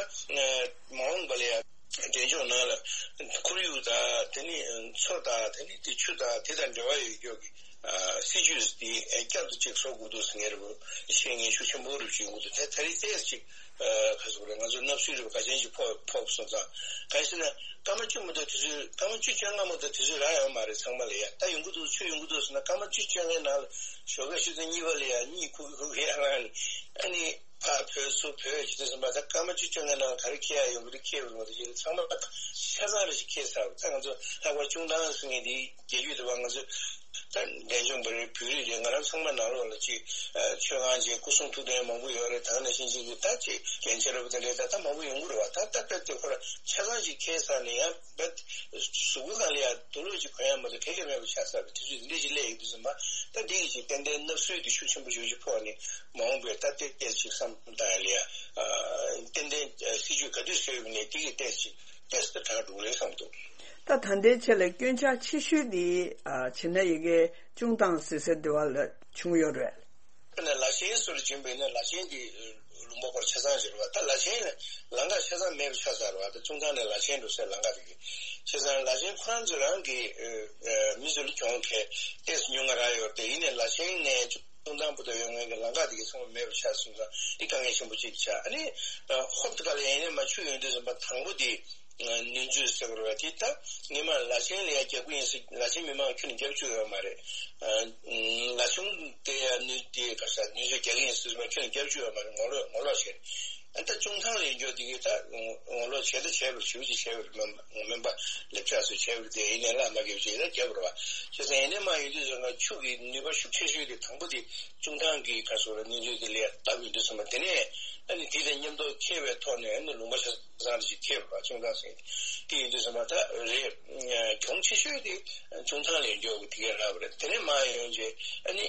མ་འོངས་པ་ལ་ཡ། འབྲས་ལྗོངས་ནང་ལ་ཁོར་ཡུག་དང་དེ་ནི་མཚོ་དང་དེ་ནི་དེ་ཆུ་དང་དེ་དང་འབྲེལ་བ་ཡོད་རྒྱུ་གི་ཨ་སྲིད་ཇུས་དེ་བསྐྱར་དུ་ཅིག་བཟོ་དགོས་འདུག་ཟེར་མཁན་རེད་པ། བཤད་མཁན་ཤུགས་ཆེན་པོ་རེ་བྱེད་དགོས་འདུག་དེ་ད་རེས་ཏོག་ཙམ་ཅིག་ཨ་ག་ཟེར་དགོས་རེད། ང་ཚོ་སྣུབ་སུལ་རེ་བ་ག་ཅན་ཅིག་ཕོག་ཕོག་སོང་ཙང་། གང་ཡིན་ཟེར་ན་སྐར་མ་བཅུ་མ་གཏོགས་དུས་ཚོད། སྐར་མ་བཅུ་བཅོ་ལྔ་མ་གཏོགས་དུས་ཚོད་རག་ཡོད་མ་རེད་ཚང་མ་ལ་ཡ། ད་ཡོང་གི་འདུག་ཆུ་ཡོང་གི་འདུག་ཟེར་ན་སྐར་མ་བཅུ་བཅོ་ལྔའི་ནང་ལ་ཞོགས་ཀས་ཆུ་ཚོད་གཉིས་པ་ལ་ཡ་གཉིད་ཁུག་གི་ཁུག་གི་ཡ་རང་ཨ་ནི། ཕར་བུད་ཚུར་བུད་བྱེད་དུས་ཙམ་པ་ད་སྐར་མ་བཅུ་བཅོ་ལྔའི་ནང་ག་རེ་འཁྱེར་ཡ་ཡོང་གི་རེད། འཁྱེར་བ་རེད་མ་གཏོགས་ཅིག་ཚང་མ་ཆ་ཚང་རེ་ཞིག་འཁྱེར་ཚར་བ། ད་ང་ཚོ་ལྷག་པར་ཅུང་ཐང་ཟེར་མཁན་དེ་རྒྱལ་རྒྱུད་དུ་བ་ང་ཚོ་ད་འབྲས་ལྗོངས་པ་རེད། བོད་རིགས་རེད། ང་རང་ཚང་མ་ནང་ལོགས་ལ་ཅིག་ཨ་ཆོས་ཁང་ཅིག་སྐུ་གསུང་ཐུགས་རྟེན་མང་པོ་ཡོད་རེད། ད་ག་ནང་བཞིན་ཅིག་གི་ད་ཅིག་རྒྱན་ཆ་ར་བ་དེ་འདྲས་ད་ད་མང་པོ་ཡོང་གི་རེད་བ། ད་ད་ད་དེ་ཁོ་ར་ཆ་ཚང་ཅིག་འཁྱེར་ཚར་ནས་ཡང་བད་གཟུགས་པོ་སྒང་ལ་ཡ་དུག་ལོག་ཅིག་གོན་ཡ་མ་གཏོགས་ག་གེ་མེད་པ་ཆགས་ཚར་བའི་དུས་ཚོད་འདི་འདྲས་ཅིག་སླེབས་ཡོང་དུས་ཙམ་པ། ད་འདི་གི་ཅིག་ཏན་ཏན་བསྣབ་སྲོལ་དེ་ཤུགས་ཆེན་པོ་ཞེ་པོ་ཅིག་ཕོག་ནས་མ་འོངས་པའི་ད་ཏོག་ཙམ་ཅིག་བསམ་བཏང་ཡ་ལ་ཡ། ཨ་ཏན་ཏན་ཨ་སྲིད་ཇུས་ག་དུས་བཟོས་ཡོད་ནས་དེ་གི་ཏོག་ཙམ་ཏོག་ཙམ་དྲག་འགྲོ་གི་རེད་བསམ་འདུག་ད་ད་ལྟའི་ཆ་ལ་སྐྱོན་ཆ་ཆེ་ཤོས་དེ་ཨ་བྱས་ན་ཡ་གི་ཅུང་ཐང་ཟེར་ས་དེ་བ་ལ་བྱུང་ཡོད་རེད། ད་ནི་ལ་ཆེན་སོགས་ལ་བྱུང་བས་ན་ལ་ཆེན་གྱི་ལུང་པ་སྐོར་ཆ་ཚང་ཞིག་རེད་བ། ད་ལ་ཆེན་ལ་ལམ་ཁ་ཆ་ཚང་མེད་པ་ཆགས་ཚར་བ། ད་ཅུང་ཐང་ནས་ལ་ཆེན་འགྲོ་སའི་ལམ་ཁ་དེ་གི་བྱས་ཙང་ལ་ཆེན་ཁོ་རང་ཚོ་རང་གི་ཨ་མི་ཚོ་ལ་གྱོང་ཁེ་ཏོག་ཙམ་ཉུང་ང་རག་ཡོད་རེད་དེ། ཡིན་ནའི་ལ་ཆེན་ནས་ཅུང་ཐང་བར་དུ་ཡོང་མཁན་གྱི་ལམ་ཁ་དེ་གི་ཚང་མ་མེད་པ་ཆགས་སོང་ཙང་དེ་དཀའ་ངལ་ཆེན་པོ་གཅིག་ཆགས། ཨ་ནི་ཧོབ་ཏེ་ག་ལ་ཡིན་ནའི་མར་ཆུ་ཡོང་དུས་ཙམ་པ་དང་པོ་དེ་ནུས་མཛོད་ཟེར་བ་རེད་བ། དེ་ད་སྔོན་མ་ལ་ཆེན་ལ་ཡ་རྒྱབ་ཀྱི་ཡིན་ཟེར། ལ་ཆེན་མི་མང་ཁྱོན་ནས་རྒྱབ་བཅུག་ཡོད་མ་རེད། ཨ་ལ་ཆུང་དེ་ཡ་ནུས་དེ་ག་ས་ནུས་མཛོད་རྒྱག་གི་ཡིན་ཟེར་ཙམ་པ་ཁྱོན་ནས་རྒྱབ་བཅུག་ཡོད་མ་རེད། ངོ་ལོག་ངོ་ལོག་བྱས། ཨ་ད་ཅུང་ཐང་ལ་ཡོང་རྒྱུ་དེ་གི་ད་ངོ་ལོག་བྱས་ད་བྱས་པ་རེད། ཞེ་པོ་ཅིག་བྱས་པ་རེད། མ་མ་མིན་པ་ལེབ་ཆགས་སུ་བྱས་པ་རེད་དེ། ཡིན་ནའི་ལ་མ་རྒྱབ་ཅིག་ད་རྒྱབ་པ་རེད་བ། བྱས་ཙང་ཡིན་ནའི་མར་ཡོང་དུས་ཙམ་པ་ཆུ་གི་ནུས་པ་ཤུགས་ཆེ་ཤོས་དེ་དང་པོ་དེ་ཅུང་ཐང་གི་ག་སོགས་ལ་ནུས་མཛོད་དེ་ལ་ཡ་བཏབ་ཡོང་དུས་ཙམ་པ་དེ་ནས་ཨ་ནི་དེ་དང་མཉམ་དུ་འཁྱེར་བའི་ཐོག་ནས་ཨ་ནི་ལུང་པ་ཆ་ཚང་རེ་ཞིག་འཁྱེར་བ་ཅུང་ཐང་ཟེར། དེ་ཡིན་དུས་ཙམ་པ་ད་རེད། གྱོང་ཆེ་ཤོས་དེ་ཅུང་ཐང་ལ་ཡོང་རྒྱུ་དེ་གས་རག་པ་རེད། དེ་ནས་མར་ཡོང་རྗེས་ཨ་ནི་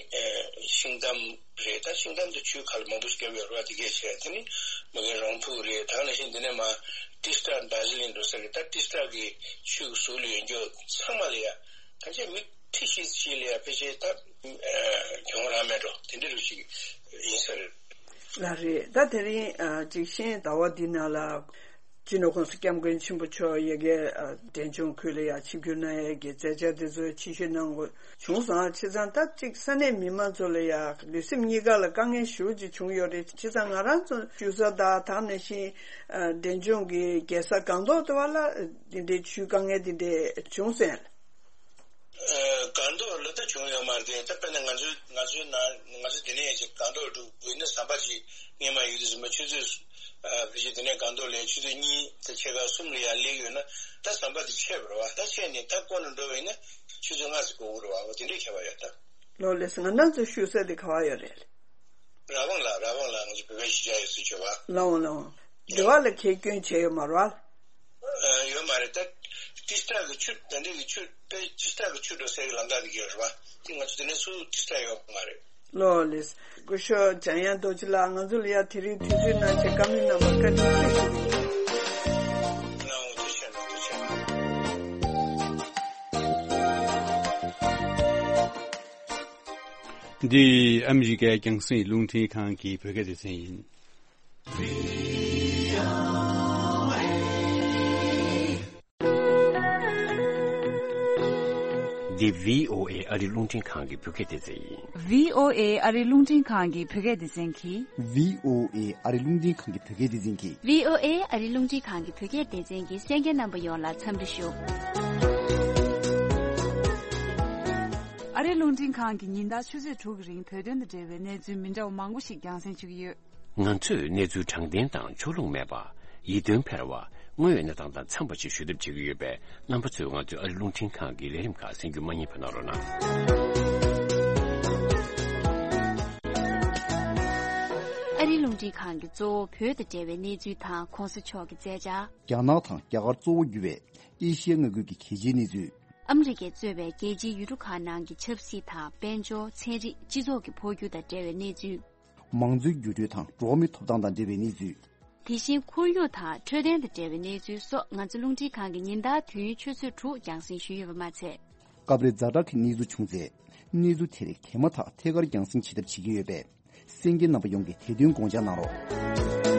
ཤིང་ཏམ་རེད། ད་ཤིང་ཏམ་དུ་ཆུའི་ཁ་ལ་མང་པོ་ཞིག་བརྒྱབ་ཡོད་རེད་བ། དེ་གས་བྱས་དེ་ནི་མ་གི་རོང་ཕུག་རེད། ད་ནང་བཞིན་དེ་ནས་མར་ཏི་སི་ཏྲ་དར་ཇི་ལིང་འགྲོ་ས་རེད། ད་ཏི་སི་ཏྲ་གི་ཆུ་གི་ཟུར་ལ་ཡོང་རྒྱུ་ཚང་མ་ལ་ཡ་གང་ཅི་མི་ཁྲི་བཞི་ཞིག་ལ་ཡ་ཕལ་ཆེར་ད་གྱོང་རག་མེད་འགྲོ་དེ་འདྲ་རུ་ཞིག་ཡིན་ས་རེད། ལགས་རེད། ད་དེ་རིང་ཨ་ཅིག་ཤེས་ཡོན་ཟླ་བ་འདི་ནང་ལ་སྤྱི་ནོར་༸གོང་ས་༸སྐྱབས་མགོན་ཆེན་པོ་མཆོག་ཡ་གི་ཨ་འབྲས་ལྗོངས་ཁུལ་ལ་ཡ་ཆིབས་བསྒྱུར་གནང་ཡ་གི་མཛད་འཆར་དེ་ཚོ་ཆེད་ཞུ་གནང་དགོས་བྱུང་སོང་། བྱས་ཙང་ད་ཅིག་ས་གནས་མི་མང་ཚོ་ལ་ཡ་ལུས་སེམས་གཉིས་ཀ་ལ་དཀའ་ངལ་ཞེ་པོ་ཅིག་བྱུང་ཡོད་རེད། བྱས་ཙང་ང་རང་ཚོ་བཞུགས་ས་དང་ད་ནང་བཞིན་ཨ་འབྲས་ལྗོངས་ཀྱི་རྒྱལ་ས་སྒང་ཏོག་དེ་བ་ལ་དེ་འདྲའི་ཆུའི་དཀའ་ངལ་དེ་འདྲ་བྱུང་སོང་། ཨ་སྒང་ཏོག་ལ་ད་བྱུང་ཡོད་མ་རེད། ད་དཔེར་ན་ང་ཚོའི་ང་ཚོའི་ནང་ང་ཚོ་དེ་ནས་ཅིག་སྒང་ཏོག་འགྲོ་དགོས་ན་ཟམ་པ་ཅིག་སྔོན་མ་ཡོད་དུས་ཙམ་པ་ཆུ་ཚོད་ཨ་ཕལ་ཆེར་དེ་ནས་སྒང་ཏོག་ལ་ཆུ་ཚོད་གཉིས་དང་ཕྱེད་ཀ་གསུམ་ལ་ཡར་སླེབས་ཡོད་ན་ད་ཟམ་པ་དེ་ཆད་པ་རེད་བ། ད་ཆད་ནས་ད་བསྐོར་ནས་འགྲོ་བ་ཡིན་ན་ཆུ་ཚོད་ལྔ་ཙམ་འགོར་གི་རེད་བ། འོ་དེ་འདྲའི་ཁྱད་པར་ཡོད་ད། ལགས་ལགས་སེ། ང་རང་ཚོ་བཞུགས་ས་དེ་ག་བ་ཡོད་རེད། ར་བང་ལ། ར་བང་ལ་ང་ཚོ་བོད་པའི་གཞིས་ཆགས་ཡོད་ས་ཆོད་པ། ལགས་འོང་ལགས་འོང་། འདི་བ་ལ་ཁྱེད་སྐྱོན་བྱས་ཡོད་མ་རེད་བ། ཨ། ཡོད་མ་རེད། ད་ཏི་སི་ཏྲ་གི་ཆུ། ད་འདི་གི་ཆུ་དཔེ་ཏི་སི་ཏྲ་གི་ཆུ་འགྲོ་སའི་གི་ལམ་ཐག་དེ་གི་ཡོད་རེད་བ། དེ་ང་ཚོ་དེ་ནས་སུ་ཏི་སི་ཏྲ་ཡོད་མ་རེད། ལོ་ལེས། སྐུ་ཞབས་འཇམ་དབྱངས་རྡོ་རྗེ་ལགས། ང་ཚོ་ལ་ཡ་དེ་རིང་དུས་ཚོད་གནང་བྱས་བཀའ་མོལ་གནང་བར་བཀའ་དྲིན་ཆེ་ཞུ་གི་ཡིན། ཐུགས་རྗེ་ཆེ་གནང་། ཐུགས་རྗེ་ཆེ་གནང་། འདི་ཨ་མི་རི་ཀའི་རྒྱང་སྲིང་རླུང་འཕྲིན་ཁང་གི་བོད་སྐད་སྡེ་ཚན་ཡིན། འདི་བྷི་ཨོ་ཨེ་ཨ་རི་རླུང་འཕྲིན་ཁང་གི་བོད་སྐད་སྡེ་ཚན་ཡིན། བྷི་ཨོ་ཨེ་ཨ་རི་རླུང་འཕྲིན་ཁང་གི་བོད་སྐད་སྡེ་ཚན་གྱིས། བྷི་ཨོ་ཨེ་ཨ་རི་རླུང་འཕྲིན་ཁང་གི་བོད་སྐད་སྡེ་ཚན་གྱིས། བྷི་ཨོ་ཨེ་ཨ་རི་རླུང་འཕྲིན་ཁང་གི་བོད་སྐད་སྡེ་ཚན་གྱི་གསན་མཁན་རྣམ་པ་ཡོངས་ལ་འཚམས་འདྲི་ཞུ། ཨ་རི་རླུང་འཕྲིན་ཁང་གིས་ཉིན་ལྟར་ཆུ་ཚོད་དྲུག་གི་རིང་བོད་དོན་དང་འབྲེལ་བའི་གནས་ཚུལ་མི་འདྲ་བ་མང་པོ་ཞིག་རྒྱང་སྲིང་ཞུ་གི་ཡོད། ང་ཚོས་གནས་ཚུལ་དྲང་བདེན་དང་ཕྱོགས་ལྷུང་མེད་པ། ཡིད་རྟོན་འཕེར་བ། དངོས་ཡོད་གནས་སྟངས་དང་འཚམས་པ་ཞིག་ཞུ་ཐབས་བྱེད་ཀྱི་ཡོད་པས། རྣམ་པ་ཚོས་ང་ཚོའི་ཨ་རི་རླུང་འཕྲིན་ཁང་གི་ལས་རིམ་ཁག་གསན་རྒྱུ་མ་བསྙེལ་བ་གནང་རོགས་གནང་། ཨ་རིའི་རླུང་འཕྲིན་ཁང་གིས་གཙོ་བོ་བོད་དང་འབྲེལ་བའི་གནས་ཚུལ་དང་གོང་ས་མཆོག་གི་མཛད་འཆར། རྒྱ་ནག་དང་རྒྱ་གར་གཙོ་བོ་གྱུར་བའི་ཨེ་ཤི་ཡ་མངའ་ཁུལ་གྱི་གལ་ཆེའི་གནས་ཚུལ། ཨ་མི་རི་ཀས་གཙོས་པའི་རྒྱལ་སྤྱིའི་ཡུལ་གྲུ་ཁག་ནང་གི་ཆབ་སྲིད་དང་། དཔལ་འབྱོར། ཚན་རིག་སྤྱི་ཚོགས་ཀྱི་འཕོ་འགྱུར་དང་འབྲེལ་བའི་གནས་ཚུལ། མང་གཙོའི་འགྱུར་འགྲོས་དང་འགྲོ་བ་མིའི་ཐོབ་ཐང་དང་འབྲེལ་བའི་གནས་ཚུལ། དེ་བཞིན་ཁོར་ཡུག་དང་འཕྲོད་བསྟེན་དང་འབྲེལ་བའི་གནས་ཚུལ་སོགས། ང་ཚོ་རླུང་འཕྲིན་ཁང་གིས་ཉིན་ལྟར་དུས་ཡུན་ཆུ་ཚོད་དྲུག་རྒྱང་སྲིང་ཞུས་ཡོད་པ་མ་ཚད། སྐབས་རེ་ཛ་དྲག་གི་གནས་ཚུལ་བྱུང་ཚེ། གནས་ཚུལ་དེ་རིགས་དེ་མ་ཐག་ཐད་ཀར་རྒྱང་སྲིང་བྱེད་ཐབས་བྱེད་ཀྱི་ཡོད་པས། གསན་མཁན་རྣམ་པ་ཡོངས་ཀྱིས་དེ་དོན་དགོངས་འཇགས་གནང་རོགས།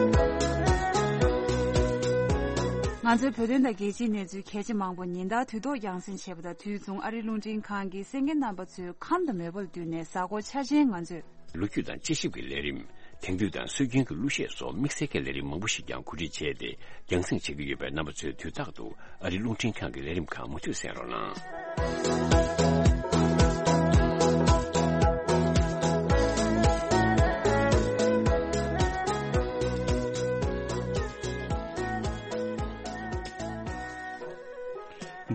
ང་ཚོའི་བོད་དོན་དང་རྒྱལ་སྤྱིའི་གནས་ཚུལ་གལ་ཆེ་མང་པོ་ཉིན་ལྟར་དུས་ཐོག་རྒྱང་སྲིང་བྱེད་པ་དང་། དུས་མཚུངས་ཨ་རིའི་རླུང་འཕྲིན་ཁང་གིས་གསན་མཁན་རྣམ་པ་ཚོའི་ཁམས་དང་མོས་པ་ལ་བསྟུན་ནས། གཟའ་འཁོར་འཆར་ཅན་ང་ཚོས། ལོ་རྒྱུས་དང་དཔྱད་ཞིབ་ཀྱི་ལས་རིམ། དེང་དུས་དང་སྲོལ་རྒྱུན་གྱི་གླུ་གཞས་སོགས་དམིགས་བསལ་གྱི་ལས་རིམ་མང་པོ་ཞིག་ཀྱང་གོ་སྒྲིག་བྱས་ཏེ་རྒྱང་སྲིང་བྱེད་ཀྱི་ཡོད་པས། རྣམ་པ་ཚོས་དུས་རྟག་ཏུ་ཨ་རིའི་རླུང་འཕྲིན་ཁང་གི་ལས་རིམ་ཁག་མུ་མཐུད་གསན་རོགས་གནང་།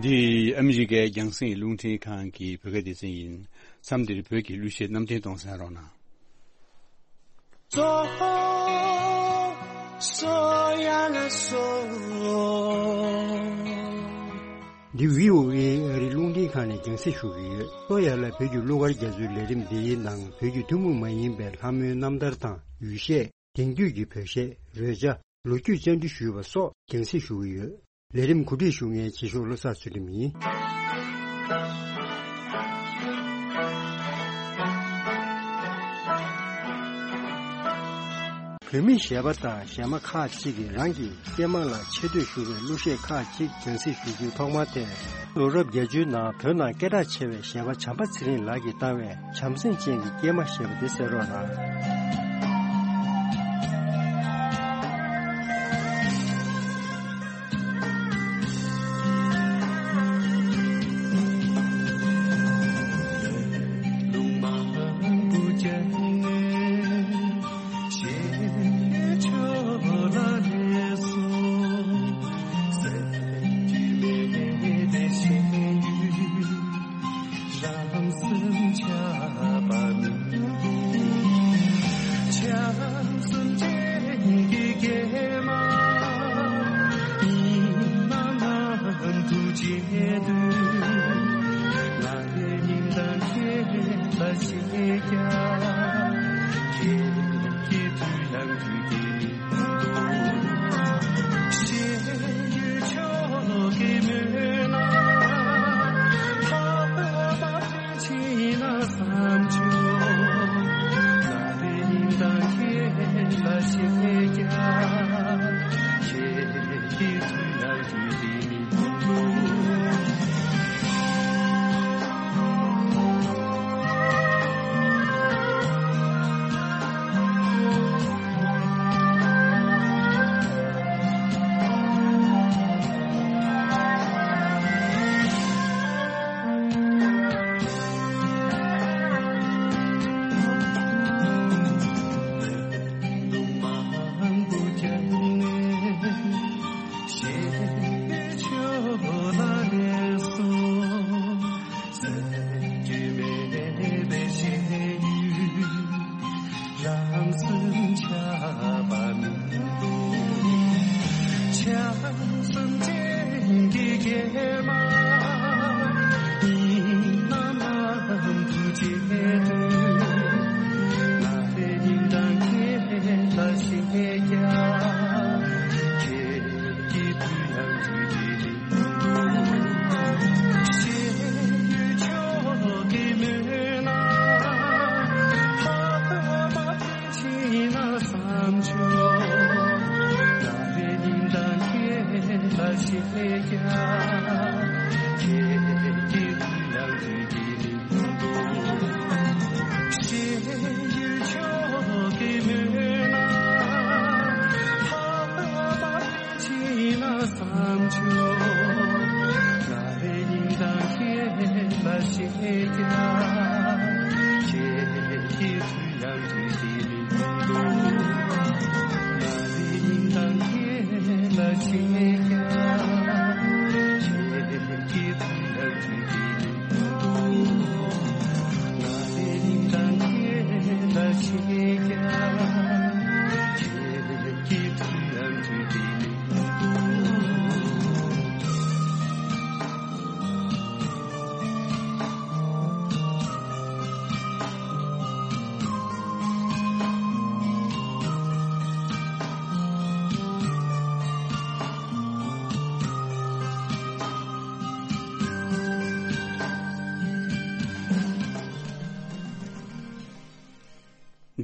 འདི་ཨ་མི་རི་ཀའི་རྒྱང་སྲིང་རླུང་འཕྲིན་ཁང་གི་བོད་སྐད་སྡེ་ཚན་ཡིན། མཚམས་འདིར་བོད་ཀྱི་གླུ་གཞས་རྣམ་འདྲེན་གཏོང་གསན་རོགས་གནང་། འདི་བྷི་ཨོ་ཨེ་ཨ་རིའི་རླུང་འཕྲིན་ཁང་ནས་རྒྱང་སྲིང་ཞུ་གི་ཡོད། སོ་ཡ་ལ་བོད་ཀྱི་གླུ་གར་རྒྱ་མཚོའི་ལས་རིམ་འདིའི་ནང་བོད་ཀྱི་ཐུན་མོང་མ་ཡིན་པའི་ལྷ་མོའི་རྣམ་ཐར་དང་། ཡུལ་གཞས། དེང་དུས་ཀྱི་བོད་གཞས། རོལ་ཆ། ལོ་རྒྱུས་བཅར་འདྲི་ཞུས་པ་སོགས་རྒྱང་སྲིང་ཞུ་གི་ཡོད། ལས་རིམ་གོ་སྒྲིག་ཞུ་མཁན་རྗེས་ཕྱོགས་བློ་བཟང་ཚུལ་ཁྲིམས་ཡིན། བོད་མི་གཞས་པ་དང་གཞས་མ་ཁག་ཅིག་གིས་རང་གི་སྐྱེས་མ་ལ་ཆེ་བསྟོད་ཞུ་བའི་གླུ་གཞས་ཁག་ཅིག་རྒྱང་སྲིང་ཞུ་རྒྱུའི་ཐོག་མ་དེ། ལོ་རབས་བརྒྱད་ཅུའི་ནང་བོད་ནང་སྐད་གྲགས་ཆེ་བའི་གཞས་པ་བྱམས་པ་ཚེ་རིང་ལགས་ཀྱིས་བཏང་བའི་བྱམས་སེམས་ཅན་གྱི་སྐྱེས་མ་ཞེས་པ་དེ་གསན་རོགས་གནང་།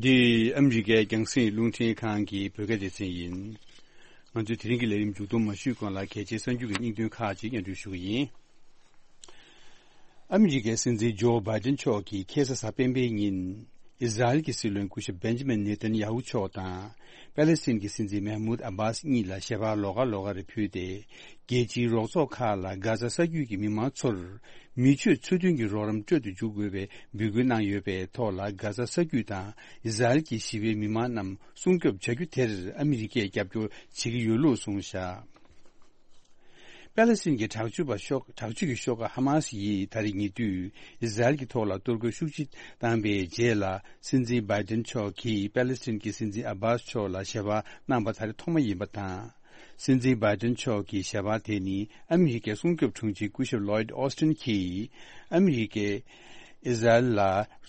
འདི་ཨ་མི་རི་ཀའི་རྒྱང་སྲིང་རླུང་འཕྲིན་ཁང་གི་བོད་སྐད་སྡེ་ཚན་ཡིན། ང་ཚོའི་དེ་རིང་གི་ལས་རིམ་མཇུག་སྡོམ་མ་ཞུས་གོང་ལ། གལ་ཆེའི་གསར་འགྱུར་གྱི་སྙིང་དོན་ཁག་ཅིག་སྙན་སྒྲོན་ཞུ་གི་ཡིན། ཨ་མི་རི་ཀའི་སྲིད་འཛིན་ཇོ་བྷའི་ཏན་མཆོག་གིས་ཁ་སང་གཟའ་སྤེན་པའི་ཉིན། ཨི་ཟ་རེལ་གྱི་སྲིད་བློན་སྐུ་ཞབས་བེན་ཇི་མིན་ནེ་ཐན་ཡ་ཧུ་མཆོག་དང་། པེ་ལེ་སི་ཐན་གྱི་སྲིད་འཛིན་མེ་མུད་ཨ་བྷཱས་གཉིས་ལ་ཞལ་པར་ལོགས་ཀ་ལོགས་ཀ་རེ་ཕུལ་ཏེ། རྒྱལ་སྤྱིའི་རོགས་ཚོགས་ཁག་ལ་གྷ་ཛ་ས་རྒྱུད་ཀྱི་མི་མང་ཚོར། མི་ཆོས་ཚུལ་མཐུན་གྱི་རོགས་རམ་སྤྲོད་དུ་འཇུག་དགོས་པའི་འབོད་སྐུལ་གནང་ཡོད་པའི་ཐོག་ལ། གྷ་ཛ་ས་རྒྱུད་དང་ཨི་ཟ་རེལ་གྱི་ཞི་བའི་མི་མང་རྣམས་སྲུང་སྐྱོབ་བྱ་རྒྱུ་དེར་ཨ་མི་རི་ཀས་རྒྱབ་སྐྱོར་བྱེད་ཀྱི་ཡོད་ལུགས་གསུངས་བཞག་པེ་ལེ་སི་ཐན་གྱི་དྲག་སྤྱོད་པ་ཤོག་དྲག་སྤྱོད་ཀྱི་ཤོག་ཁག་ཧ་མ་སི་ཡིས་ད་རེས་ཉེ་དུས་ཨི་ཟ་རེལ་གྱི་ཐོག་ལ་གཏོར་རྒོལ་ཤུགས་ཆེ་བཏང་པའི་རྗེས་ལ། སྲིད་འཛིན་བྷའི་ཏན་མཆོག་གིས་པེ་ལེ་སི་ཐན་གྱི་སྲིད་འཛིན་ཨ་བྷཱས་མཆོག་ལ་ཞལ་པར་གནང་པ་ད་རེས་ཐོག་མ་ཡིན་པ་དང་། སྲིད་འཛིན་བྷའི་ཏན་མཆོག་གི་ཞལ་པར་དེ་ནི་ཨ་མི་རི་ཀའི་སྲུང་སྐྱོབ་དྲུང་ཆེ་སྐུ་ཞབས་ལོའིད་ཨོ་སི་ཏིན་གྱིས། ཨ་མི་རི་ཀས་ཨི་ཟ་རེལ་ལ་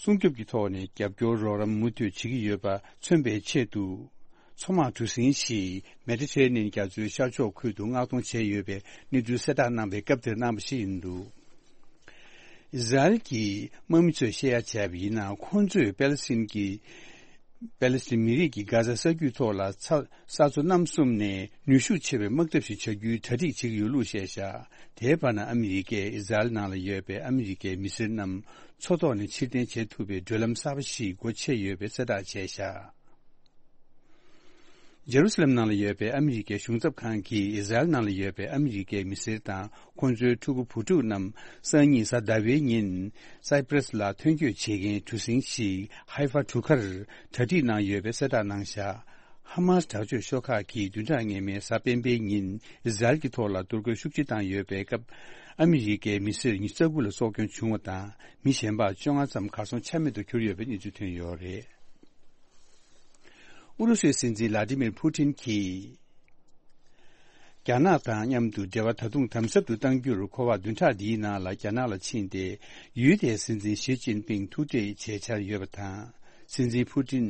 སྲུང་སྐྱོབ་ཀྱི་ཐོག་ནས་རྒྱབ་སྐྱོར་རོགས་རམ་མུ་མཐུད་བྱེད་ཀྱི་ཡོད་པ་མཚོན་པའི་ཆེད་དུ། མཚོ་དམག་གྲུ་གཟིངས་ཤིག་མེ་ཌི་ཊེ་རེ་ནི་ཡན་རྒྱ་མཚོའི་ཤར་ཕྱོགས་ཁུལ་དུ་མངགས་གཏོང་བྱས་ཡོད་པའི་གནས་ཚུལ་གསལ་བསྒྲགས་གནང་བའི་སྐབས་དེར་གནང་བ་ཞིག་ཡིན་འདུག་ཨི་ཟ་རེལ་གྱི་དམག་མི་ཚོས་བཤད་ཡ་བྱས་པ་ཡིན་ན། ཁོང་ཚོས་པེ་ལེ་སི་ཐན་གྱི་པེ་ལེ་སི་ཐན་མི་རིགས་ཀྱིས་གྷ་ཛ་ས་རྒྱུད་ཐོག་ལ་ས་ས་མཚོ་གནམ་གསུམ་ནས་ནུས་ཤུགས་ཆེ་བའི་དམག་འཐབ་ཞིག་བྱ་རྒྱུའི་གྲ་སྒྲིག་བྱེད་ཀྱི་ཡོད་ལུགས་བཤད་བཞག་དེའི་བར་ན་ཨ་མི་རི་ཀས་ཨི་ཟ་རེལ་ནང་ལ་ཡོད་པའི་ཨ་མི་རི་ཀའི་མི་སེར་རྣམས་མཚོ་ཐོག་ནས་ཕྱིར་འཐེན་བྱེད་ཐུབ་པའི་བགྲོད་ལམ་གསར་པ་ཞིག་སྒོ་ཕྱེ་ཡོད་པའི་གསལ་བསྒྲགས་བྱས་བཞག་ཇེ་རུ་སི་ལེམ་ནང་ལ་ཡོད་པའི་ཨ་མི་རི་ཀའི་གཞུང་ཚབ་ཁང་གིས་ཨི་ཟ་རེལ་ནང་ལ་ཡོད་པའི་ཨ་མི་རི་ཀའི་མི་སེར་དང་ཁོང་ཚོའི་ཕྲུ་གུ་བུ་ཕྲུག་རྣམས་སང་ཉིན་གཟའ་ཟླ་བའི་ཉིན་སའི་པྲེ་སི་ལ་ཐོན་སྐྱོད་བྱེད་མཁན་གྲུ་གཟིངས་ཤིག་ཧའི་ཧྥ་གྲུ་ཁར་གྲ་སྒྲིག་གནང་ཡོད་པའི་གསལ་བསྒྲགས་གནང་བཞག་ཧ་མ་སི་དྲག་སྤྱོད་ཤོག་ཁག་གིས་བདུན་ཕྲག་སྔོན་མའི་གཟའ་སྤེན་པའི་ཉིན་ཨི་ཟ་རེལ་གྱི་ཐོག་ལ་གཏོར་རྒོལ་ཤུགས་ཆེ་བཏང་ཡོད་པའི་སྐབས། ཨ་མི་རི་ཀའི་མི་སེར་ཉི་ཤུ་རྩ་དགུ་ལ་སྲོག་སྐྱོན་བྱུང་བ་དང་། མི་གཞན་པ་བཅོ་ལྔ་ཙམ་གར་སོང་ཆ་མེད་དུ་གྱུར་ཡོད་པའི་གནས་ཚུལ་ཐོན་ཡོད་རེད། ཨུ་རུ་སུའི་སྲིད་འཛིན་ལ་ཏི་མིར་ཕུ་ཏིན་གྱིས། རྒྱ་ནག་དང་མཉམ་དུ་འབྲེལ་བ་ད་དུང་དམ་ཟབ་ཏུ་གཏང་རྒྱུར་ཁོ་པ་བདུན་ཕྲག་འདིའི་ནང་ལ་རྒྱ་ནག་ལ་ཕྱིན་ཏེ། ཡུལ་དེའི་སྲིད་འཛིན་ཞི་ཅིན་ཕིང་ཐུག་འཕྲད་བྱེད་འཆར་ཡོད་པ་དང་། སྲིད་འཛིན་ཕུ་ཏིན།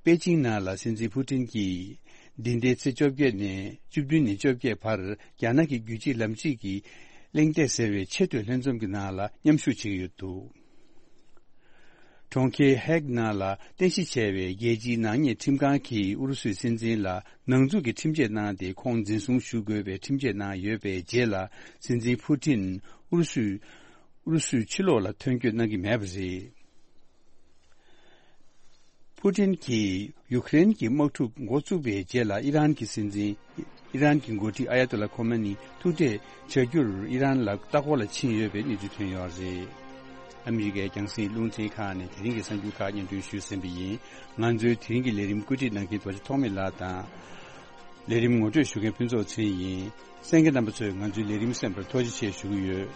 པེ་ཅིང་ནང་ལ་སྲིད་འཛིན་ཕུ་ཏིན་གྱིས། འདི་ཟླའི་ཚེས་བཅོ་བརྒྱད་ནས་བཅུ་བདུན་ནས་བཅོ་བརྒྱད་བར། རྒྱ་ནག་གི་རྒྱུད་གཅིག་ལམ་གཅིག་གི་གླེང་སྟེགས་ཟེར་བའི་ཆེས་མཐོའི་ལྷན་འཛོམས་ཀྱི་ནང་ལ་མཉམ་ཞུགས་བྱེད་ཀྱི་ཡོད་འདུག་གྲོང་ཁྱེར་ཧེག་ནང་ལ་རྟེན་གཞི་བྱས་པའི་རྒྱལ་སྤྱིའི་ནག་ཉེས་ཁྲིམས་ཁང་གིས་ཨུ་རུ་སུའི་སྲིད་འཛིན་ལ་ནང་འཛུགས་ཀྱི་ཁྲིམས་ཆད་གནང་སྟེ། ཁོང་འཛིན་བཟུང་ཞུ་དགོས་པའི་ཁྲིམས་ཆད་གནང་ཡོད་པའི་རྗེས་ལ། སྲིད་འཛིན་ཕུ་ཏིན་ཨུ་རུ་སུའི་ཨུ་རུ་སུའི་ཕྱི་ལོགས་ལ་ཐོན་སྐྱོད་གནང་གི་མེད་པ་རེད། ཕུ་ཏིན་གྱིས་ཡུ་ཁ་རེན་གྱི་དམག་འཁྲུག་འགོ་བཙུགས་པའི་རྗེས་ལ། ཨི་རན་གྱི་སྲིད་འཛིན། ཨི་རན་གྱི་འགོ་ཁྲིད་ཨ་ཡ་ཏོ་ལ་ཁོ་མེ་ནི་ཐུག་འཕྲད་བྱ་རྒྱུར་ཨི་རན་ལ་ལྟ་སྐོར་ལ་ཕྱིན་ཡོད་པའི་གནས་ཚུལ་ཐོན་ཡོད་རེད། ཨ་མི་རི་ཀའི་རྒྱང་སྲིང་རླུང་འཕྲིན་ཁང་ནས་དེ་རིང་གི་གསར་འགྱུར་ཁག་སྙན་སྒྲོན་ཞུས་ཟིན་པ་ཡིན། ང་ཚོའི་དེ་རིང་གི་ལས་རིམ་བཀོད་སྒྲིག་གནང་མཁན་རྡོ་རྗེ་ཐོགས་མེད་ལགས་དང་། ལས་རིམ་ངོ་སྤྲོད་ཞུ་མཁན་ཕུན་ཚོགས་ཚེ་རིང་ཡིན། གསན་མཁན་རྣམ་པ་ཚོས་ང་ཚོའི་ལས་རིམ་གསན་པར་ཐུགས་རྗེ་ཆེ་ཞུ་གི་ཡོད།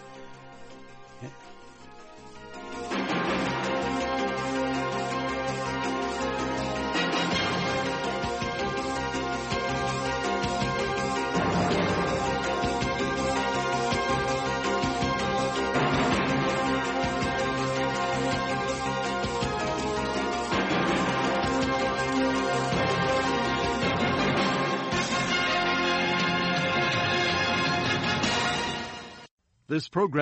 This program